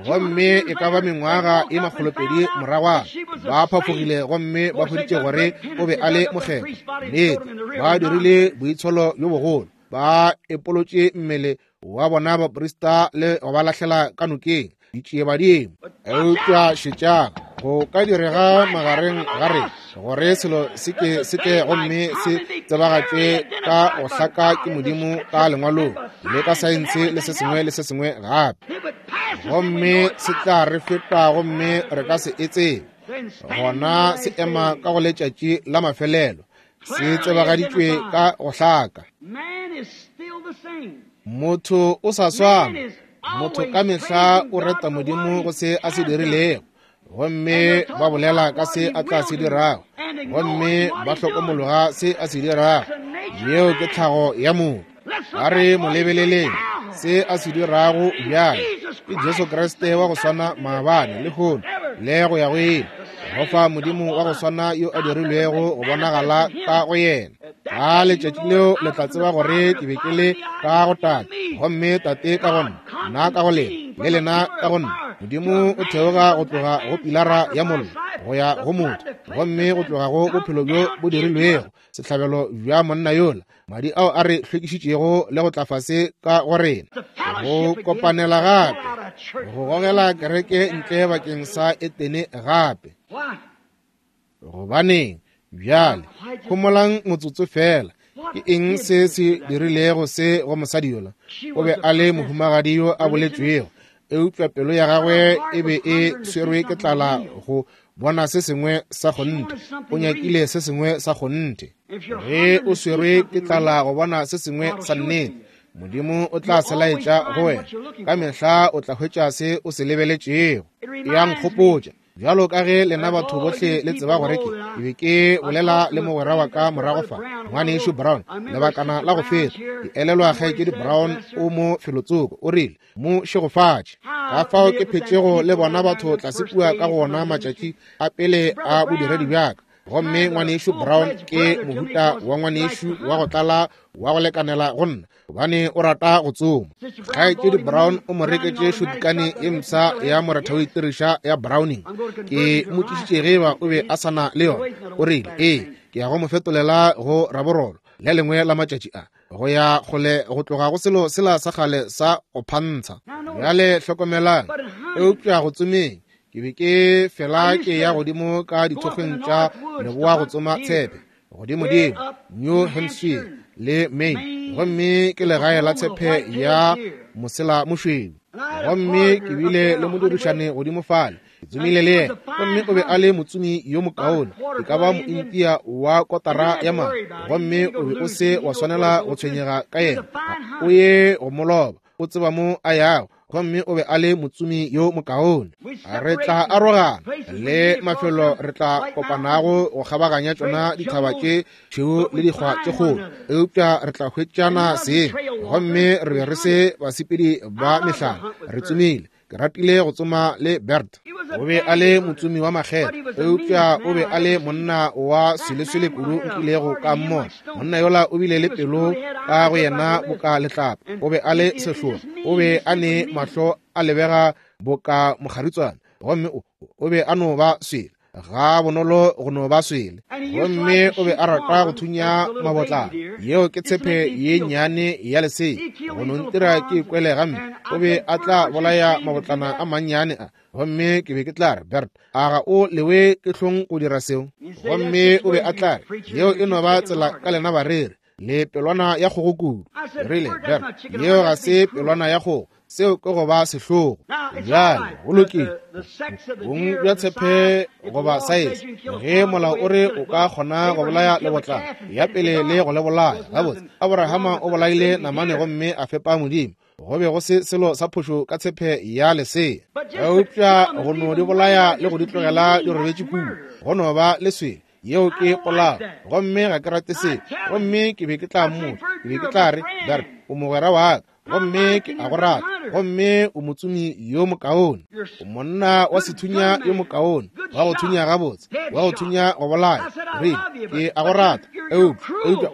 Gomme e ka ba mengwaga e makgolopedi moragwana ba phafogile gomme ba hweditše gore o be a le mokgethwa. Nnete, ba dirile boitsholo bjo bogolo, ba epolotše mmele wa bona baprista le go ba lahlela ka nokeng ditšiebadimo. Eupša šetšang, go ka direga magareng ga rena gore selo se ke se tle gomme se tsebagatšwe ka go hlaka ke Modimo ka lengwalong le ka saense le se sengwe le se sengwe gape, gomme se tla re feta gomme re ka se e tsebe. Gona se ema ka go letšatši la mafelelo, se tsebagaditšwe ka go hlaka. Motho o sa swana. Motho ka mehla o reta Modimo go se a se dirilego, gomme ba bolela ka se a tla se dirago, gomme ba hlokomologa se a se dirago. Yeo ke tlhago ya motho. A re mo lebeleleng se a se dirago bjale. Ke Jesu Kriste wa go swana maabane, lehono le go ya go ile, go fa Modimo wa go swana yo a dirilwego go bonagala ka go yena. Ka letšatši leo le tla tseba gore ke be ke le ka go Tate, gomme Tate ka go nna, nna ka go lena, le lena ka go nna. Modimo o theoga go tloga go pilara ya mollo go ya go motho, gomme go tloga go bophelo bjo bo dirilwego sehlabelo bja monna yola, madi ao a re hlwekišitšego le go tla fase ka go rena, go kopanela gape, go gogela kereke ntle bakeng sa Etene gape. Gobaneng? Bjale, homolang motsotso fela. Ke eng se se dirilego se go mosadi yola? O be a le mohumagadi yo a boletšwego, eupša pelo ya gagwe e be e swerwe ke tlala go bona se sengwe sa kgonthe. O nyakile se sengwe sa kgonthe. Ge o swerwe ke tlala go bona se sengwe sa nnete, Modimo o tla se laetša go wena. Ka mehla o tla hwetša se o se lebeletšego. Ya nkgopotša, bjalo ka ge lena batho bohle le tseba gore ke ke be ke bolela le mogwera wa ka morago fa, ngwanešu Brown, lebakana la go feta. Ke elelwa kgaetšedi Brown o mo felotsoko, o rile, mo šegofatše. Ka fao ke phetšego le bona batho tlase kua ka go ona matšatši a pele a bodiredi bjaka. Gomme ngwanešu Brown ke mohuta wa ngwanešu wa go tlala wa go lekanela go nna, gobane o rata go tsoma. Kgaetšedi Brown o mo reketše šutkane ye mpsha ya moretha o itiriša ya Browning. Ke mo tlišitše ge eba o be a sa na le yona. O rile, ee, ke ya go mo fetolela go raborolo le lengwe la matšatši a, go ya kgole go tloga go selo sela sa kgale sa go phantsha. Bjale hlokomelang, eupša go tsomeng ke be ke fela ke ya godimo ka dithokgweng tša leboa go tsoma tshepe. godimodimo New Hampshire le Maine, gomme ke legae la tshepe ya mosela mošweu. Gomme ke bile le modirišane godimo fale, ke tsomile le yena, gomme o be a le motsomi yo mokaone, e ka ba mointia wa kotara ya madi, gomme o be o se wa swanela go tshwenyega ka yena, o ye go mo loba, o tseba mo a yago. Gomme o be a le motsomi yo mokaone. Re tla arogana le mafelo re tla kopanago go kgabaganya tšona dithaba tše tšhweu le dikgwa tše kgolo, eupša re tla hwetšana seng. Gomme re be re se basepedi ba mehlala, re tsomile. Ke ratile go tsoma le Bert. O be a le motsomi wa makgethe, eupša o be a le monna wa sweleswele kudu nkilego ka mmona. Monna yola o bile le pelo ka go yena boka letlapa. O be a le sehloa, o be a ne mahlo a lebega boka mokgaritswane, gomme o, o be a no ba swele ga bonolo go no ba swele. Gomme o be a rata go thunya mabotlana, yeo ke tshepe ye nnyane ya lesea, go no ntira ke ikwele gampe. O be a tla bolaya mabotlana a mannyane a, gomme ke be ke tla re, Bert, a ga o lewe ke hlong go dira seo? Gomme o be a tla re, yeo e no ba tsela ka lena bareri, le pelwana ya kgogo kudu. Rile, Bert, yeo ga se pelwana ya kgogo, seo ke go ba sehlogo. Bjale go lokile, bong bja tshepe goba saese, ge molao o re o ka kgona go bolaya lebotlana ya pele le go le bolaya gabotse. Abrahama o bolaile namane gomme a fepa Modimo. Go be go se selo sa phošo ka tshepe ya lesea, eupša go no di bolaya le go di tlogela di robetše kudu, go no ba leswele. Yeo ke polao, gomme ga ke rate seo. Gomme ke be ke tla mmotša, ke be ke tla re, Bert, o mogwera wa ka, gomme ke a go rata, gomme o motsomi yo mokaone, o monna wa sethunya yo mokaone, wa go thunya gabotse, wa go thunya go bolaya. Rile, ke a go rata, eupša eupša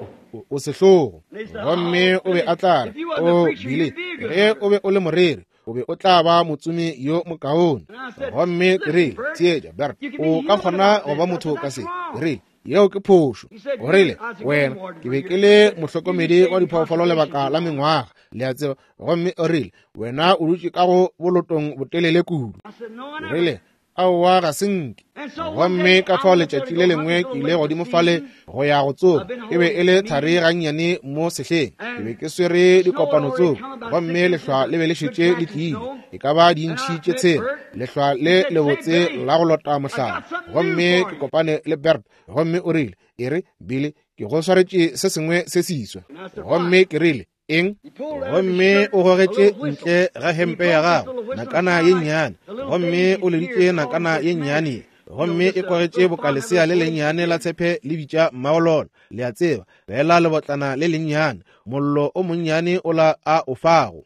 o sehlogo. Gomme o be a tla re, o Billy, ge o be o le moreri, o be o tla ba motsomi yo mokaone. Gomme ke rile, theetša Bert, o ka kgona go ba motho ka se. Ke rile, yeo ke phošo. O rile, wena, ke be ke le mohlokomedi wa diphoofolo lebaka la mengwaga, le a tseba. Gomme o rile, wena o dutše ka go bolotong botelele kudu. O rile, aowa, ga se nke. Gomme ka fao letšatši le lengwe ke ile godimo fale go ya go tsoma. E be e le thari gannyane mo sehleng. Ke be ke swere dikopano tsoko, gomme lehlwa le be le šetše le tlile, e ka ba dintšhi tše tshela, lehlwa le lebotse la go lota mohlala. Gomme ke kopane le Bert, gomme o rile, e re, Billy, ke go swaretše se sengwe se siswa. Gomme ke rile, eng? Gomme o gogetše ntle ga hempe ya gagwe nakana ye nnyane, gomme o leditše nakana ye nnyane, gomme e kwagetše boka lesea le lennyane la tshepe le bitša mmaolona, le a tseba, fela lebotlana le lennyane, mollo o monnyane ola a o fago.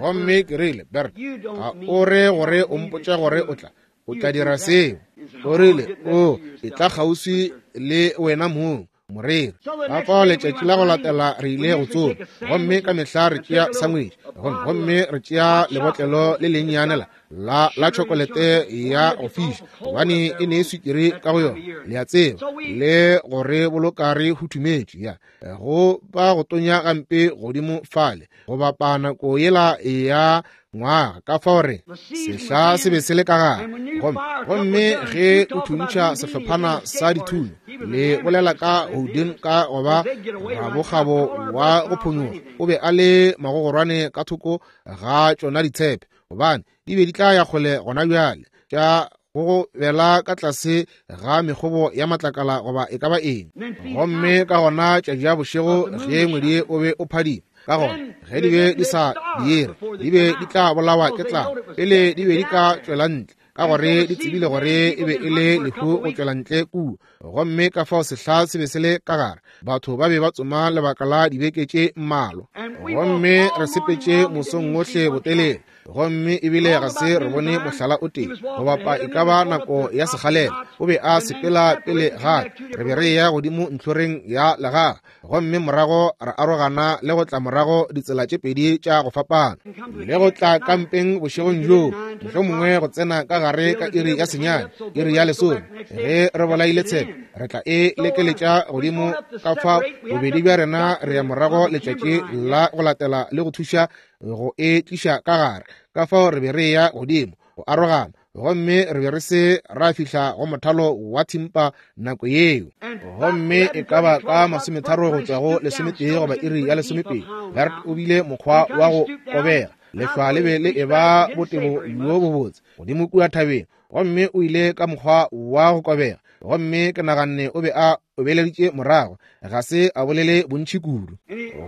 Gomme ke rile, Bert, ga o re gore o mpotše gore o tla o tla dira seo? O rile, o e tla kgauswi le wena mong, moreri. Ka fao letšatši la go latela re ile go tsoma, gomme ka mehla re tšea sangwetši, gomme re tšea lebotlelo le lennyane la la la tšhokolete ya go fiša, gobane e ne swikiri ka go yona, le a tseba, le gore boloka re huthumetše ya go ba go tonya gampe godimo fale go bapa nako yela ya ngwaga. Ka fao re sehla se be se le ka gare, gomme gomme ge o thuntšha sehlophana sa dithunya, le bolela ka Houdin ka goba rabokgabo wa go phonyoga, o be a le magogorwane ka thoko ga tšona ditshepe, gobane di be di tla ya kgole gona bjale tša go bela ka tlase ga mekgobo ya matlakala goba e ka ba eng. Gomme ka gona tša ja bošego ge ngwedi o be o phadima, ka gona ge di be di sa diere, di be di tla bolawa ke tlala pele di be di ka tšwela ntle, ka gore di tsebile gore e be e le lehu go tšwela ntle kua. Gomme ka fao sehla se be se le ka gare, batho ba be ba tsoma lebaka la dibeke tše mmalwa. Gomme re sepetše mosong ohle botelele, gomme ebile ga se re bone mohlala o tee go bapa e ka ba nako ya sekgalela. O be a sepela pele gape, re be re ya godimo ntlhoreng ya legaga, gomme morago re arogana le go tla morago ditsela tše pedi tša go fapana, le go tla kampeng bošegong bjoo, mohlomongwe go tsena ka gare ka iri ya senyane, iri ya lesome. Ge re bolaile tshepe, re tla e lekeletša godimo ka fa bobedi bja rena re ya morago letšatši la go latela le go thuša go e tliša ka gare. Ka fao re be re ya godimo go arogana, Gomme re be re se ra fihla go mothalo wa thimpa nako yeo. Gomme e ka ba ka masometharo go tšwa go lesometee goba iri ya lesomepedi, Bert o bile mokgwa wa go kobega. Lehlwa le be le e ba botebo bjo bobotse godimo kua thabeng, gomme o ile ka mokgwa wa go kobega. Gomme ke naganne o be a obeleditše morago, ga se a bolele bontši kudu.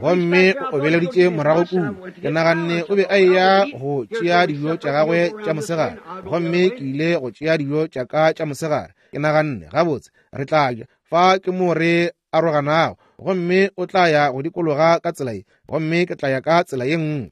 Gomme o obeleditše morago kudu, ke naganne o be a eya go tšea dijo tša gagwe tša mosegare. Gomme ke ile go tšea dijo tša ka tša mosegare. Ke naganne, gabotse, re tla ja fa, ke mo re aroganago, gomme o tla ya go dikologa ka tsela ye, gomme ke tla ya ka tsela ye nngwe.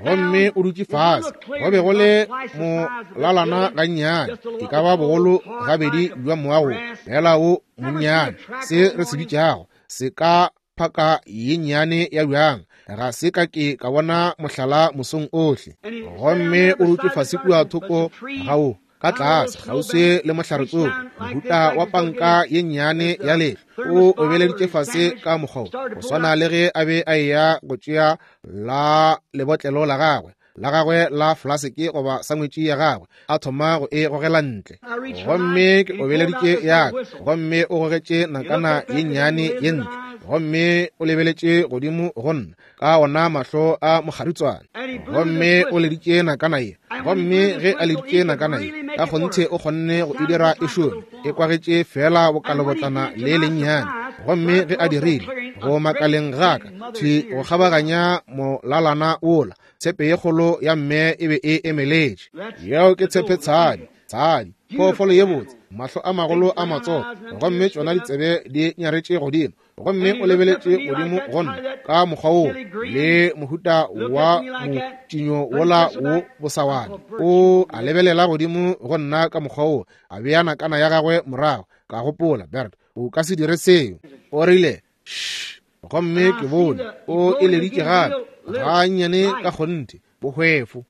Gomme o dutše fase, go be go le molalana gannyane, e ka ba bogolo gabedi bja moago fela wo monnyane, se re se bitšago se ka phaka ye nnyane ya bjang. Ga se ka ke ka bona mohlala mosong ohle. Gomme o dutše fase kua thoko ga wo, ka tlase kgauswi le mohlaretsogo, mohuta wa panka ye nnyane ya lehlwa. O obeleditše fase ka mokgwa go swana le ge a be a eya go tšea la lebotlelo la gagwe la gagwe la flaseke goba sangwetši ya gagwe, a thoma go e gogela ntle. Gomme ke obeleditše ya ka, gomme o gogetše nakana ye nnyane ye ntle, gomme o lebeletše godimo go nna ka ona mahlo a mokgaritswane. Gomme o leditše nakana ye, gomme ge a leditše nakana ye, ka kgonthe o kgonne go e dira e šome, e kwagetše fela bokalebotlana le lennyane. Gomme ge a dirile, go makaleng ga ka thwi go kgabaganya molalana wola, tshepe ye kgolo ya mme e be e emeletše. Yeo ke tshepe tshadi, tshadi, phoofolo ye botse, mahlo a magolo a matsogo, gomme tšona ditsebe di nyaretše godimo. Gomme o lebeletše godimo go nna ka mokgwa woo, le mohuta wa motšinyo wola wo bosawane. O a lebelela godimo go nna ka mokgwa woo, a bea nakana ya gagwe morago. Ka gopola, Bert, o ka se dire seo. O rile, shh. Gomme ke bone o eleditše gape gannyane ka kgonthe, bohwefo.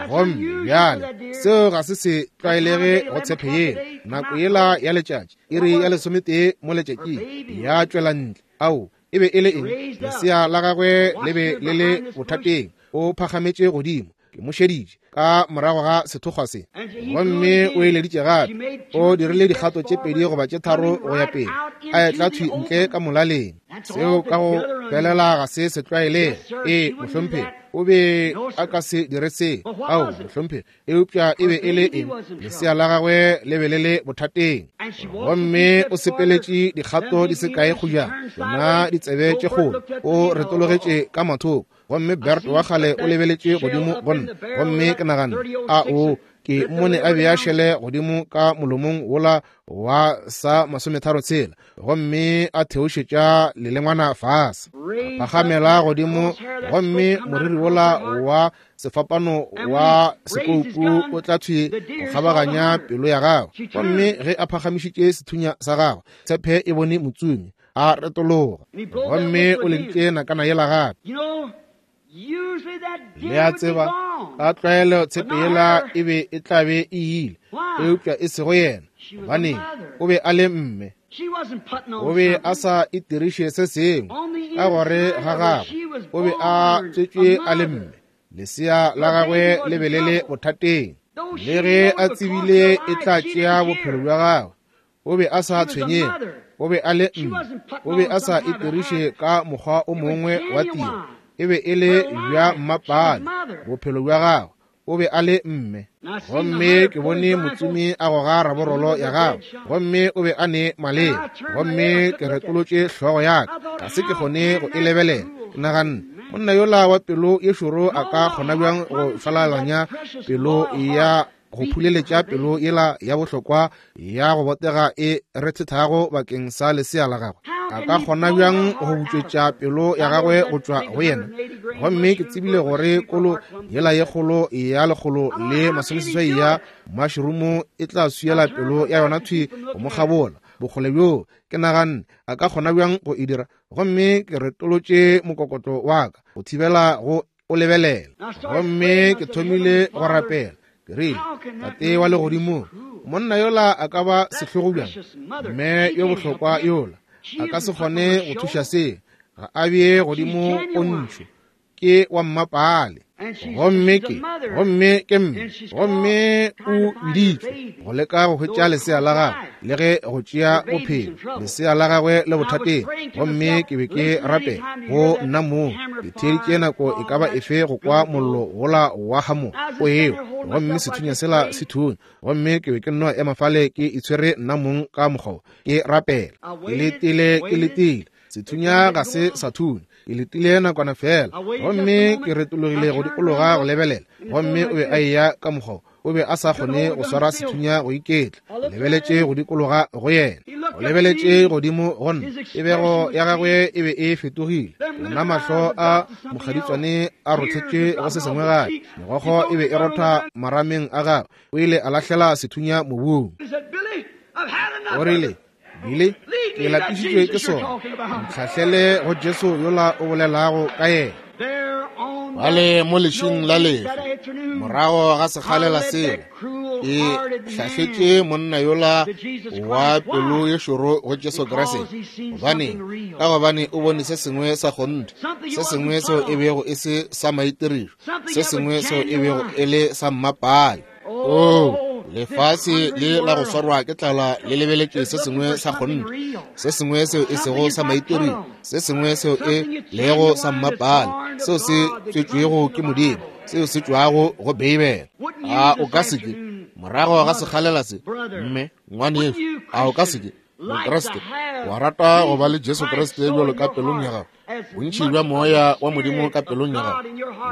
Gomme bjale seo ga se se tlwaelege go tshepe yela. Nako yela ya letšatši, iri ya lesometee mo letšatšing, ya tšwela ntle. Ao, e be e le eng? Lesea la gagwe le be le le bothateng. O phagametše godimo. Ke mo šeditše ka morago ga sethokgwa se, gomme o eleditše gape. O dirile dikgato tše pedi goba tše tharo go ya pele, a etla thwi ntle ka molaleng. Seo ka go felela ga se se tlwaelege. Ee, mohlomphegi, o be a ka se dire se. Ao, mohlomphegi, eupša e be e le eng? Lesea la gagwe le be le le bothateng. Gomme o sepeletše dikgato di se kae kgojana, tšona ditsebe tše kgolo, o retologetše ka mathoko. Gomme Bert wa kgale o lebeletše godimo go nna, gomme ke naganne, a o ke mmone a bea šele godimo ka molomong wola wa sa masometharo tshela, gomme a theošetša lelengwana fase, a phagamela godimo, gomme moriri wola wa sefapano wa sekoupu o tla thwi go kgabaganya pelo ya gagwe. Gomme ge a phagamišitše sethunya sa gagwe, tshepe e bone motsomi, a retologa, gomme o leditše nakana yela gape. Le a tseba, ka tlwaelo tshepe yela e be e tla be e ile, eupša e sego yena. Gobaneng? O be a le mme. O be a sa itiriše se sengwe ka gore ga gagwe, o be a tswetšwe a le mme. Lesea la gagwe le be le le bothateng, le ge a tsebile e tla tšea bophelo bja gagwe. O be a sa tshwenyege, o be a le mme, o be a sa itiriše ka mokgwa o mongwe wa tiro. E be e le bja mmapale bophelo bja gagwe, o be a le mme. Gomme ke bone motsomi a goga raborolo ya gagwe, gomme o be a ne maleba. Gomme ke retolotše hlogo ya ka, ga se ke kgone go e lebelela. Ke naganne, monna yola wa pelo ye šoro a ka kgona bjang go šwalalanya pelo ya go phuleletša pelo yela ya bohlokwa ya go botega e rethethago bakeng sa lesea la gagwe? A ka kgona bjang go butšwetša pelo ya gagwe go tšwa go yena? Gomme ke tsebile gore kolo yela ye kgolo ya lekgolo le masomeseswai ya mašrumo e tla swiela pelo ya yona thwi go mo kgabola bokgole bjoo. Ke naganne, a ka kgona bjang go e dira? Gomme ke retolotše mokokotlo wa ka go thibela go o lebelela. Gomme ke thomile go rapela. Ke rile, Tate wa legodimong, monna yola a ka ba sehlogo bjang? Mme yo bohlokwa yola a ka se kgone go thuša se. Ga a bee godimo pontšho. Ke wa mmapale. Gomme ke, gomme ke mme, gomme o biditšwe go leka go hwetša lesea la gagwe le ge go tšea bophelo lesea la gagwe le bothateng. Gomme ke be ke rapela go nna moo, ke theeditše nako e ka ba efe go kwa mollo wola wa hamo o eo, gomme sethunya sela se thunya, gomme ke be ke nno ema fale ke itshwere nna mong ka mokgwa ke rapela. Ke letile, ke letile, sethunya ga se sa thunya. Ke letile nakwana fela, gomme ke retologile go dikologa go lebelela, gomme o be a eya ka mokgwa, o be a sa kgone go swara sethunya go iketla. Lebeletše go dikologa go yena, o lebeletše godimo go nna, tebego ya gagwe e be e fetogile. Ona mahlo a mokgaditswane a rothetše go se sengwe gape, megokgo e be e rotha marameng a gagwe. O ile a lahlela sethunya mobung. O rile, Billy, ke lapišitšwe ke sona, ntlhahlele go Jesu yola o bolelago ka yena. Bale mo lešing la lefa, morago ga sekgalela sela, ke hlahletše monna yola wa pelo ye šoro go Jesu Kriste. Gobane, ka gobane o bone se sengwe sa kgonthe, se sengwe seo e bego e se sa maitirišo, se sengwe seo e bego e le sa mmapale. Oh, lefase le la go swarwa ke tlala le lebeletše se sengwe sa kgonthe, se sengwe seo e sego sa maitirišo, se sengwe seo e lego sa mmapale, seo se tswetšwego ke Modimo, seo se tšwago go Beibele. A o ka se ke, morago ga sekgalela se, mme ngwanešu, a o ka se ke, Mokriste, wa rata go ba le Jesu Kriste bjalo ka pelong ya gago, bontši bja moya wa Modimo ka pelong ya gago,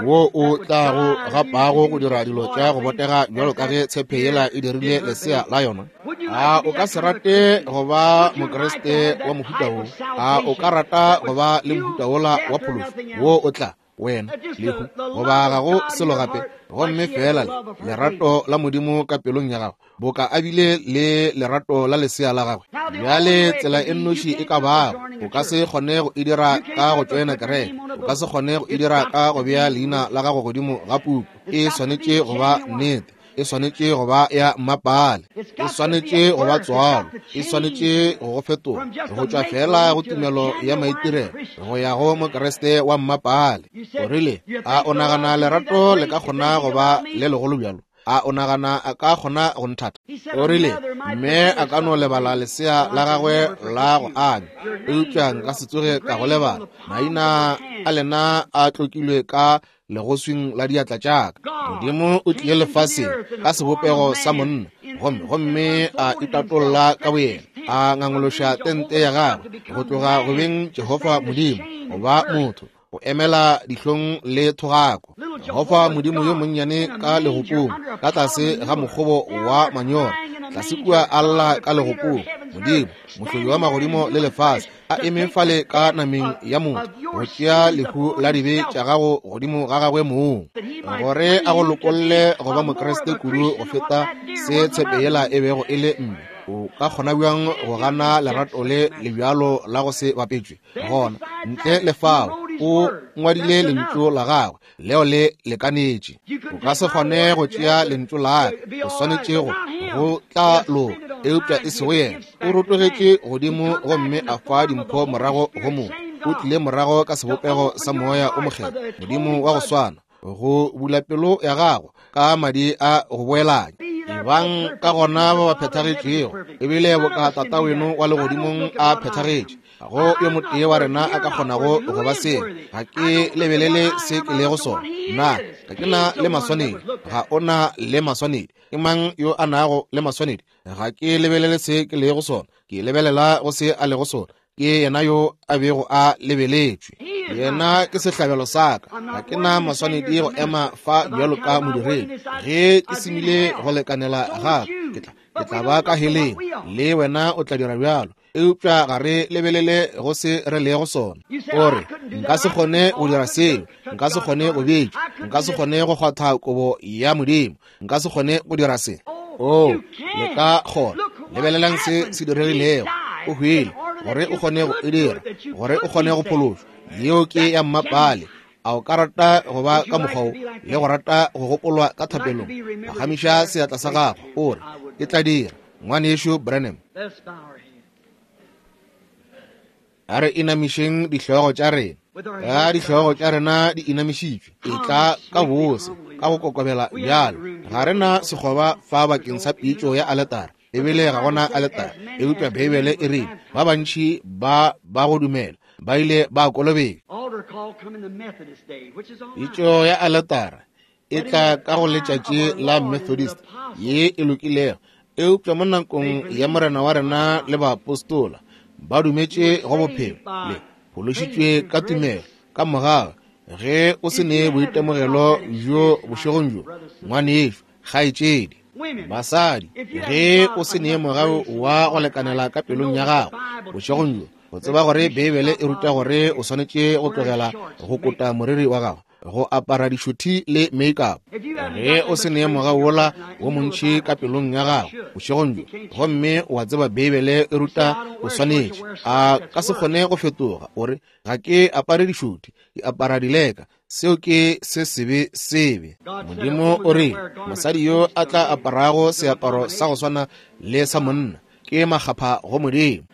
wo o tlago gapago go dira dilo tša go botega bjalo ka ge tshepe yela e dirile lesea la yona? A o ka se rate go ba Mokriste wa mohuta wo? A o ka rata go ba le mohuta wola wa phološo wo o tla wena lehu goba ga go selo gape, gomme fela le lerato la Modimo ka pelong ya gago, boka a bile le lerato la lesea la gagwe? Bjale tsela e nnoši e ka bago, o ka se kgone go e dira ka go tšoena kereke, o ka se kgone go e dira ka go bea leina la gago godimo ga puku. E swanetše go ba nnete, e swanetše go ba ya mmapale, e swanetše go ba tswalo, e swanetše go go fetoga go tšwa fela go tumelo ya maitirelo go ya go Mokriste wa mmapale. O rile, a o nagana lerato le ka kgona go ba le legolo bjalo? A o nagana a ka kgona go nthata? O rile, mme a ka no lebala lesea la gagwe la go anya, eupša nka se tsoge ka go lebala. Maina a lena a tlokilwe ka legoswing la diatla tša ka. Modimo o tlile lefaseng ka sebopego sa monna, gomme gomme a itatolla ka boyena, a ngangološa tente ya gagwe go tloga go beng Jehofa Modimo go ba motho, go emela dihlong le thogako. Jehofa Modimo yo monnyane ka legopong, ka tlase ga mokgobo wa manyora, tlase kua a lla ka legopong. Modimo, mohlodi wa magodimo le lefase, a eme fale ka nameng ya motho go tšea lehu la dibe tša gago godimo ga gagwe mong, gore a go lokolle go ba Mokriste kudu go feta se tshepe yela e bego e le mme. O ka kgona bjang go gana lerato le le bjalo la go se bapetšwe? Gona ntle le fao o ngwadile lentšu la gagwe leo le lekanetše. O ka se kgone go tšea lentšu la gagwe, o swanetše go go tla loka, eupša e sego yena. O rotogetše godimo gomme a fa dimpho morago go motho. O tlile morago ka sebopego sa moya o mokgethwa, Modimo wa go swana, go bula pelo ya gago ka madi a go boelanya. Ebang ka gona ba ba phethagetšego, ebile boka Tata weno wa legodimong a phethagetše. Ga go yo motee wa rena a ka kgonago go ba seo. Ga ke lebelele se ke lego sona. Nna ga ke na le maswanedi, ga o na le maswanedi. Ke mang yo a nago le maswanedi? Ga ke lebelele se ke lego sona, ke lebelela go se a lego sona. Ke yena yo a bego a lebeletšwe, yena ke sehlabelo sa ka. Ga ke na maswanedi go ema fa bjalo ka modiredi. Ge ke semile go lekanela ga ke tla ke tla ba ka heleng, le wena o tla dira bjalo. Eupša ga re lebelele go se re lego sona. O re, nka se kgone go dira seo, nka se kgone go betša, nka se kgone go kgwatha kobo ya Modimo, nka se kgone go dira se. Oh, le ka kgona. Lebelelang se se diregilego. O hwile gore o kgone go e dira, gore o kgone go phološwa. Yeo ke ya mmapale. A o ka rata go ba ka mokgwa wo, le go rata go gopolwa ka thapelong? Phagamiša seatla sa gago, o re, ke tla dira, ngwanešu Branham. A re inamišeng dihlogo tša rena. Ka dihlogo tša rena di inamišitšwe, e tla ka bose, ka go kokobela bjalo. Ga re na sekgoba fa bakeng sa pitšo ya aletara, ebile ga gona aletara, eupša Beibele e rile ba bantši ba ba go dumela ba ile ba kolobetšwa. Pitšo ya aletara e tla ka go letšatši la Methodist ye e lokilego, eupša mo nakong ya Morena wa rena le baapostola ba dumetše go bophelo le phološitšwe ka tumelo ka mogau. Ge o se ne boitemogelo bjo bošegong bjo, ngwanešu, kgaetšedi, basadi, ge o se ne mogau wa go lekanela ka pelong ya gago bošegong bjo, o tseba gore Beibele e ruta gore o swanetše go tlogela go kota moriri wa gago, go apara dišothi le make-up. Ge o se ne mogau wola wo montši ka pelong ya gago bošegong bjo, gomme wa tseba Beibele e ruta o swanetše, a ka se kgone go fetoga o re, ga ke apare dišothi, ke apara dileka, seo ke se sebe sebe. Modimo o re mosadi yo a tla aparago seaparo sa go swana le sa monna ke makgapha go Modimo.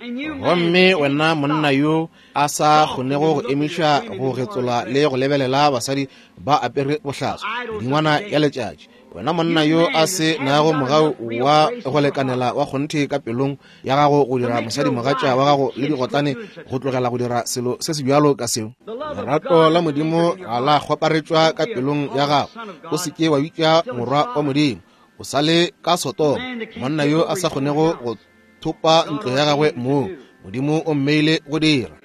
Gomme wena monna yo a sa kgonego go emiša go getsola le go lebelela basadi ba apere bohlaswa dingwana ya letšatši, wena monna yo a se nago mogau wa go lekanela wa kgonthe ka pelong ya gago go dira mosadi mogatša wa gago le digotlane go tlogela go dira selo se se bjalo ka seo, lerato la Modimo ga la kgwaparetšwa ka pelong ya gago. O se ke wa bitša morwa wa Modimo, o sa le ka Sodoma. Monna yo a sa kgonego go thopa ntlo ya gagwe moo Modimo o mmeile go dira.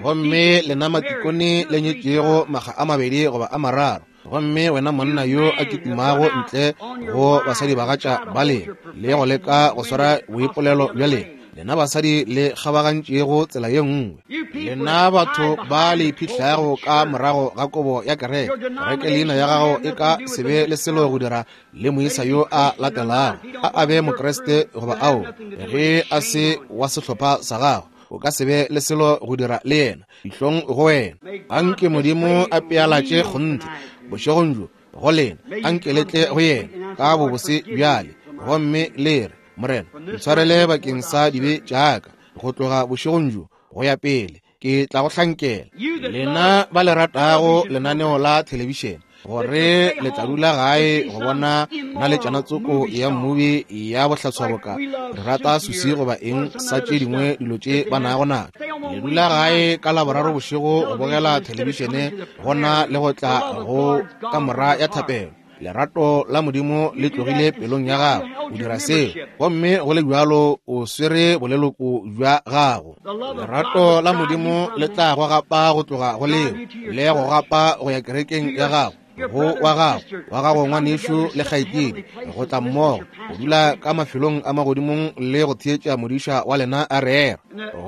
Gomme lena matikone le nyetšego makga a mabedi goba a mararo, gomme wena monna yo a kitimago ntle go basadi bagatša ba lena le go leka go swara boipolelo bja lena, lena basadi le kgabagantšego tsela ye nngwe, lena batho ba le iphihlago ka morago ga kobo ya kereke, kereke leina ya gago e ka se be le selo go dira le moisa yo a latelago, a a be Mokriste goba ao, ge a se wa sehlopha sa gago, o ka se be le selo go dira le yena, dihlong go wena. Anke Modimo a pealatše kgonthe bošegong bjo go lena, anke le tle go yena ka bobose bjale, gomme le re, Morena, ntshwarele bakeng sa dibe tša ka, go tloga bošegong bjo go ya pele ke tla go hlankela. Lena ba le ratago lenaneo la thelebišene, gore le tla dula gae go bona naletšana tsoko ya mmubi ya bohlatswaboka re rata susi goba eng sa tše dingwe dilo tše ba nago natšo, le dula gae ka Laboraro bošego go bogela thelebišene gona le go tla go kamora ya thapelo. Lerato la Modimo le tlogile pelong ya gago, o dira seo, gomme go le bjalo o swere boleloko bja gago. Lerato la Modimo le tla go gapa go tloga go leo, le go gapa go ya kerekeng ya gago, go wa gago, wa gago ngwanešu le kgaetšedi, go tla mmogo, go dula ka mafelong a magodimong le go theetša modiša wa lena a rera.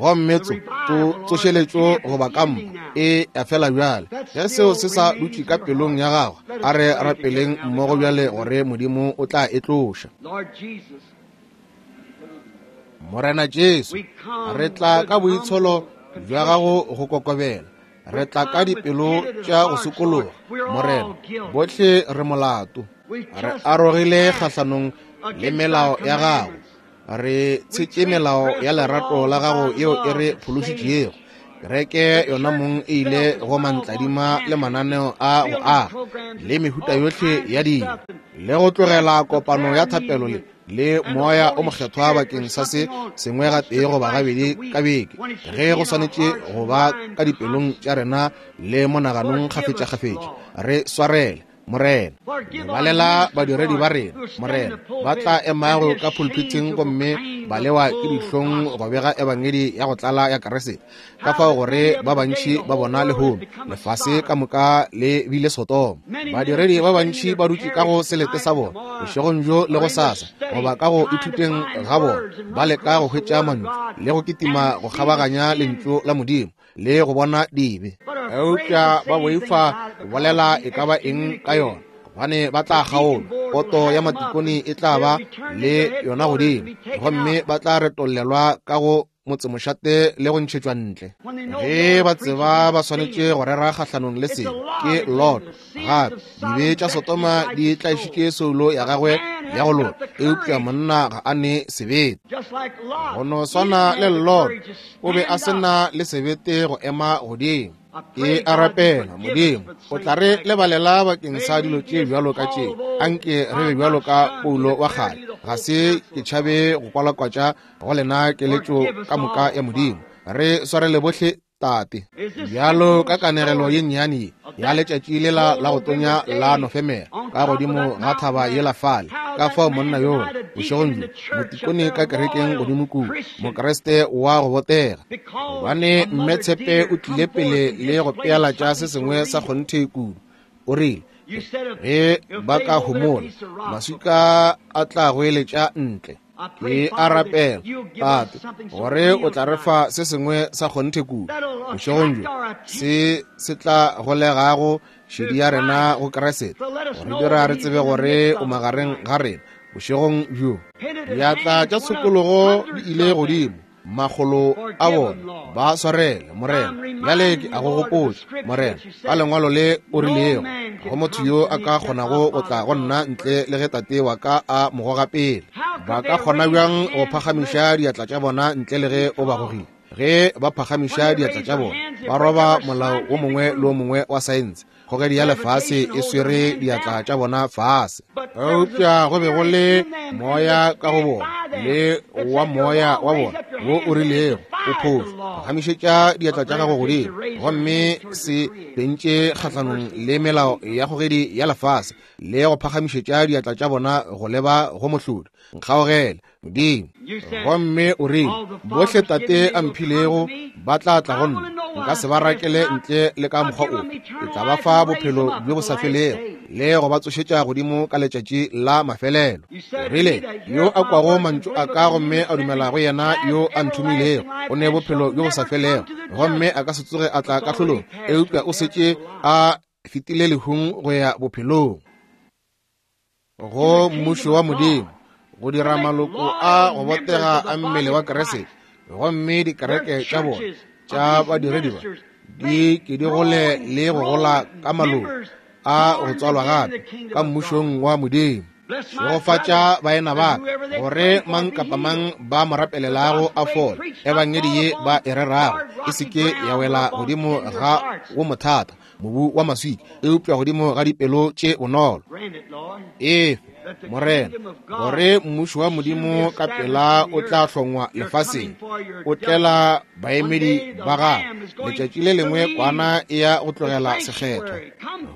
Gomme tso tsošeletšo goba kampa e a fela bjale. Ge seo se sa dutše ka pelong ya gago, a re rapeleng mmogo bjale gore Modimo o tla e tloša. Morena Jesu, re tla ka boitsholo bja gago go kokobela, re tla ka dipelo tša go sokologa. Morena, bohle re molato, re arogile kgahlanong le melao ya gago, re tshetše melao ya lerato la gago yeo e re phološitšego. Kereke yona mong e ile go mantladima le mananeo a go aga le mehuta yohle ya dilo, le go tlogela kopano ya thapelo le le moya o mokgethwa bakeng sa se sengwe gatee goba gabedi ka beke, ge go swanetše go ba ka dipelong tša rena le monaganong kgafetša-kgafetša. Re swarele, Morena. Lebalela badiredi ba rena, Morena, ba tla emago ka pulpiting gomme ba lewa ke dihlong go bega ebangedi ya go tlala ya Kriste, ka fao gore ba bantši ba bona lehono lefase ka moka le bile Sodoma. Badiredi ba bantši ba dutše ka go selete sa bona bošegong bjo le go sasa, goba ka go ithuteng ga bona, ba leka go hwetša mantšu le go kitima go kgabaganya lentšu la Modimo le go bona dibe, eupša ba boifa go bolela e ka ba eng ka yona, gobane ba tla kgaolwa. Poto ya matikone e tla ba le yona godimo, gomme ba tla retollelwa ka go motsemošate le go ntšhetšwa ntle. Ge ba tseba ba swanetše go rera kgahlanong le sebe, ke Lot. Gape dibe tša Sodoma di tlaišitše soulo ya gagwe ya go loka, eupša monna ga a ne sebete. Go no swana le Lot, o be a se na le sebete go ema godimo. Ke a rapela, Modimo, o tla re lebalela bakeng sa dilo tše bjalo ka tše. Anke re be bjalo ka Paulo wa kgale. Ga se ke tšhabe go kwalakwatša go lena keletšo ka moka ya Modimo. Re swarele bohle, Tate. Bjalo ka kanegelo ye nnyane ye ya letšatši lela la go tonya la Nofemere ka godimo ga thaba yela fale, ka fao monna yoo bošegong bjo, motikone ka kerekeng godimo kua, Mokriste wa go botega, gobane mme Tshepe o tlile pele le go pealatša se sengwe sa kgonthe kudu. O rile, ge ba ka homola, maswika a tla goeletša ntle. Ke a rapela, Tate, gore o tla re fa se sengwe sa kgonthe kudu bošegong bjo, se se tla golegago šedi ya rena go Kriste, go re dira re tsebe gore o magareng ga rena bošegong bjo. Diatla tša tshokologo di ile godimo, makgolo a bona. Ba swarele, Morena. Bjale ke a go gopotša, Morena, ka lengwalo le o rilego, ga go motho yo a ka kgonago go tla go nna ntle le ge Tate wa ka a mo goga pele. Ba ka kgona bjang go phagamiša diatla tša bona ntle le ge o ba gogile? Ge ba phagamiša diatla tša bona, ba roba molao o mongwe le o mongwe wa saense. Kgogedi ya lefase e swere diatla tša bona fase. Eupša go be go le moya ka go bona, le wa moya wa bona wo o rilego o phošo. Phagamišetša diatla tša gago godimo, gomme se fentše kgahlanong le melao ya kgogedi ya lefase, le go phagamišetša diatla tša bona go leba go mohlodi. Nkgaogele, Modimo. Gomme o rile, bohle Tate a mphilego ba tla tla go nna, nka se ba rakele ntle le ka mokgwa ofe. Ke tla ba fa bophelo bjo bo sa felego le go ba tsošetša godimo ka letšatši la mafelelo. O rile, yo a kwago mantšu a ka gomme a dumela go yena yo a nthomilego, o ne bophelo bjo bo sa felego, gomme a ka se tsoge a tla kahlolong, eupša o setše a fetile lehung go ya bophelong. Go mmušo wa Modimo, go dira maloko a go botega a mmele wa Kriste, gomme dikereke tša bona tša badiredi ba di ke di gole le go gola ka maloko a go tswalwa gape ka mmušong wa Modimo. Šegofatša baena ba ka, gore mang kapa mang ba mo rapelelago a fole. Ebangedi ye ba e rerago e se ke ya wela godimo ga wo mothata, mobu wa maswika, eupša godimo ga dipelo tše bonolo. Efe, Morena, gore mmušo wa Modimo ka pela o tla hlongwa lefaseng, o tlela baemedi ba gagwe. Letšatši le lengwe kwana e ya go tlogela sekgethwa,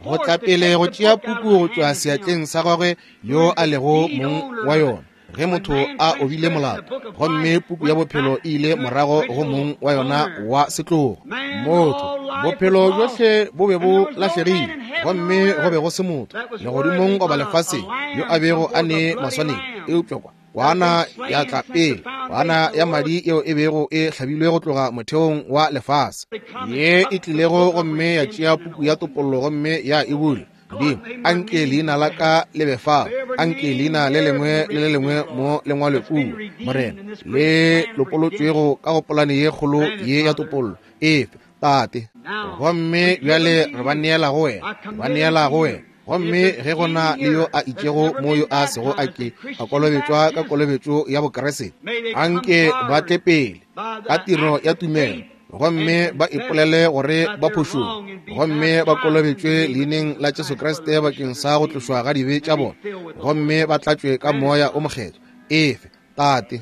go tla pele go tšea puku go tšwa seatleng sa gagwe yo a lego mong wa yona. Ge motho a obile molato, gomme puku ya bophelo e ile morago go mong wa yona wa setlogo. Motho, bophelo bjohle bo be bo lahlegile, gomme go be go se motho legodimong goba lefaseng yo a bego a ne maswanedi, eupša kwa kwana ya tla pele, kwana ya madi yeo e bego e hlabilwe go tloga motheong wa lefase, ye e tlilego gomme ya tšea puku ya topollo gomme ya e bula. Modimo, anke leina la ka le be fao, anke leina le lengwe le le lengwe mo lengwalwe kua, Morena, le lopolotšwego ka go polane ye kgolo ye ya topollo. Efe, Tate. Gomme bjale re ba neela go wena, ba neela go wena. Gomme ge go na le yo a itšego mo yo a sego a ke a kolobetšwa ka kolobetšo ya Bokriste, anke ba tle pele ka tiro ya tumelo, gomme ba ipolele gore ba phošong, gomme ba kolobetšwe leineng la Jesu Kriste bakeng sa go tlošwa ga dibe tša bona, gomme ba tlatšwe ka moya o mokgethwa. Efe, Tate.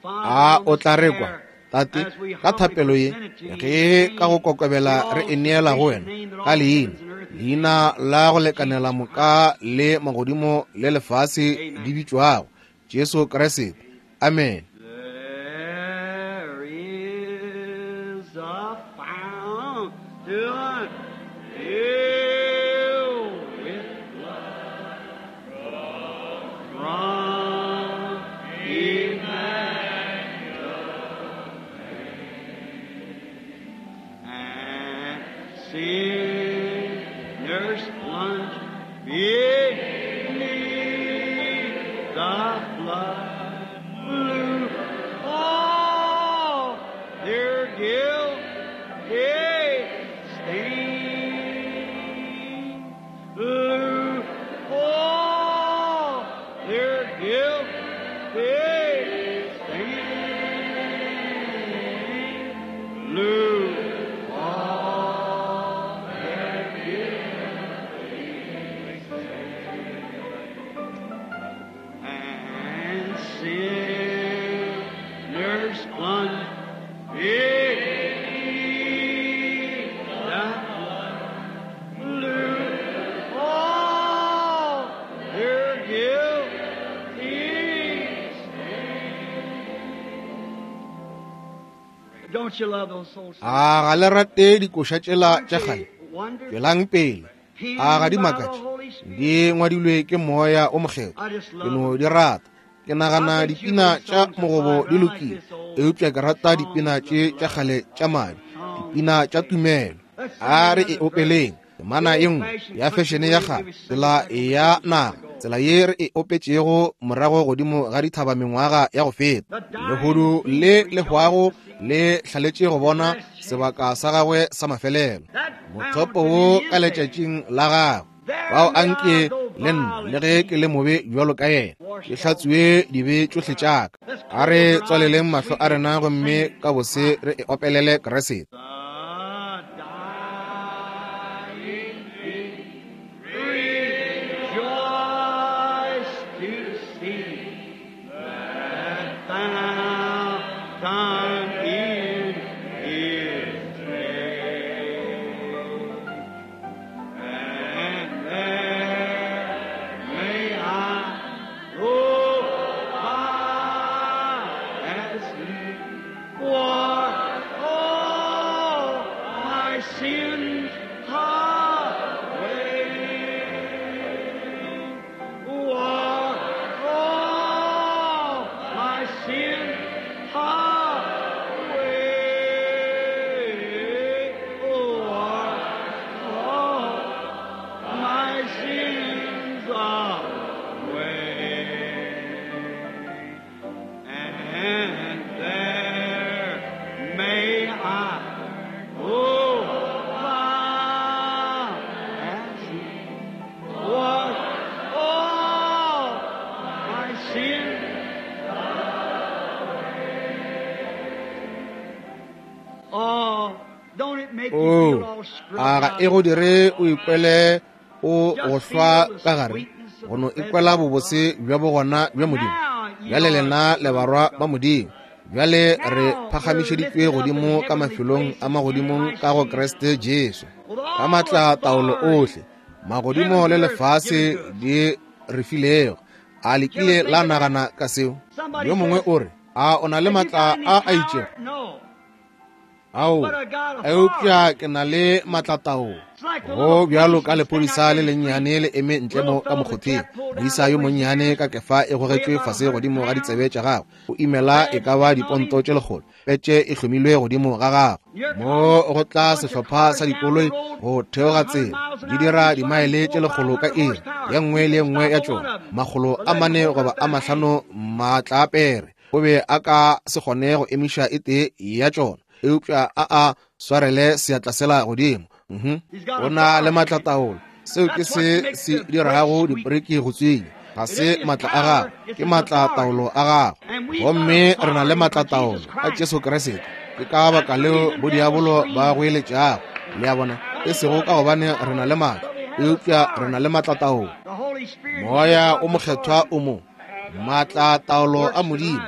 A o tla re kwa, Tate, ka thapelo ye, ge ka go kokobela re e neela go wena ka leina, leina la go lekanela moka le magodimo le lefase di bitšwago, Jesu Kriste. Amen. There is a fountain filled with blood from Emmanuel, and sinners plunge beneath the flood blue. Oh, stain, lose all their guilty stain. And sinners plunge beneath the flood, lose all their guilty stain. Don't you love those souls? A ga le rate dikoša tšela tša kgale? Wonderful. Tšwelang pele. A ga di makatše? Di ngwadilwe ke Moya o Mokgethwa. Ke no di rata. Ke nagana dipina tša mogobo di lokile, eupša ke rata dipina tše tša kgale tša madi, dipina tša tumelo. A re e opeleng temana ye nngwe ya fešene ya kgale, tsela ya naga, tsela ye re e opetšego morago godimo ga dithaba mengwaga ya go feta. Lehodu le le hwago le hlaletše go bona sebaka sa gagwe sa mafelelo, mothopo wo ka letšatšing la gagwe. Bao anke le nna, le ge ke le mobe bjalo ka yena, ke hlatswiwe dibe tšohle tša ka. A re tswaleleng mahlo a rena gomme ka bose re e opelele Kriste. The dying feet rejoice to see that fountain in His name. And there may I go by as He wore all my sins away. Wore all my sins away. Wore all my sins away. And there may I go by as He wash all my sins away. Oh, don't it make you feel O, all scrubbed a ga out? e go dire o ikwele o go hlwa ka gare, go no ikwela bobose bja bogona bja Modimo. Bjale lena le barwa ba Modimo. Bjale re phagamišeditšwe godimo ka mafelong a magodimong ka go Kriste Jesu. Ka matla taolo ohle, magodimo le lefase di re filego. A le kile la nagana ka seo? Yo mongwe o re, a o na le Have you matla got any a a power? itšego? No. Ao, eupša ke na le matlataolo. Go bjalo ka lephodisa le lennyane le eme ntle mo ka mokgotheng. Moisa yo monnyane ka kefa e gogetšwe fase godimo ga ditsebe tša gagwe. O imela e ka ba diponto tše lekgolo. Petše e hlomilwe godimo ga gagwe. Mo go tla sehlopha sa dikoloi go theoga tsela, di dira dimaele tše lekgolo ka iri, ye nngwe le ye nngwe ya tšona, makgolo a mane goba a mahlano maatla a pere. O be a ka se kgone go emiša e tee ya tšona, eupša a a swarele seatla sela godimo. Mhm. O na le matlataolo. Seo ke se se dirago diporeki go tswinya. Ga se matla a gagwe, ke matlataolo a gagwe. Gomme re na le matlataolo ka Jesu Kriste. Ke ka baka leo bodiabolo ba goeletšago. Le a bona, e sego ka gobane re na le matla, eupša re na le matlataolo. The Holy Spirit Moya o Mokgethwa o mo, matlataolo a Modimo.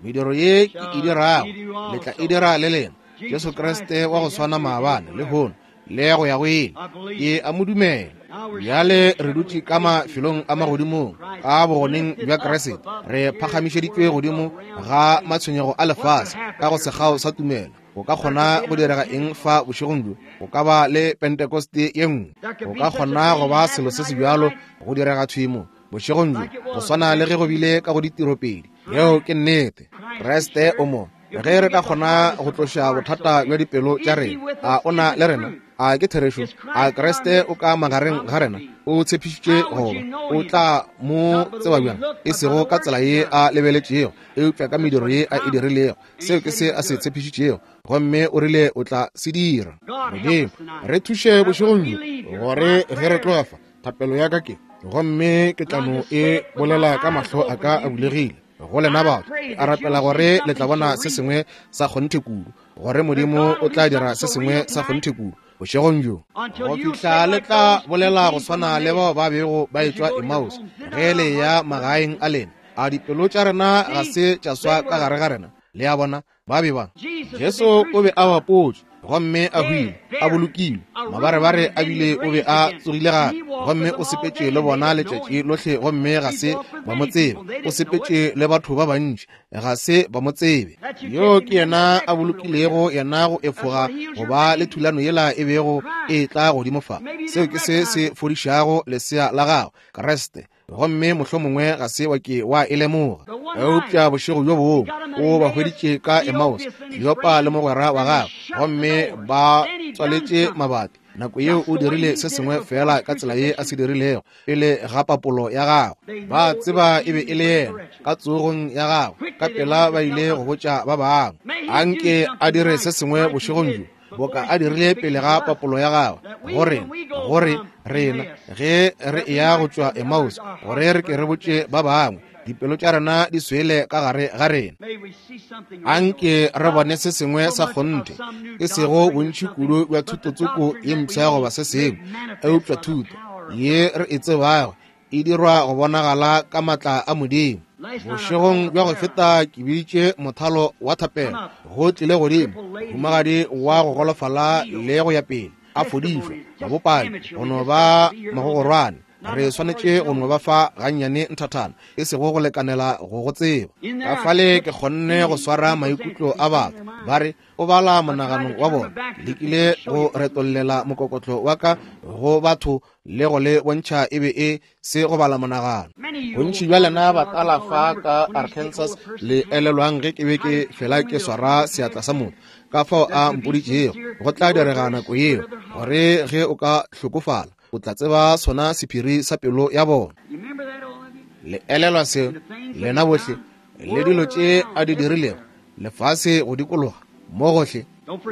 Mediro ye ke e dirago, le tla e dira le lena. Jesu Kriste wa go swana maabane, lehono, le go ya go ile. Ke a mo dumela. Bjale re dutše ka mafelong a magodimong ka bogoneng bja Kriste. Re phagamišeditšwe godimo ga matshwenyego a lefase ka go sekgao sa tumelo. Go ka kgona go direga eng fa bošegong bjo? Go ka ba le Pentekoste ye nngwe. Go ka kgona go ba selo se se bjalo go direga thwi mo bošegong bjo, go swana le ge go bile ka go ditiropedi. Yeo ke nnete. Kriste o mo. Ge re ka kgona go tloša bothata bja dipelo tša rena, a o na le rena? A ke therešo? A Kriste o ka magareng ga rena? O tshepišitše goba o tla mo tseba bjang? E sego ka tsela ye a lebeletšego, eupša ka mediro ye a e dirilego. Seo ke se a se tshepišitšego, gomme o rile o tla se dira. Modimo, re thuše bošegong bjo, gore ge re tloga fa, thapelo ya ka ke, gomme ke tla no e bolela ka mahlo a ka a bulegile. Go lena batho, ke a rapela gore le tla bona se sengwe sa kgonthe kudu, gore Modimo o tla dira se sengwe sa kgonthe kudu bošegong bjo, go fihla le tla bolela go swana le bao ba bego ba etšwa Emmaus ge le ya magaeng a lena. A dipelo tša rena ga se tša swa ka gare ga rena? Le a bona, ba be ba Jesu o be a bapotšwe gomme a hwile, a bolokilwe, mabarebare a bile o be a tsogile gape, gomme o sepetše le bona letšatši lohle gomme ga se ba mo tsebe. O sepetše le batho ba bantši, ga se ba mo tsebe. Yo ke yena a bolokilego yena go efoga go ba le thulano yela e bego e tla godimo fa. Seo ke se se fodišago lesea la gago, Kriste, gomme mohlomongwe ga se wa ke wa e lemoga. Eupša bošego bjo bongwe o ba hweditše ka Emmaus, Kleopa le mogwera wa gagwe, gomme ba tswaletše mabati. Nako yeo o dirile se sengwe fela ka tsela ye a se dirilego pele ga papolo ya gagwe. Ba tseba e be e le yena ka tsogong ya gagwe. Ka pela ba ile go botša ba bangwe. Anke a dire se sengwe bošegong bjo boka a dirile pele ga papolo ya gagwe, gore gore rena ge re eya go tšwa Emmaus, gore re ke re botše ba bangwe, dipelo tša rena di swele ka gare ga rena. Anke re bone se sengwe sa kgonthe, e sego bontši kudu bja thutotsoko ye mpsha goba se sengwe, eupša thuto ye re e tsebago e dirwa go bonagala ka matla a Modimo. Bošegong bja go feta ke biditše mothalo wa thapelo, go tlile godimo mohumagadi wa go golofala le go ya pele, a fodišwa, mabopaki go no ba magogorwane. Re swanetše go no ba fa gannyane nthathana, e sego go lekanela go go tseba. Ka fale ke kgonne go swara maikutlo a batho, ba re o bala monagano wa bona. Lekile go retollela mokokotlo wa ka go batho le go le bontšha e be e se go bala monagano. Bontši bja lena batala fa ka Arkansas le elelwang ge ke be ke fela ke swara seatla sa motho, ka fao a mpoditšego go tla direga nako yeo, gore ge o ka hlokofala o tla tseba sona sephiri sa pelo ya bona. Le elelwa seo, lena bohle, le dilo tše a di dirilego lefase go dikologa mo gohle.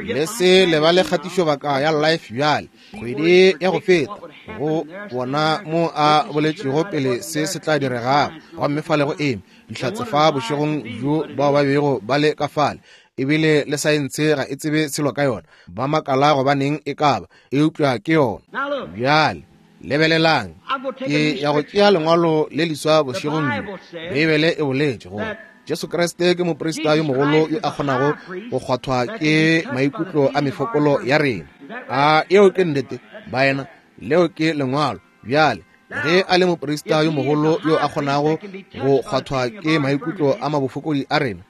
Le se lebale kgatišobaka ya Life bjale, kgwedi ya go feta, go bona mo a boletšego pele se se tla diregago. Gomme fale go eme dihlatse fa bošegong bjo bao ba bego ba le ka fale, ebile le saense ga e tsebe selo ka yona. Ba makala gobaneng e ka ba, eupša ke yona. Bjale lebelelang, ke ya go tšea lengwalo le leswa bošegong bjo. Beibele e boletše gore Jesu Kriste ke moprista yo mogolo yo a kgonago go kgwathwa ke maikutlo a mefokolo ya rena. A eo ke nnete, baena? Leo ke lengwalo. Bjale ge a le moprista yo mogolo yo a kgonago go kgwathwa ke maikutlo a mabofokodi a rena,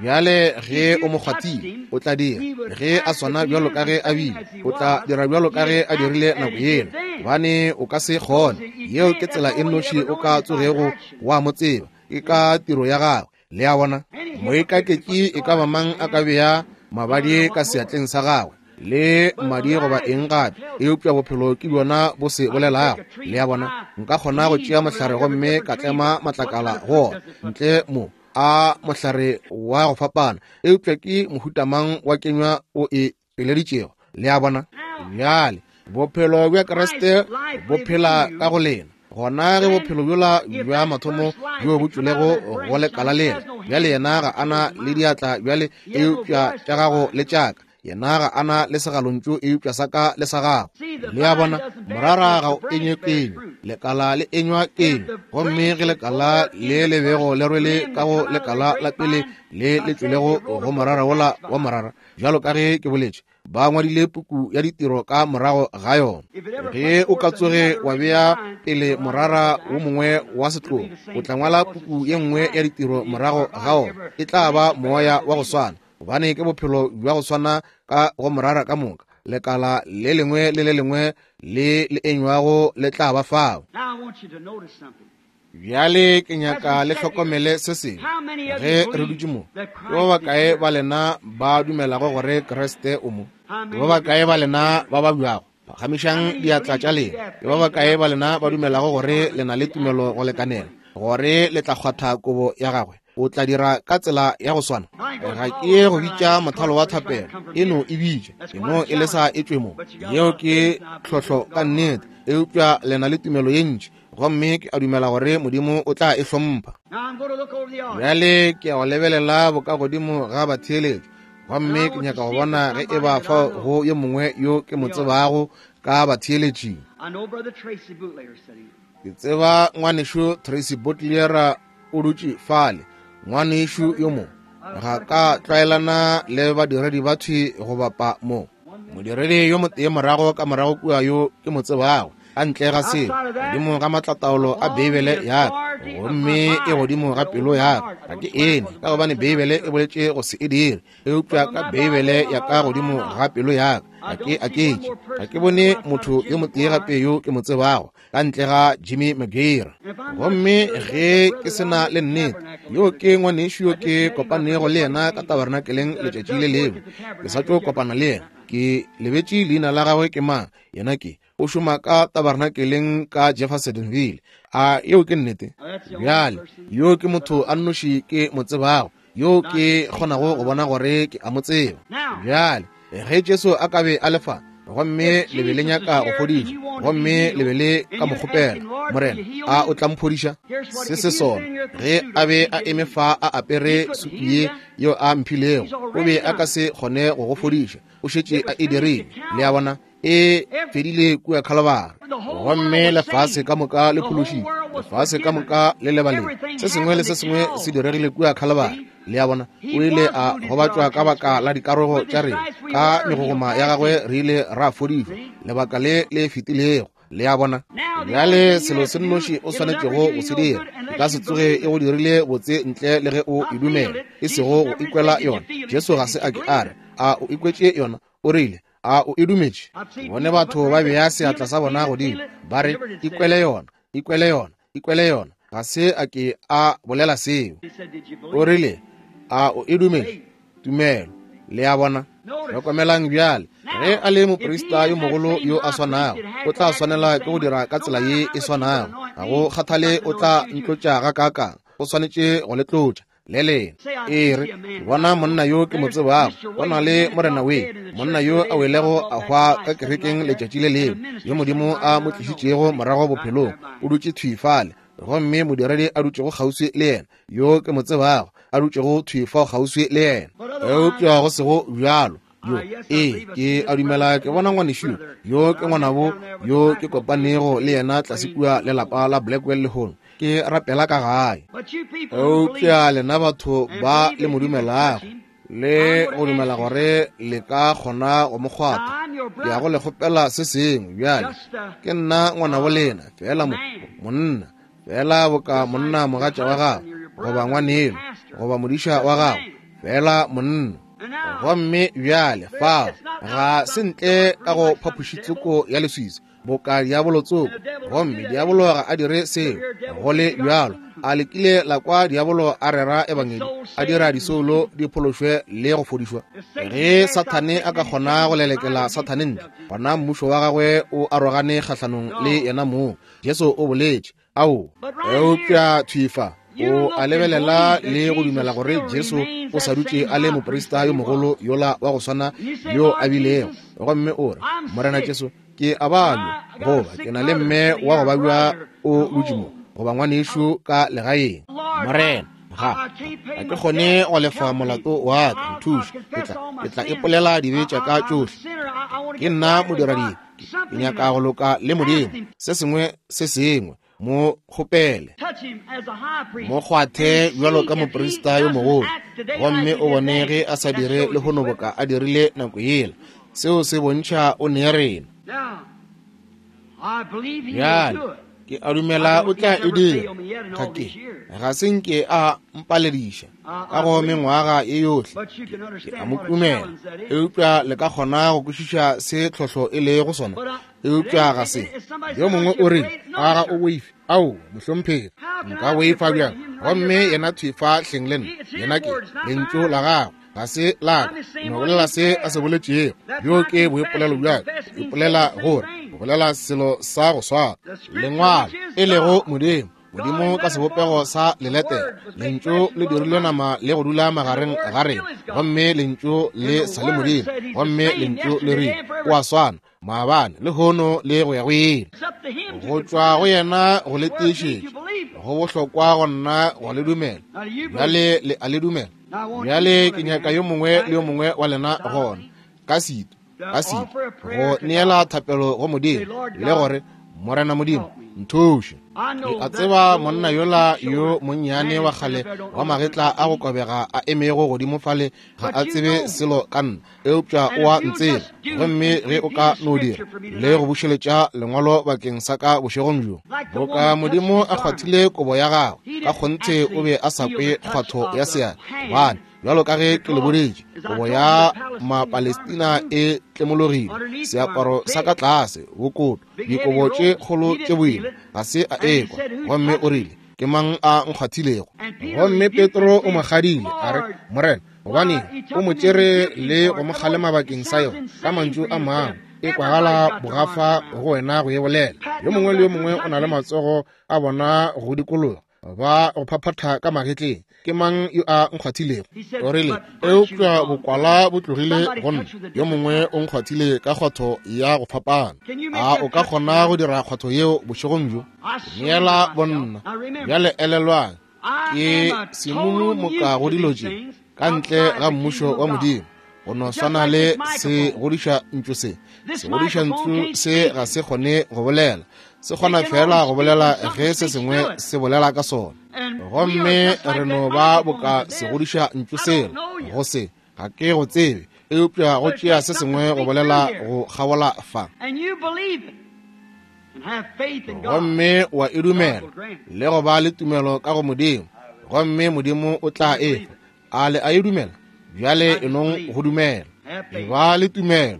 bjale ge o mo kgwathile, o tla dira ge a swana bjalo ka ge a bile, o tla dira bjalo ka ge a dirile nako yela, gobane o ka se kgone. Yeo ke tsela e nnoši o ka tsogego wa mo tseba, ke ka tiro ya gagwe. Le a bona, moikaketši e ka ba mang a ka bea mabadi ka seatleng sa gagwe le madi goba eng gape, eupša bophelo ke bjona bo se bolelago. Le a bona, nka kgona go tšea mohlare gomme ka tlema matlakala go ona ntle mo a mohlare wa go fapana, eupša ke mohutamang wa kenywa o e tšweleditšego. Le a bona, bjale bophelo bja Kriste bo phela ka go lena. Gona ge bophelo bjola bja mathomo bjo bo tšwelego go lekala lena, bjale yena ga ana le diatla bjale, eupša tša gago le tšaka. Yena ga ana le segalontšu, eupša sa ka le sa gago. Le a bona, morara ga o enywe kenywa, lekala le enywa kenywa. Gomme ge lekala le le bego le rwele ka go lekala la pele le le tšwelego go morara wola wa morara, bjalo ka ge ke boletše, ba ngwadile puku ya ditiro ka morago ga yona. Ge o ka tsoge wa bea pele morara wo mongwe wa setlogo, o tla ngwala puku ye nngwe ya ditiro morago ga ona. E tla ba moya wa go swana, gobane ke bophelo bja go swana ka go morara ka moka. Lekala le lengwe le le lengwe le le enywago le tla ba fao. Bjale ke nyaka le hlokomele se sengwe. Ge re dutše mo, ke ba bakae ba lena ba dumelago gore Kriste o mo? Ke ba bakae ba lena ba babjago? Phagamišang diatla tša lena. Ke ba bakae ba lena ba dumelago gore le na le tumelo go lekanela gore le tla kgwatha kobo ya gagwe? O tla dira ka tsela ya go swana. Ga ke ye go bitša mothalo wa thapelo, e no e bitša, e no e lesa e tšwe mo. Yeo ke tlhohlo ka nnete, eupša le na le tumelo ye ntši Gomme ke a dumela gore Modimo o tla e hlompha. Bjale ke ya go lebelela bokagodimo ga batheeletši, gomme ke nyaka go bona ge e ba fao go yo mongwe yo ke mo tsebago ka batheeletšing. Ke tseba ngwanešu Tracy Butler o dutše fale, ngwanešu yo mo. Ga ka tlwaelana le badiredi ba thwi go bapa mo. Modiredi yo motee morago ka morago kua yo ke mo tsebago, ka ntle ga seo, godimo ga matlataolo a Beibele ya ka, gomme e godimo ga pelo ya ka. Ga ke ene, ka gobane Beibele e boletše go se e dire, eupša ka Beibele ya ka godimo ga pelo ya ka, ga ke aketše. Ga ke bone motho yo motee gape yo ke mo tsebago, ka ntle ga Jimmy McGear. Gomme ge ke se na le nnete, yo ke ngwanešu yo ke kopanego le yena ka tabernakeleng letšatši le lengwe. Ke sa tšo kopana le yena. Ke lebetše leina la gagwe ke mang. Yena ke o šoma ka tabernakeleng ka Jeffersonville. A yeo ke nnete? Bjale, yo ke motho a nnoši ke mo tsebago, yo ke kgonago go bona gore ke a mo tseba. Bjale, ge Jesu a ka be a le fa, gomme le be le nyaka go fodišwa, gomme le be le ka mo kgopela, Morena, a o tla mphodiša? Se se sona, ge a be a eme fa a apere sutu ye yeo a mphilego, o be a ka se kgone go go fodiša. O šetše a e dirile. Le a bona, e fedile kua Calvary. Gomme lefase ka moka le phološitšwe, lefase ka moka le lebaleng. Se sengwe le se sengwe se diregile kua Calvary. Le a bona, o ile a gobatšwa ka baka la dikarogo tša rena, ka megogoma ya gagwe re ile ra fodišwa lebaka le le fetilego. Le a bona, bjale selo se nnoši o swanetšego go se dira, e ka se tsoge e go dirile botse ntle le ge o e dumela, e sego go ikwela yona. Jesu ga se a ke a re, a o ikwetše yona? O rile, a o e dumetše? Bone batho ba bea seatla sa bona godimo, ba re, ikwele yona, ikwele yona, ikwele yona. Ga se a ke a bolela seo. O rile, a o e dumetše? Tumelo. Le a bona? Hlokomelang bjale, ge a le moprista yo mogolo yo a swanago, o tla swanela ke go dira ka tsela ye e swanago. Ga go kgathale o tla ntlotša gakaakang, o swanetše go le tlotša le lena. E re, ke bona monna yo ke mo tsebago, go na le Morena we, monna yo a welego a hwa ka kerekeng letšatši le lengwe, yo Modimo a mo tlišitšego morago bophelong, o dutše thwi fale. Gomme modiredi a dutšego kgauswi le yena, yo ke mo tsebago, a dutšego thwi fao kgauswi le yena. Eupša go sego bjalo, yo, ee, ke a dumela ke bona ngwanešu yo ke ngwanabo yo ke kopanego le yena tlase kua le lapa la Blackwell lehono. Ke rapela ka gae. Eupša lena batho ba le mo dumelago, le go dumela gore le ka kgona go mo kgwatha, ke ya go le kgopela se sengwe bjale. Ke nna ngwanabo lena, fela mo, monna, fela boka monna mogatša wa gago, goba ngwaneno, goba modiša wa gago, fela monna. Gomme bjale fao ga se ntle ka go phapošitsoko ya leswiswi boka diabolo tsoko, gomme diabolo ga a dire seo. Go le bjalo, a le kile la kwa diabolo a rera ebangedi, a dira disoulo di phološwe le go fodišwa? Ge Sathane a ka kgona go lelekela Sathane ntle, gona mmušo wa gagwe o arogane kgahlanong le yena mong. Jesu o boletše, ao, eupša thwi fa o a lebelela le go dumela gore Jesu o sa dutše a le moprista yo mogolo yola wa go swana yo a bilego. Gomme o re, Morena Jesu, ke a balwa, goba ke na le mme wa go babja o dutše mo, goba ngwanešu ka legaeng. Morena, ga ga ke kgone go lefa molato wa ka, nthuše. Ke tla, ke tla ipolela dibe tša ka tšohle. Ke nna modiradibe, ke nyaka go loka le Modimo. Se sengwe se sengwe, mo kgopele, mo kgwathe bjalo ka moprista yo mogolo, gomme o bone ge a sa dire lehono boka a dirile nako yela. Seo se bontšha o ne rena. Bjale ke a dumela o tla e dira. Ga ke, ga se nke a mpalediša ka go mengwaga ye yohle. Ke a mo tumela, eupša le ka kgona go kwešiša se tlhohlo e lego sona. Eupša ga se. Yo mongwe o rile, a ga o boife? Ao, mohlomphegi, nka boifa bjang? Gomme yena thwi fa hleng le nna, yena ke lentšu la gagwe, ga se la ka. No bolela se a se boletšego. Bjo ke boipolelo bja ka. Ipolela gore o bolela selo sa go swana. Lengwalo e lego Modimo, Modimo ka sebopego sa leletere. Lentšu le dirilwe nama le go dula magareng ga rena, gomme lentšu le sa le Modimo, gomme lentšu le rile o a swana. maabane, lehono le go ya go ile. Go tšwa go yena go le tiišetša, go bohlokwa go nna go le dumela. Bjale le a le dumela. Bjale ke nyaka yo mongwe le yo mongwe wa lena gona ka setu, ka setu, go neela thapelo go Modimo le gore, Morena Modimo, nthuše. Ke a tseba monna yola yo monnyane wa kgale wa magetla a go kobega a emego godimo fale ga a tsebe selo ka nna, eupša o a ntseba. Gomme ge o ka no dira le go bušeletša lengwalo bakeng sa ka bošegong bjo, boka Modimo a kgwathile kobo ya gagwe, ka kgonthe o be a sa kwe kgwatho ya seatla, gobane bjalo ka ge ke le boditše, kobo ya Mapalestina e tlemologile, seaparo sa ka tlase, bokoto, dikobo tše kgolo tše boima, ga se a ekwa. Gomme o rile, ke mang a nkgwathilego? Gomme Petro o mo kgadile, a re, Morena, gobane o mo tšere le go mo kgalema bakeng sa yona. Ka mantšu a mangwe, e kwagala bogafa go wena go e bolela. Yo mongwe le yo mongwe o na le matsogo a bona go dikologa, ba go phaphatha ka magetleng. Ke mang yo a nkgwathilego? O rile, eupša bokwala bo tlogile go nna, yo mongwe o nkgwathile ka kgwatho ya go fapana. A o ka kgona go dira kgwatho yeo bošegong bjo? Neela bonna. Bjale elelwang, ke semumu moka go dilo tše ka ntle ga mmušo wa Modimo. Go no swana le segodiša ntšu se. Segodiša ntšu se ga se kgone go bolela, se kgona fela go bolela ge se sengwe se bolela ka sona. Gomme re no ba boka segodiša ntšu sela go se, ga ke go tsebe, eupša go tšea se sengwe go bolela go kgabola fa. Gomme wa e dumela le go ba le tumelo ka go Modimo, gomme Modimo o tla e fa. A le a e dumela? Bjale e nong go dumela. E ba le tumelo,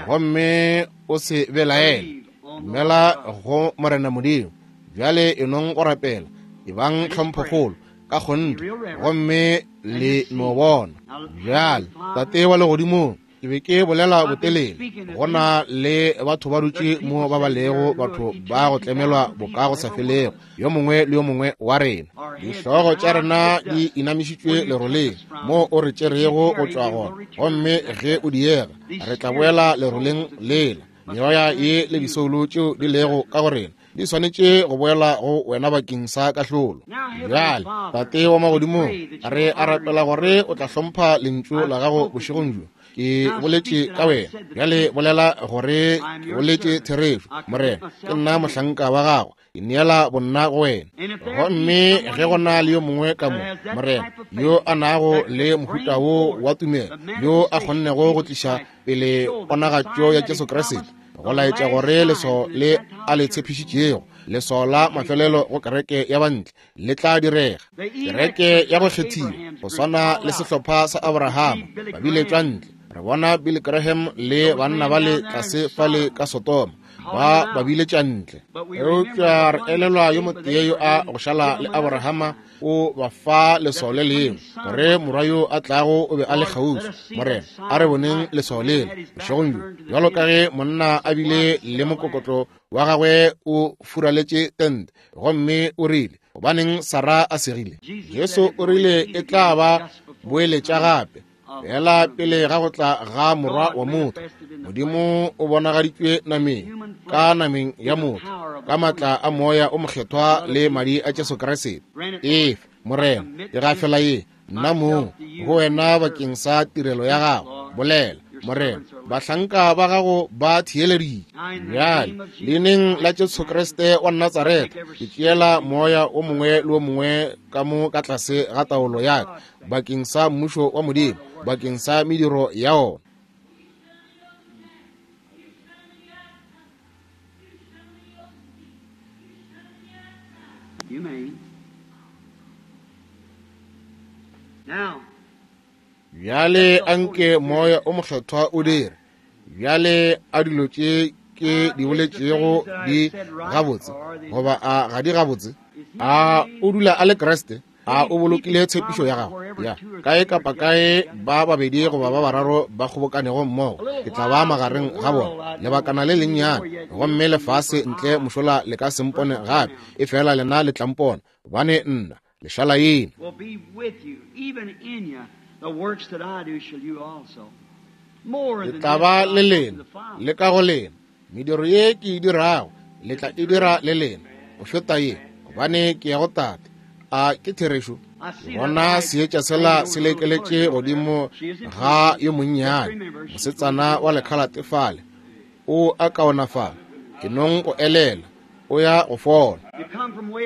gomme o se belaele. Dumela go Morena Modimo. Bjale e nong go rapela, e bang tlhomphokgolo ka kgonthe, gomme le no bona. Bjale, Tate wa legodimong, ke be ke bolela botelele, go na le batho ba dutše mo ba ba lego batho ba go tlemelwa boka go sa felego, yo mongwe le yo mongwe wa rena. Dihlogo tša rena di inamišitšwe leroleng mo o re tšerego go tšwa gona, gomme ge o diega re tla boela leroleng lela. Meoya ye le disoulo tšeo di lego ka go rena di swanetše go boela go wena bakeng sa kahlolo. Bjale, Tate wa magodimong, re a rapela gore o tla hlompha lentšu la gago bošegong bjo. Ke boletše ka wena, bjale bolela gore ke boletše therešo. Morena, ke nna mohlanka wa gago, ke neela bonna go wena. Gomme ge go na le yo mongwe ka mo, Morena, yo a nago le mohuta wo wa tumelo, yo a kgonnego go tliša pele ponagatšo ya Jesu Kriste, go laetša gore leswao le a le tshepišitšego, leswao la mafelelo go kereke ya bantle, le tla direga. Kereke ya go kgethiwa, go swana le sehlopha sa Abrahama, ba biletšwa ntle. Re bona Billy Graham le banna ba le tlase fale ka Sodoma, ba ba biletša ntle. Eupša re elelwa yo motee yo a go šala le Abrahama, o ba fa leswao le lengwe, gore morwa yo a tlago o be a le kgauswi. Morena, a re boneng leswao lela bošegong bjo, bjalo ka ge monna a bile le mokokotlo wa gagwe o furaletše tente, gomme o rile, gobaneng Sara a segile? Jesu o rile e tla ba boeletša gape, fela pele ga go tla ga morwa wa motho. Modimo o bonagaditšwe nameng, ka nameng ya motho, ka matla a moya o mokgethwa le madi a Jesu Kriste. Efe, Morena, ke gafela ye nna mong go wena bakeng sa tirelo ya gago. Bolela, Morena, bahlanka ba gago ba theeleditše. Bjale, leineng la Jesu Kriste wa Natsaretha, ke tšeela moya o mongwe le o mongwe ka mo ka tlase ga taolo ya ka bakeng sa mmušo wa Modimo, bakeng sa mediro ya ona. You may. Now, Bjale anke moya o mokgethwa o dire. Bjale a dilo tše ke di boletšego di gabotse, goba a ga di gabotse? A o dula a le Kriste? A o bolokile tshepišo ya gago? Ya, kae kapa kae ba babedi goba ba bararo ba kgobokanego mmogo, ke tla ba magareng ga bona lebakana le lennyane, gomme lefase ntle mošola le ka se mpone gape, e fela lena le tla mpona, gobane nna lešala ena. will be with you, even in you. The works that I do shall you also. More Ke than tla this ba shall le I do to lena the Father. le ka go lena, Mediro ye ke e dirago le tla e dira le lena, go feta ye, gobane ke ya go Tate. A ke therešo? Ke bona seetša sela se lekeletše godimo ga yo monnyane, mosetsana wa lekhalate fale. O a kaonafala. Ke nong go elela, o ya go fola.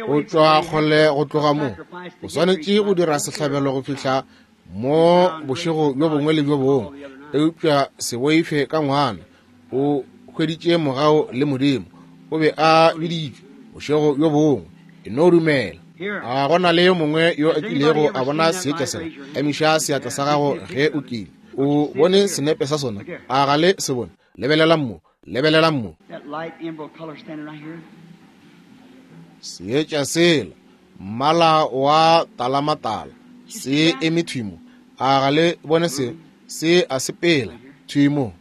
O tšwa kgole go tloga mo. O swanetše go dira sehlabelo go fihla mo bošego bjo bongwe le bjo bongwe. Eupša se boife ka ngwana. O hweditše mogau le Modimo. O be a biditšwe bošego bjo bongwe. E no dumela. A gona le yo mongwe yo a kilego a bona seetša sela? Emiša seatla sa gago ge o kile. O bone senepe sa sona? A ga le se bone? Lebelelang mo, lebelelang mo. Seetša sela, mmala wa talamatala, se eme thwi mo. A ga le bone se? Se a sepela thwi mo.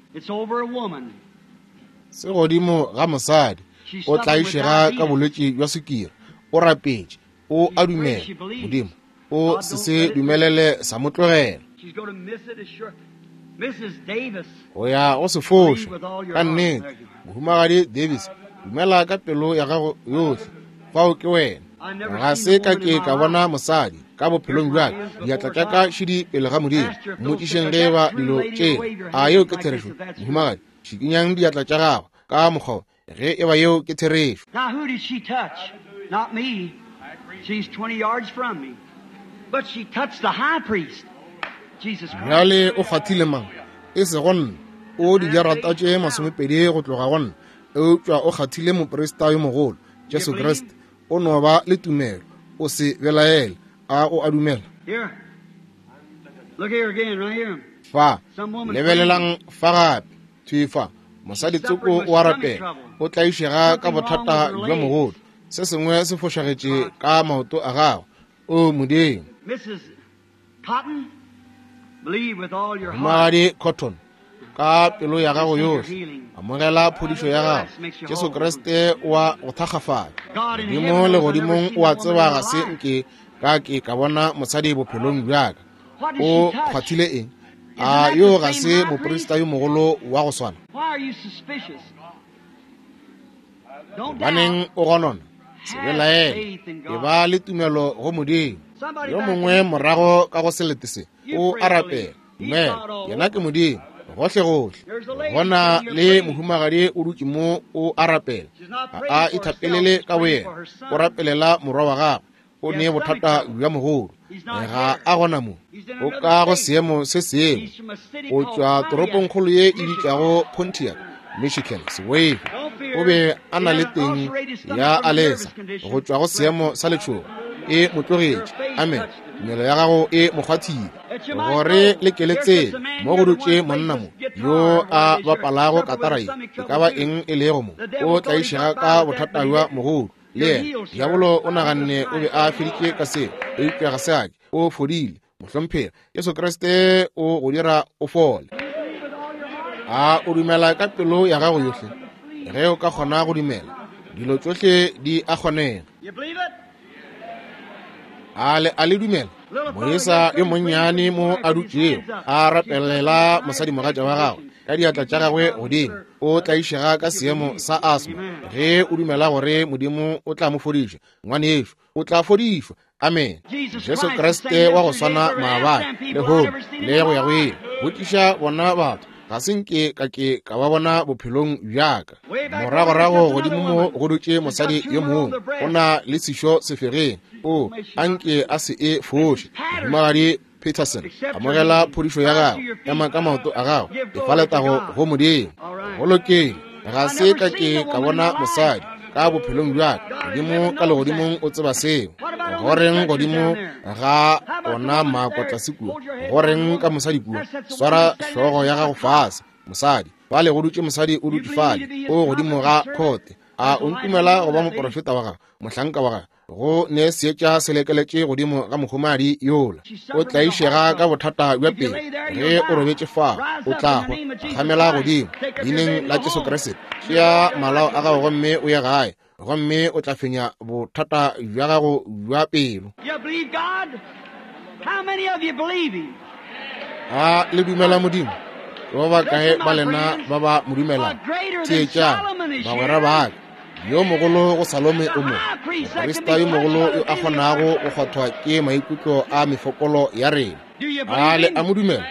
Se godimo ga mosadi. O tlaišega ka bolwetši bja sukiri. O rapetše. O a dumela Modimo. O se se dumelele sa mo tlogela. O ya go se foša ka nnete. Mohumagadi Davis, dumela ka pelo ya gago yohle. Fao ke wena. Ga se ka ke ka bona mosadi ka bophelong bja ka. Diatla tša ka šidi pele ga Modimo. Mmotšišeng ge ba dilo tšela. A yeo ke therešo? Mohumagadi, šikinyang diatla tša gago ka mokgwa ge e ba yeo ke therešo. Now who did she touch? Not me. She's twenty yards from me. But she touched the high priest, Jesus Christ. Bjale o kgwathile mang? E sego nna. O dijarata tše masomepedi go tloga go nna. Eupša o kgwathile moprista yo mogolo, Jesu Kriste. O no ba le tumelo. O se belaele. A o a dumela? Here. Look here again, right here. Fa, lebelelang fa gape. Thwi fa. Mosadi tsoko o a rapela. O tlaišega ka bothata bja mogodu. Se sengwe se fošagetše ka maoto a gago. O Modimo. Missus Cotton, believe with all your heart. Mohumagadi Cotton, ka pelo ya gago yohle, amogela phodišo ya gago. Jesu Kriste o a go thakgafala. Modimo legodimong o a tseba ga se nke ka ke ka bona mosadi bophelong bja ka. O kgwathile eng? A yo ga se moprista yo mogolo wa go swana? Why are you suspicious? Don't doubt. Baneng o gonona? Se belaele. E ba le tumelo go Modimo. Yo mongwe morago ka go selete se o a rapela. Dumela, yena ke Modimo gohle gohle. Gona le mohumagadi o dutše mo o a rapela. Ga a ithapelele ka boyena, o rapelela morwa wa gagwe. O ne bothata bja mogolo. Ga a gona mo. O ka go seemo se sengwe. O tšwa toropongkgolo ye e bitšwago Pontiac, Michigan. Sewave. O be a na le teng ya alesa go tšwa go seemo sa letšhogo. E mo tlogetše. Amen. Tumelo ya gago e mo kgwathile. Gore le keletseng mo go dutše monna mo yo a bapalago katara ye, e ka ba eng e lego mo, o tlaišega ka bothata bja mogodu. Le yena diabolo o naganne o be a feditše ka seo, eupša ga se a ke. O fodile, mohlomphegi. Jesu Kriste o go dira o fole. A o dumela ka pelo ya gago yohle? Ge o ka kgona go dumela, dilo tšohle di a kgonega. You believe it? A le a le dumela? Moisa yo monnyane mo a dutšego a rapelela mosadimogatša wa gagwe ka diatla tša gagwe godimo. O tlaišega ka seemo sa asthma. Ge o dumela gore Modimo o tla mo fodiša, ngwanešo, o tla fodišwa. Amen. Jesu Kriste wa go swana maabane, lehono le go ya go ile. Botšiša bona batho. Ga se nke ka ke ka ba bona bophelong bja ka. Moragorago godimo mo go dutše mosadi yo mongwe. O na le sešo sefegeng. O a nke a se e foše. Mohumagadi Peterson, amogela phodišo ya gago. Ema ka maoto a gago. Efa letago go Modimo. Go lokile. Ga se ka ke ka bona mosadi ka bophelong bja ka. Modimo ka legodimong o tseba seo. Goreng godimo ga ona makotlase kua? Goreng ka mosadi kua? Swara hlogo ya gago fase, mosadi. Fale go dutše mosadi o dutše fale, o godimo ga khote. A o ntumela go ba moprofeta wa gagwe, mohlanka wa gagwe? Go ne seetša se lekeletše godimo ga mohumagadi yola. O tlaišega ka bothata bja pelo. Ge o robetše fao, o tla hwa. Gamela godimo leineng la Jesu Kriste. Tšea malao a gago gomme o ye gae, gomme o tla fenya bothata bja gago bja pelo. You believe God? How many of you believe him? A le dumela Modimo? Ba bakae ba lena ba ba mo dumelago? Theetšang, bagwera ba ka, yo mogolo go Salome o mo, moprista yo mogolo yo a kgonago go kgwathwa ke maikutlo a mefokolo ya rena. A le a mo dumela?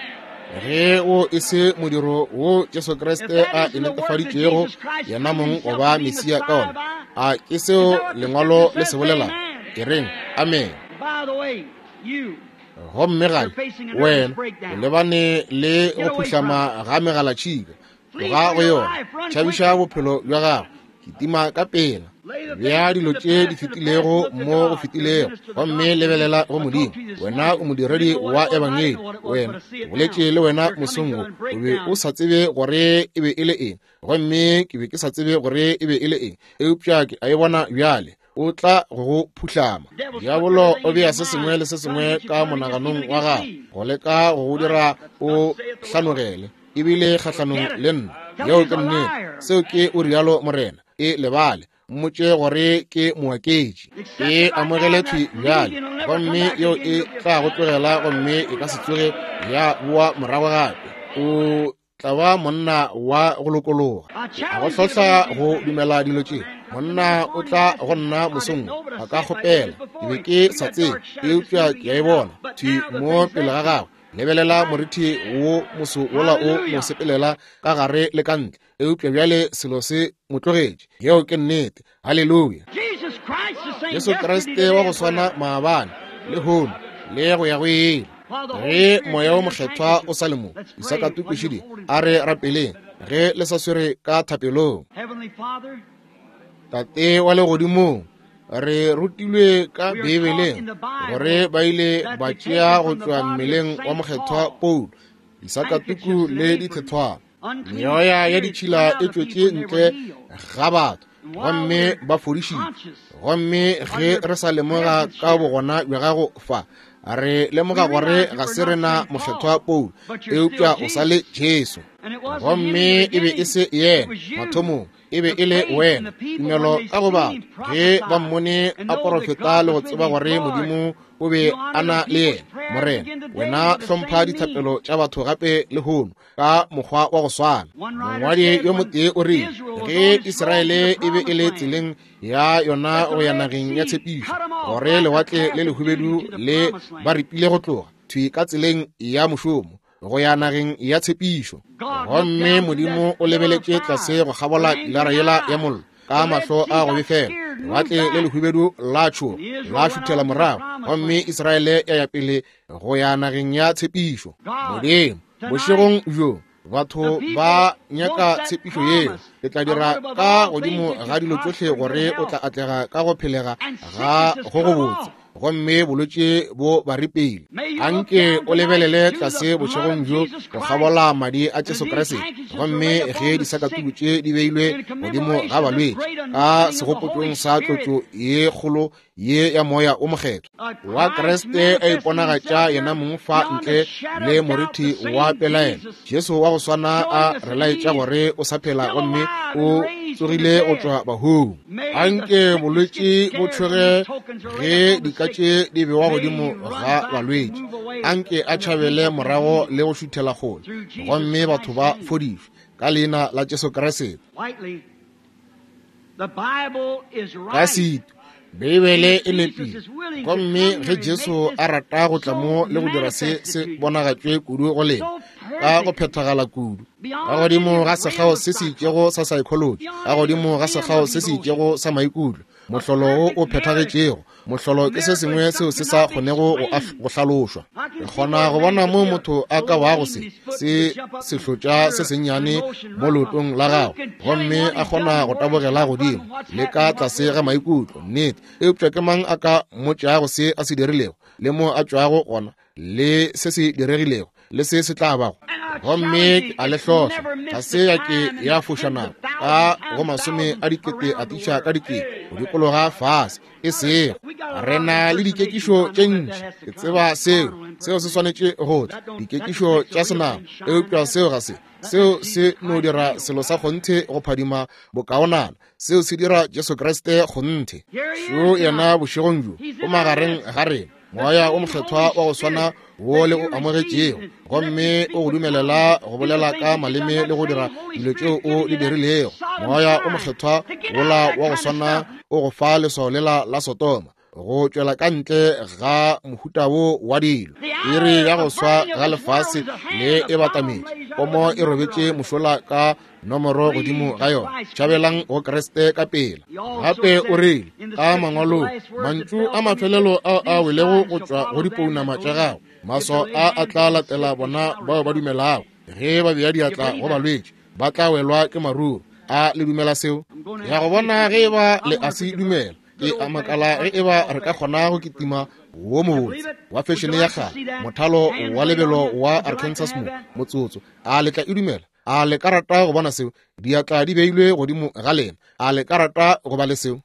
Ge o e se modiro wo Jesu Kriste a e netefaditšego yena mong go ba Mesia ka ona, a ke seo lengwalo le se bolelago? E reng amen. Gomme gale wena o lebane le go phuhlama ga megalatšhika, tloga go yona, tšhabiša bophelo bja gago, kitima ka pela, bea dilo tše di fetilego mo go fetilego, gomme lebelela go Modimo. Wena o modiredi wa ebangedi, wena ke boletše le wena mosong wo, o be o sa tsebe gore e be e le eng, gomme ke be ke sa tsebe gore e be e le eng, eupša ke a e bona bjale. O tla go go phuhlama. Diabolo o bea se sengwe le se sengwe ka monaganong wa gago go leka go go dira o hlanogele, ebile kgahlanong le nna. Yeo ke nnete. Seo ke o rialo Morena. E lebale, mmotše gore ke moaketši. E amogele thwi bjale, gomme yeo e tla go tlogela, gomme e ka se tsoge ya boa morago gape. O tla ba monna wa go lokologa. A go hlohla go dumela dilo tše. Monna o tla go nna mosong a ka kgopela, ke be ke sa tsebe, eupša ke a e bona thwi mo pele ga gagwe. Lebelela morithi wo moso wola o mo sepelela ka gare le ka ntle, eupša bjale selo se mo tlogetše. Yeo ke nnete. Haleluya. Jesu Kriste wa go swana maabane, lehono, le go ya go ile. Ge moya wo mokgethwa o sa le mo, disakatuku a re rapeleng ge le sa swere ka thapelong. Tate wa legodimong, re rutilwe ka Beibeleng gore ba ile ba tšea go tšwa mmeleng wa mokgethwa Paulo disakatuku le dithethwana. Meoya ya ditšhila e tšwetše ntle ga batho, gomme ba fodišitšwe. Gomme ge re sa lemoga ka bogona bja gago fa, re lemoga gore ga se rena mokgethwa Paulo, eupša o sa le Jesu. Gomme e be e se yena mathomong, e be e le wena. Tumelo ka go batho ge ba mmone a porofeta le go tseba gore Modimo o be a na le yena. Morena, wena hlompha dithapelo tša batho gape lehono ka mokgwa wa go swana. Mongwadi yo motee o rile, ge Israele e be e le tseleng ya yona go ya nageng ya tshepišo, gore lewatle le lehubedu le ba ripile go tloga thwi ka tseleng ya mošomo go ya nageng ya tshepišo. Gomme Modimo o lebeletše tlase go kgabola pilara yela ya mollo ka mahlo a go befela. Lewatle le lehubedu la tšhoga, la šuthela morago, gomme Israele ya ya pele go ya nageng ya tshepišo. Modimo, bošegong bjo batho ba nyaka tshepišo yeo. Ke tla dira ka godimo ga dilo tšohle gore o tla atlega ka go phelega ga go go botse, gomme bolwetši bo ba ripile. Anke o lebelele tlase bošegong bjo go kgabola madi a Jesu Kriste, gomme ge disakatuku tše di beilwe godimo ga balwetši ka segopotšong sa tlotšo ye kgolo ye ya moya o mokgethwa wa Kriste a iponagatša yena mong fa ntle le morithi wa pelaelo. Jesu wa go swana a re laetša gore o sa phela gomme o tsogile go tšwa bahung. Anke bolwetši bo tšhoge ge dika tše di bewa godimo ga balwetši. Anke a tšhabele morago le go šuthela kgole, gomme batho ba fodišwe ka leina la Jesu Kriste. Ka setu, Beibele e nepile, gomme ge Jesu a rata go tla mo le go dira se se bonagatšwe kudu go lena ka go phethagala kudu, ka godimo ga sekgao se se itšego sa psychology, ka godimo ga sekgao se se itšego sa maikutlo, mohlolo wo o phethagetšego. Mohlolo ke se sengwe seo se sa kgonego go hlalošwa. Re kgona go bona mo motho a ka bago se se sehlotša se sennyane mo leotong la gagwe, gomme a kgona go tabogela godimo le ka tlase ga maikutlo, nnete. Eupša ke mang a ka mmotšago se a se dirilego, le mo a tšwago gona, le se se diregilego, le se se tla bago? Gomme ke a le hlohla, ga se ya ke ya foša nako ka go masome a dikete a tiša ka dikete go dikologa fase. E sego re na le dikekišo tše ntši, ke tseba seo, seo se swanetše go tla, dikekišo tša senama, eupša seo ga se, seo se no dira selo sa kgonthe go phadima bokaonana. Seo se dira Jesu Kriste kgonthe. Šo yena bošegong bjo o magareng ga rena, moya o mokgethwa wa go swana wo le o amogetšego, gomme o go dumelela go bolela ka maleme le go dira dilo tšeo o di dirilego, Moya o Mokgethwa wola wa go swana o go fa leswao lela la Sodoma, go tšwela ka ntle ga mohuta wo wa dilo. Iri ya go swa ga lefase le e batametše, pomo e robetše mošola ka nomoro godimo ga yona. Tšhabelang go Kriste ka pela. Gape o rile ka mangwalong, mantšu a mafelelo ao a welego go tšwa go dipounama tša gago, maswao a a tla latela bona bao ba dumelago. Ge ba bea diatla go balwetši, ba tla welwa ke maruru. A le dumela seo? Ya go bona ge e ba le a se dumela. Ke a makala ge e ba re ka kgona go kitima wo mobotse wa fešene ya kgale, mothalo wa lebelo wa Arkansas mo motsotso. A le tla e dumela? A le ka rata go bona seo? Diatla di beilwe godimo ga lena. A le ka rata go ba le seo?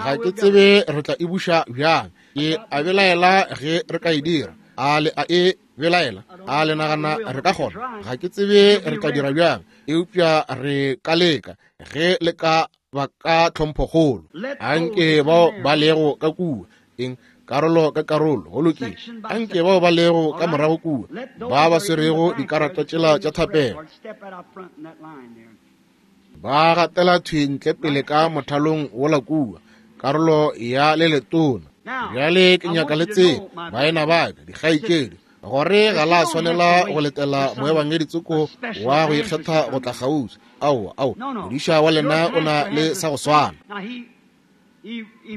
Ga ke tsebe re tla e buša bjang. Ke a belaela ge re ka e dira. A le a e belaela? A le nagana re ka kgona? Ga ke tsebe re tla dira bjang, eupša re ka leka ge le ka ba ka tlhomphokgolo. Anke bao ba lego ka kua, eng, karolo ka karolo, go lokile. Anke bao ba lego ka morago kua, ba ba swerego dikarata tšela tša thapelo, ba gatela thwi ntle pele ka mothalong wola kua, karolo ya le letona. Bjale ke nyaka le tsebe, baena ba ka, dikgaetšedi, gore ga la swanela go letela moebangedi tsoko wa go ikgetha go tla kgauswi. Aowa, aowa, modiša wa lena o na le sa go swana.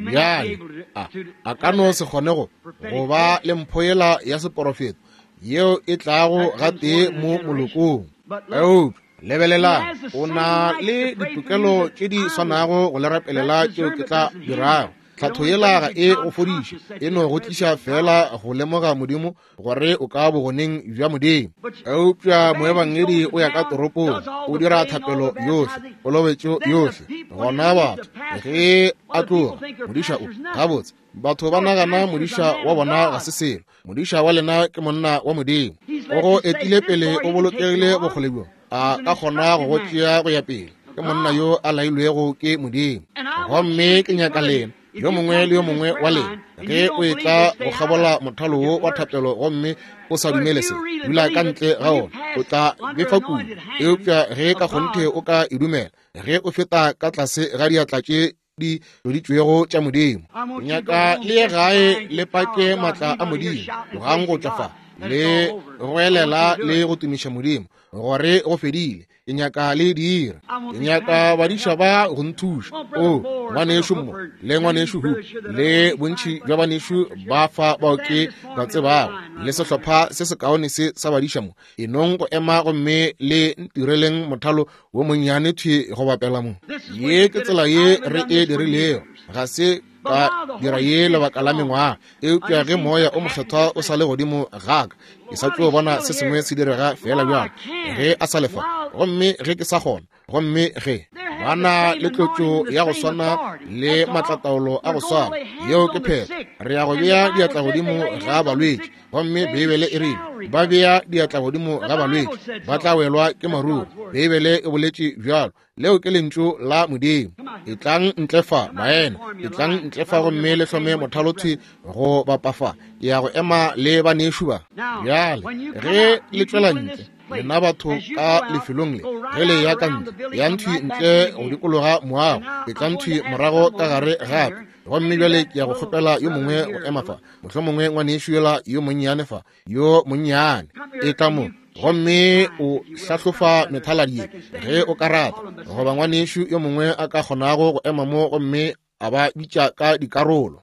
Bjale a a ka no se kgone go go ba le mpho yela ya seporofeto yeo e tlago gatee mo molokong. Eupša lebelelang, o na le ditokelo tše di swanago go le rapelela tšeo ke tla dirago. Tlhatho yela ga e go fodiše, e no go tliša fela go lemoga Modimo gore o ka bogoneng bja Modimo. Eupša moebangedi o ya ka toropong, o dira thapelo yohle, kolobetšo yohle. Gona batho ge a tloga, modiša o gabotse, batho ba nagana modiša wa bona ga se selo. Modiša wa lena ke monna wa Modimo, o go etile pele, o bolokegile bokgole bjo a ka kgona go go tšea go ya pele. Ke monna yo a lailwego ke Modimo. Gomme ke nyaka lena, yo mongwe le yo mongwe wa lena, ge o etla go kgabola mothalo wo wa thapelo gomme o sa dumele se, dula ka ntle ga ona, o tla befa kudu. Eupša ge ka kgonthe o ka e dumela, ge o feta ka tlase ga diatla tše di tloditšwego tša Modimo, nyaka le ye gae le pake maatla a Modimo, tlogang go tšwa fa le goelela le go tumiša Modimo gore go fedile. Ke nyaka le dira. Ke nyaka badiša ba go nthuša. O ngwanešu mo le ngwanešu hu le bontši bja banešu ba fa bao ke ba tsebago, le sehlopha se sekaone se sa badiša mo, e nong go ema gomme le ntireleng mothalo wo monnyane thwi go bapela mo. Ye ke tsela ye re e dirilego. Ga se ka dira ye lebaka la mengwaga, eupša ge Moya o Mokgethwa o sa le godimo ga ka, ke sa tlo bona se sengwe se direga fela bjalo ge a sa lefa, gomme ge ke sa kgona, gomme ge ba na le tlotšo ya go swana le matlataolo a go swana, yeo ke phetho. Re ya go bea diatla godimo ga balwetši, gomme Beibele e rile ba bea diatla godimo ga balwetši ba tla welwa ke maruru. Beibele e boletše bjalo. Leo ke lentšu la Modimo. Etlang ntle fa, baena, etlang ntle fa gomme le hlome mothalothwi go bapa fa. Ke ya go ema le banešu ba. Bjale ge le tšwela ntle, lena batho ka lefelong le, ge le ya ka ntle, yang thwi ntle go dikologa moago, etlang thwi morago ka gare gape. Gomme bjale ke ya go kgopela yo mongwe go ema fa, mohlomongwe ngwanešu yola yo monnyane fa, yo monnyane, etla mo gomme o hlahlofa methaladi ye ge o ka rata, goba ngwanešu yo mongwe a ka kgonago go ema mo gomme a ba bitša ka dikarolo.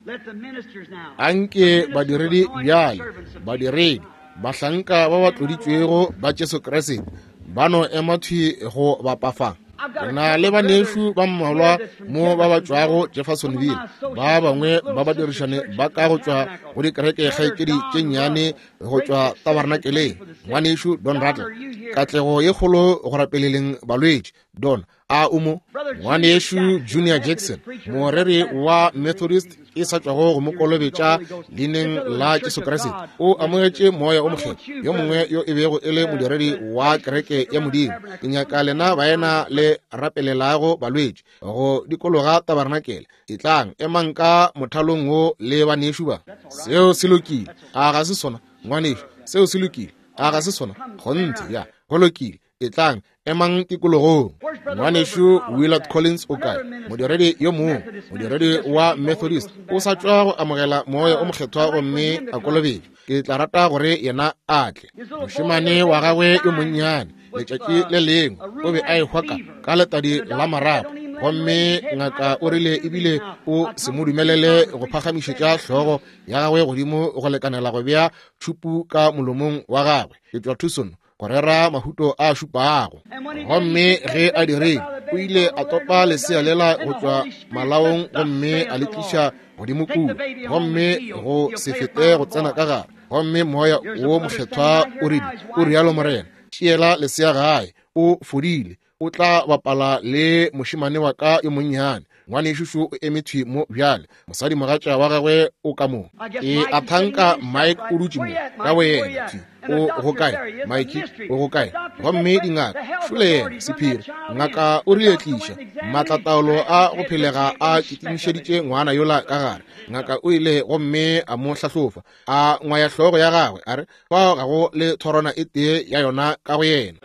Anke badiredi bjale, badiredi, bahlanka ba ba tloditšwego ba Jesu Kriste, ba no ema thwi go bapa fa. Re na le banešu ba mmalwa mo ba ba tšwago Jeffersonville, ba bangwe ba ba dirišane ba ka go tšwa go dikereke kgaetšedi tše nnyane go tšwa tabernakeleng. Ngwanešu Don Rattle, katlego ye kgolo go rapeleleng balwetši. Don, a o mo? Ngwanešu Junior Jackson, moreri wa Methodist e sa tšwago go mo kolobetša leineng la Jesu Kriste, o amogetše Moya o Mokgethwa, yo mongwe yo e bego e le modiredi wa kereke ya Modimo. Ke nyaka lena baena le rapelelago balwetši go dikologa tabernakel. Etlang, emang ka mothalong wo le banešu ba. Seo se lokile, a ga se sona, ngwanešu? Seo se lokile. A ga se sona? Kgonthe, ya, go lokile. Etlang, emang tikologong. Ngwanešu Willard Collins o kae? Modiredi yo mongwe, modiredi wa Methodist, o sa tšwa go amogela moya o mokgethwa gomme a kolobetšwa. Ke tla rata gore yena a tle. Mošemane wa gagwe yo monnyane, letšatši le lengwe, o be a ehwa ka ka letadi la marapo, gomme ngaka o rile ebile o se mo dumelele go phagamišetša hlogo ya gagwe godimo go lekanela go bea tšhupu ka molomong wa gagwe. Ke tšwa Tucson go rera mahuto a šupago. Gomme ge a dirile, o ile a topa lesea lela go tšwa malaong gomme a le tliša godimo kua, gomme go se fete go tsena ka gare. Gomme moya wo mokgethwa o rile, o rialo Morena, tšeela lesea gae, o fodile, o tla bapala le mošemane wa ka yo monnyane. Ngwanešu šo o eme thwi mo bjale, mosadimogatša wa gagwe o ka mo. Ke a thanka Mike o dutše mo ka boyena thwi. O go kae Mike? O go kae? Gomme dingaka šole yena sephiri. Ngaka o rile tliša maatlataolo a go phelega a kitimišeditše ngwana yola ka gare. Ngaka o ile gomme a mo hlahlofa, a ngwaya hlogo ya gagwe, a re fao ga go le thorwana e tee ya yona ka go yena.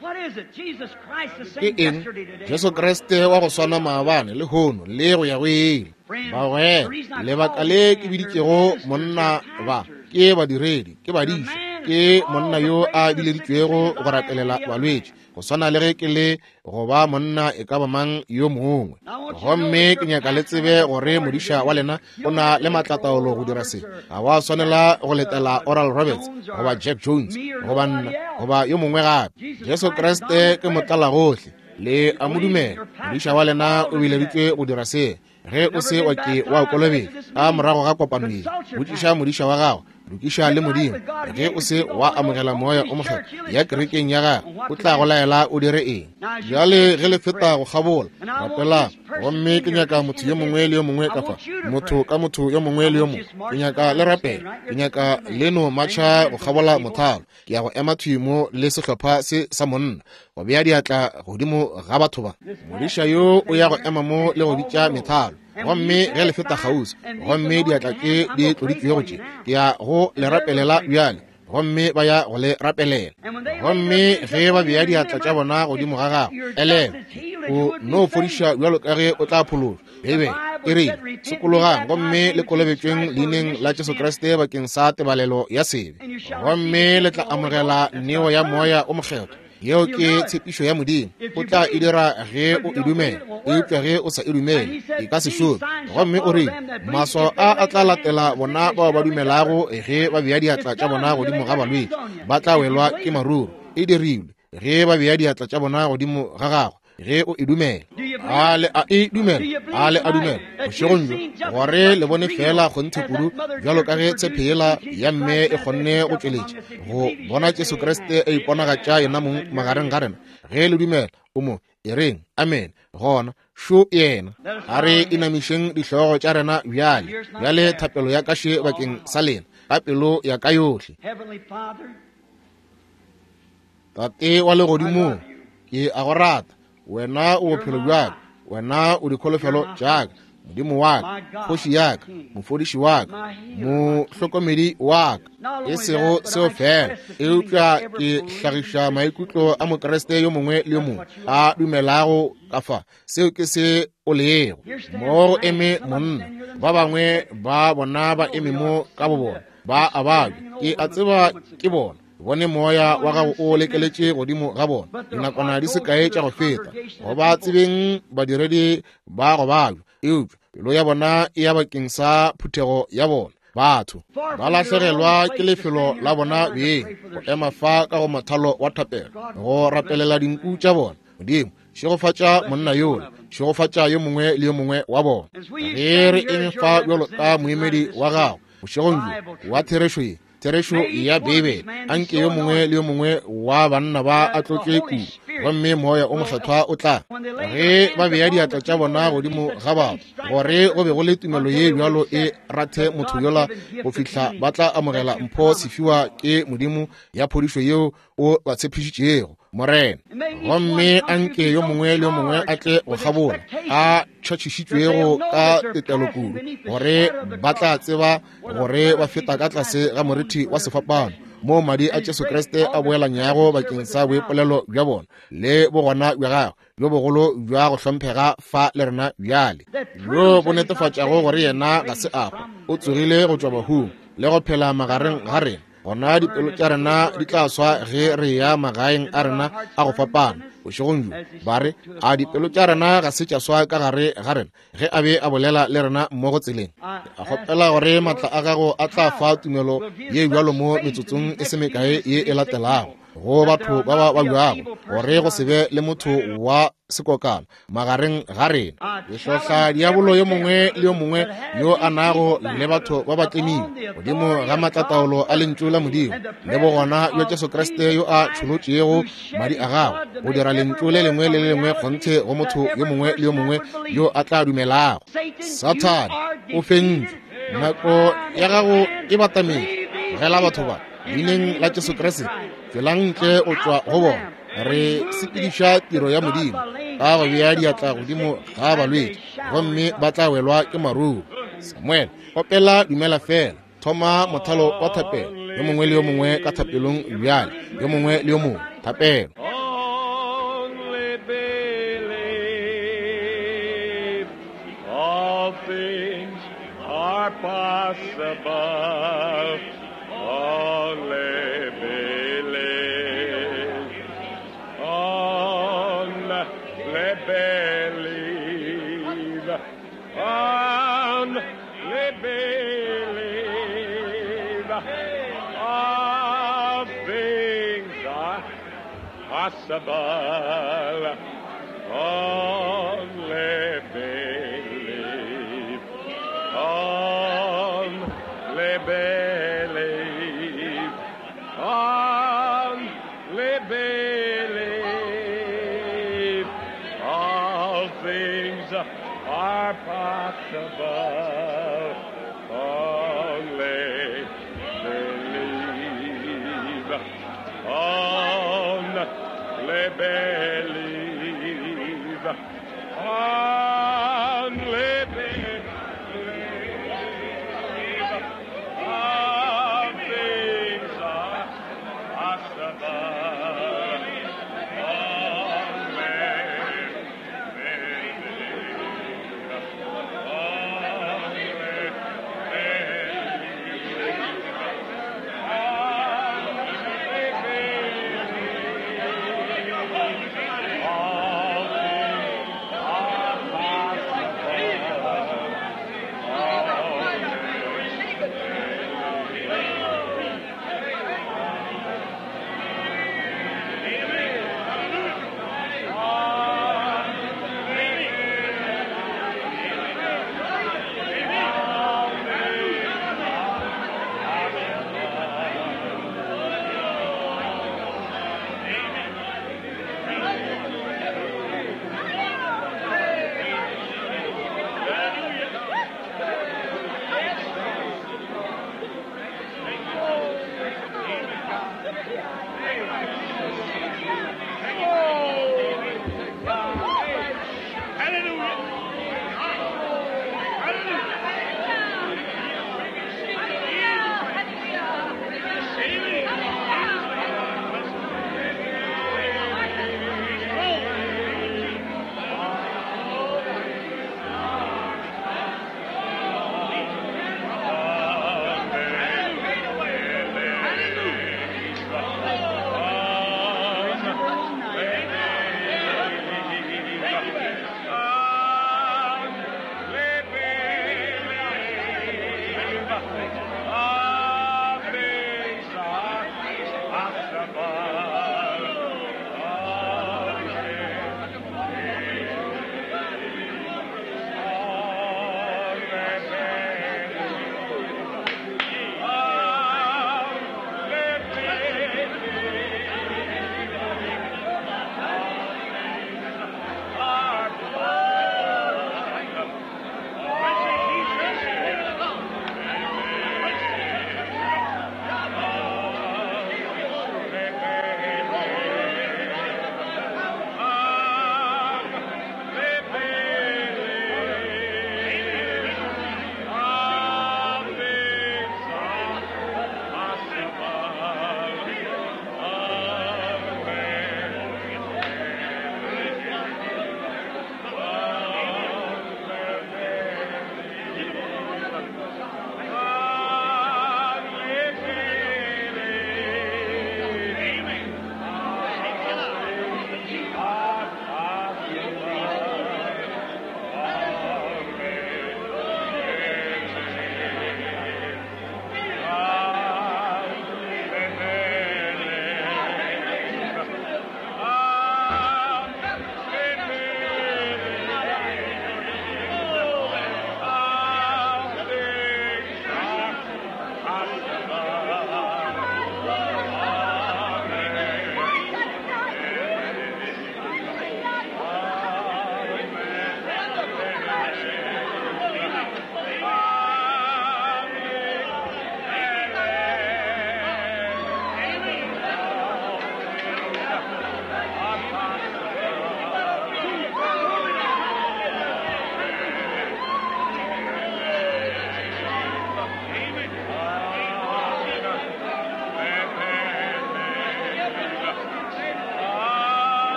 Ke eng? Jesu Kriste wa go swana maabane le hono le go ya go ile. Bagwera, lebaka le ke biditšego monna ba ke badiredi, ke badiša, ke monna yo a bileditšwego go rapelela balwetši, go swana le ge ke le go ba monna e ka ba mang yo mongwe. Gomme ke nyaka le tsebe gore modiša wa lena o na le maatlataolo go dira se. Ga wa swanela go letela Oral Roberts goba Jack Jones goba nna goba yo mongwe gape. Jesu Kriste ke motlalagohle, le a mo dumela. Modiša wa lena o bileditšwe go dira se. Ge o se wa ke wa kolobetšwa ka morago ga kopano ye, botšiša modiša wa gago, lokiša le Modimo. Ge o se wa amogela moya o mokgethwa ya kerekeng ya gagwe, o tla go laela o dire eng. Bjale ge le feta go kgabola, rapelang. Gomme ke nyaka motho yo mongwe le yo mongwe ka fa, motho ka motho yo mongwe le yo mongwe, ke nyaka le rapela. Ke nyaka le no matšha go kgabola mothalo. Ke ya go ema thwi mo le sehlopha se sa monna go bea diatla godimo ga batho ba. Modiša yo o ya go ema mo le go bitša methalo. Gomme ge le feta kgauswi, gomme diatla tše di tloditšwego tše, ke ya go le rapelela bjale. Gomme ba ya go le rapelela. Gomme ge ba bea diatla tša bona godimo ga gago, elelwa, o no fodiša bjalo ka ge o tla phološwa. Beibele e rile, sokologang gomme le kolobetšweng leineng la Jesu Kriste bakeng sa tebalelo ya sebe, gomme le tla amogela neo ya moya o mokgethwa. Yeo ke tshepišo ya Modimo. O tla e dira ge o e dumela, eupša ge o sa e dumele e ka se šome. Gomme o rile, maswao a a tla latela bona bao ba dumelago ge ba bea diatla tša bona godimo ga balwetši, ba tla welwa ke maruru. E dirilwe ge ba bea diatla tša bona godimo ga gago ge o e dumela. A le a e dumela? A le a dumela bošegong bjo gore le bone fela kgonthe kudu bjalo ka ge tshephela ya mme e kgonne go tšweletša go bona Jesu Kriste a iponagatša yena mong magareng ga rena. Ge le dumela o mo e reng amen, gona šo yena. A re inamišeng dihlogo tša rena bjale. Bjale thapelo ya ka še bakeng sa lena ka pelo ya ka yohle. Tate wa legodimong, ke a go rata. Wena o bophelo bja ka, wena o dikholofelo tša ka, Modimo wa ka, kgoši ya ka, mofodiši wa ka, mohlokomedi wa ka. E sego seo fela, eupša ke hlagiša maikutlo a Mokriste yo mongwe le yo mongwe a dumelago ka fa. Seo ke se o lego. Mo go eme monna, ba bangwe ba bona ba eme mo ka bobona, ba a babja. Ke a tseba ke bona. Bone moya wa gago o lekeletše godimo ga bona dinakwana di se kae tša go feta. Go ba tsebeng badiredi ba go babja, eupša pelo ya bona e ya bakeng sa phuthego ya bona. Batho ba lahlegelwa ke lefelo la bona beng go ema fa ka go mothalo wa thapelo go rapelela dinku tša bona. Modimo, šegofatša monna yola, šegofatša yo mongwe le yo mongwe wa bona. Ge re eme fa bjalo ka moemedi wa gago bošegong bjo wa therešo ye, therešo ya Beibele, anke yo mongwe le yo mongwe wa banna ba a tlotšwe kudu, gomme moya o mokgethwa o tla ge ba bea diatla tša bona godimo ga batho, gore go be go le tumelo ye bjalo e rathe motho yola go fihla ba tla amogela mpho sefiwa ke Modimo ya phodišo yeo o ba tshepišitšego, Morena. Gomme anke yo mongwe le yo mongwe a tle go kgabola a tšhatšhišitšwego ka tetelo kudu, gore ba tla tseba gore ba feta ka tlase ga morithi wa sefapano moo madi a Jesu Kriste a boelanyago bakeng sa boipolelo bja bona le bogona bja gagwe bjo bogolo bja go hlomphega fa le rena bjale, bjo bo netefatšago gore yena ga se a hwa, o tsogile go tšwa bahung le go phela magareng ga rena. Gona dipelo tša rena di tla swa ge re ya magaeng a rena a go fapana bošegong bjo. Ba re, a dipelo tša rena ga se tša swa ka gare ga rena ge a be a bolela le rena mmogo tseleng? A kgopela gore maatla a gago a tla fa tumelo ye bjalo mo metsotsong e se mekae ye e latelago go batho ba ba babjago, gore go se be le motho wa sekokana magareng ga rena. Ke hlohla diabolo yo mongwe le yo mongwe yo a nago le batho ba ba tlemile godimo ga maatlataolo a lentšu la Modimo le bogona bja Jesu Kriste yo a tšholotšego madi a gagwe go dira lentšu le lengwe le le lengwe kgonthe go motho yo mongwe le yo mongwe yo a tla dumelago. Sathane, o fentšwe, nako ya gago e batametše. Tlogela batho ba leineng la Jesu Kriste, tšwelang ntle go tšwa go bona. Re sepediša tiro ya Modimo ka go bea diatla godimo ga balwetši, gomme ba tla welwa ke maruru. Samuel, opela Dumela Fela. Thoma mothalo wa thapelo, yo mongwe le yo mongwe ka thapelong bjale, yo mongwe le yo mongwe thapelo. Only believe, all things are possible. Only believe, only believe, only believe. All things are possible. Only believe, only believe, only believe. All things are possible. Only believe, only believe, only believe. All things are possible. Only believe, only believe, only believe. All things are possible.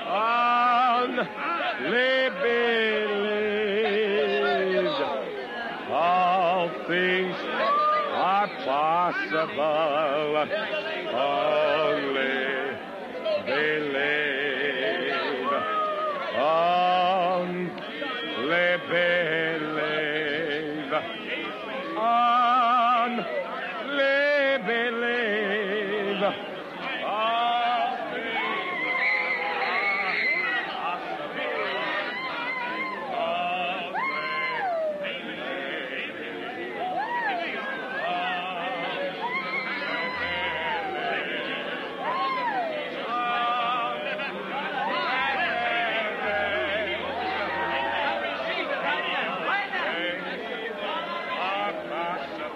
Only believe. All things are possible. Only believe. Only believe. Only believe. All things are possible.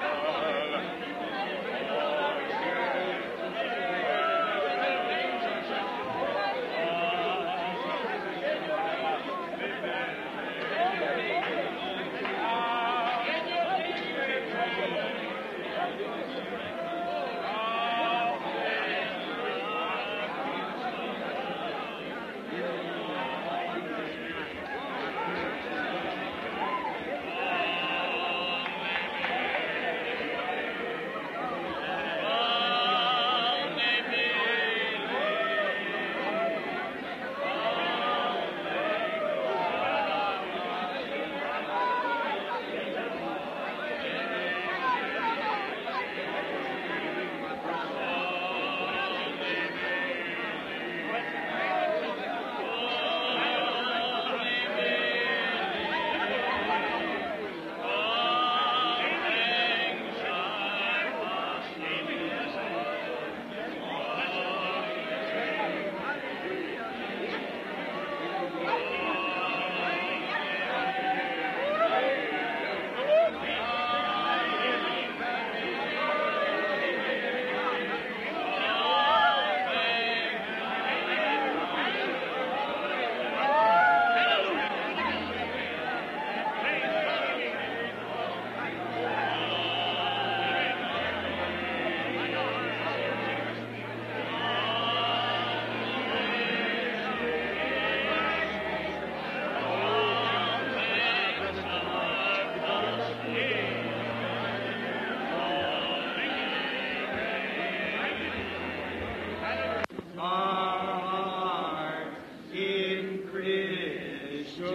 Heart in Christian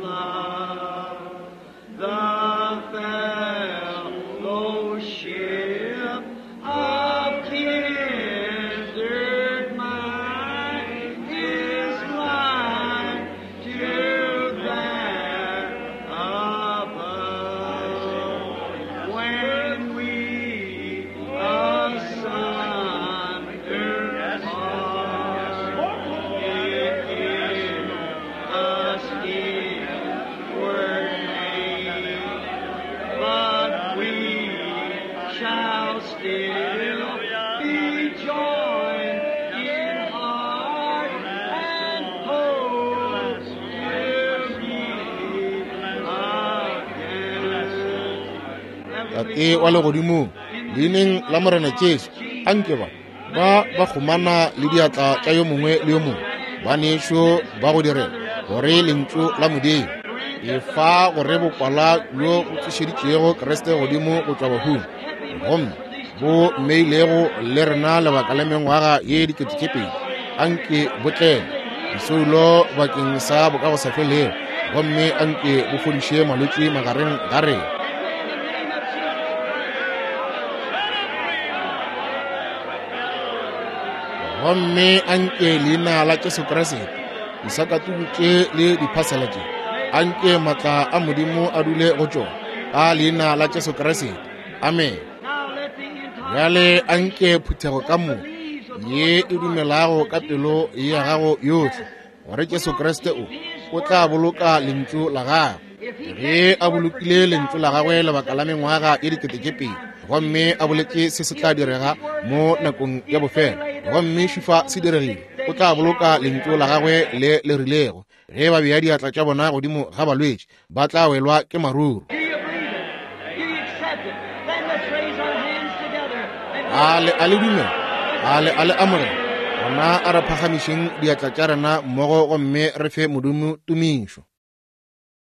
love, the fellowship of kindred mind is like to that above. When we asunder part, it is us inward pain, but we shall still be joined in heart and hope to meet again. Tate wa legodimong, leineng la Morena Jesu, anke ba ba ba kgomana le diatla tša yo mongwe le yo mongwe ba nešo ba go direla gore lentšu la Modimo e fa gore bokwala bjo bo tsošeditšego Kriste godimo go tšwa bahung gomme bo mmeilego le rena lebaka la mengwaga ye dikete tše pedi anke bo tlele disoulo bakeng sa bokagosafelego gomme anke bo fodiše malwetši magareng ga rena. Gomme anke leina la Jesu Kriste disakatuku tše le diphasela tše anke maatla a Modimo a dule go tšona ka leina la Jesu Kriste. Amen. Now let the entire Bjale anke phuthego ka moka ye e dumelago ka pelo ya gago yohle gore Jesu Kriste o o tla boloka lentšu la gagwe. Ge a bolokile lentšu la gagwe lebaka la mengwaga ye dikete tše pedi gomme a boletše se se tla direga mo nakong ya bofelo gomme šufa se diregile, o tla boloka lentšu la gagwe le le rilego. Ge ba bea diatla tša bona godimo ga balwetši ba tla welwa ke maruru. Do you believe it? Do you accept it? Then let's raise our hands together and A le a le dumela, a le a le amogela. Gona a re phagamišeng diatla tša rena mmogo gomme re fe Modimo tumišo.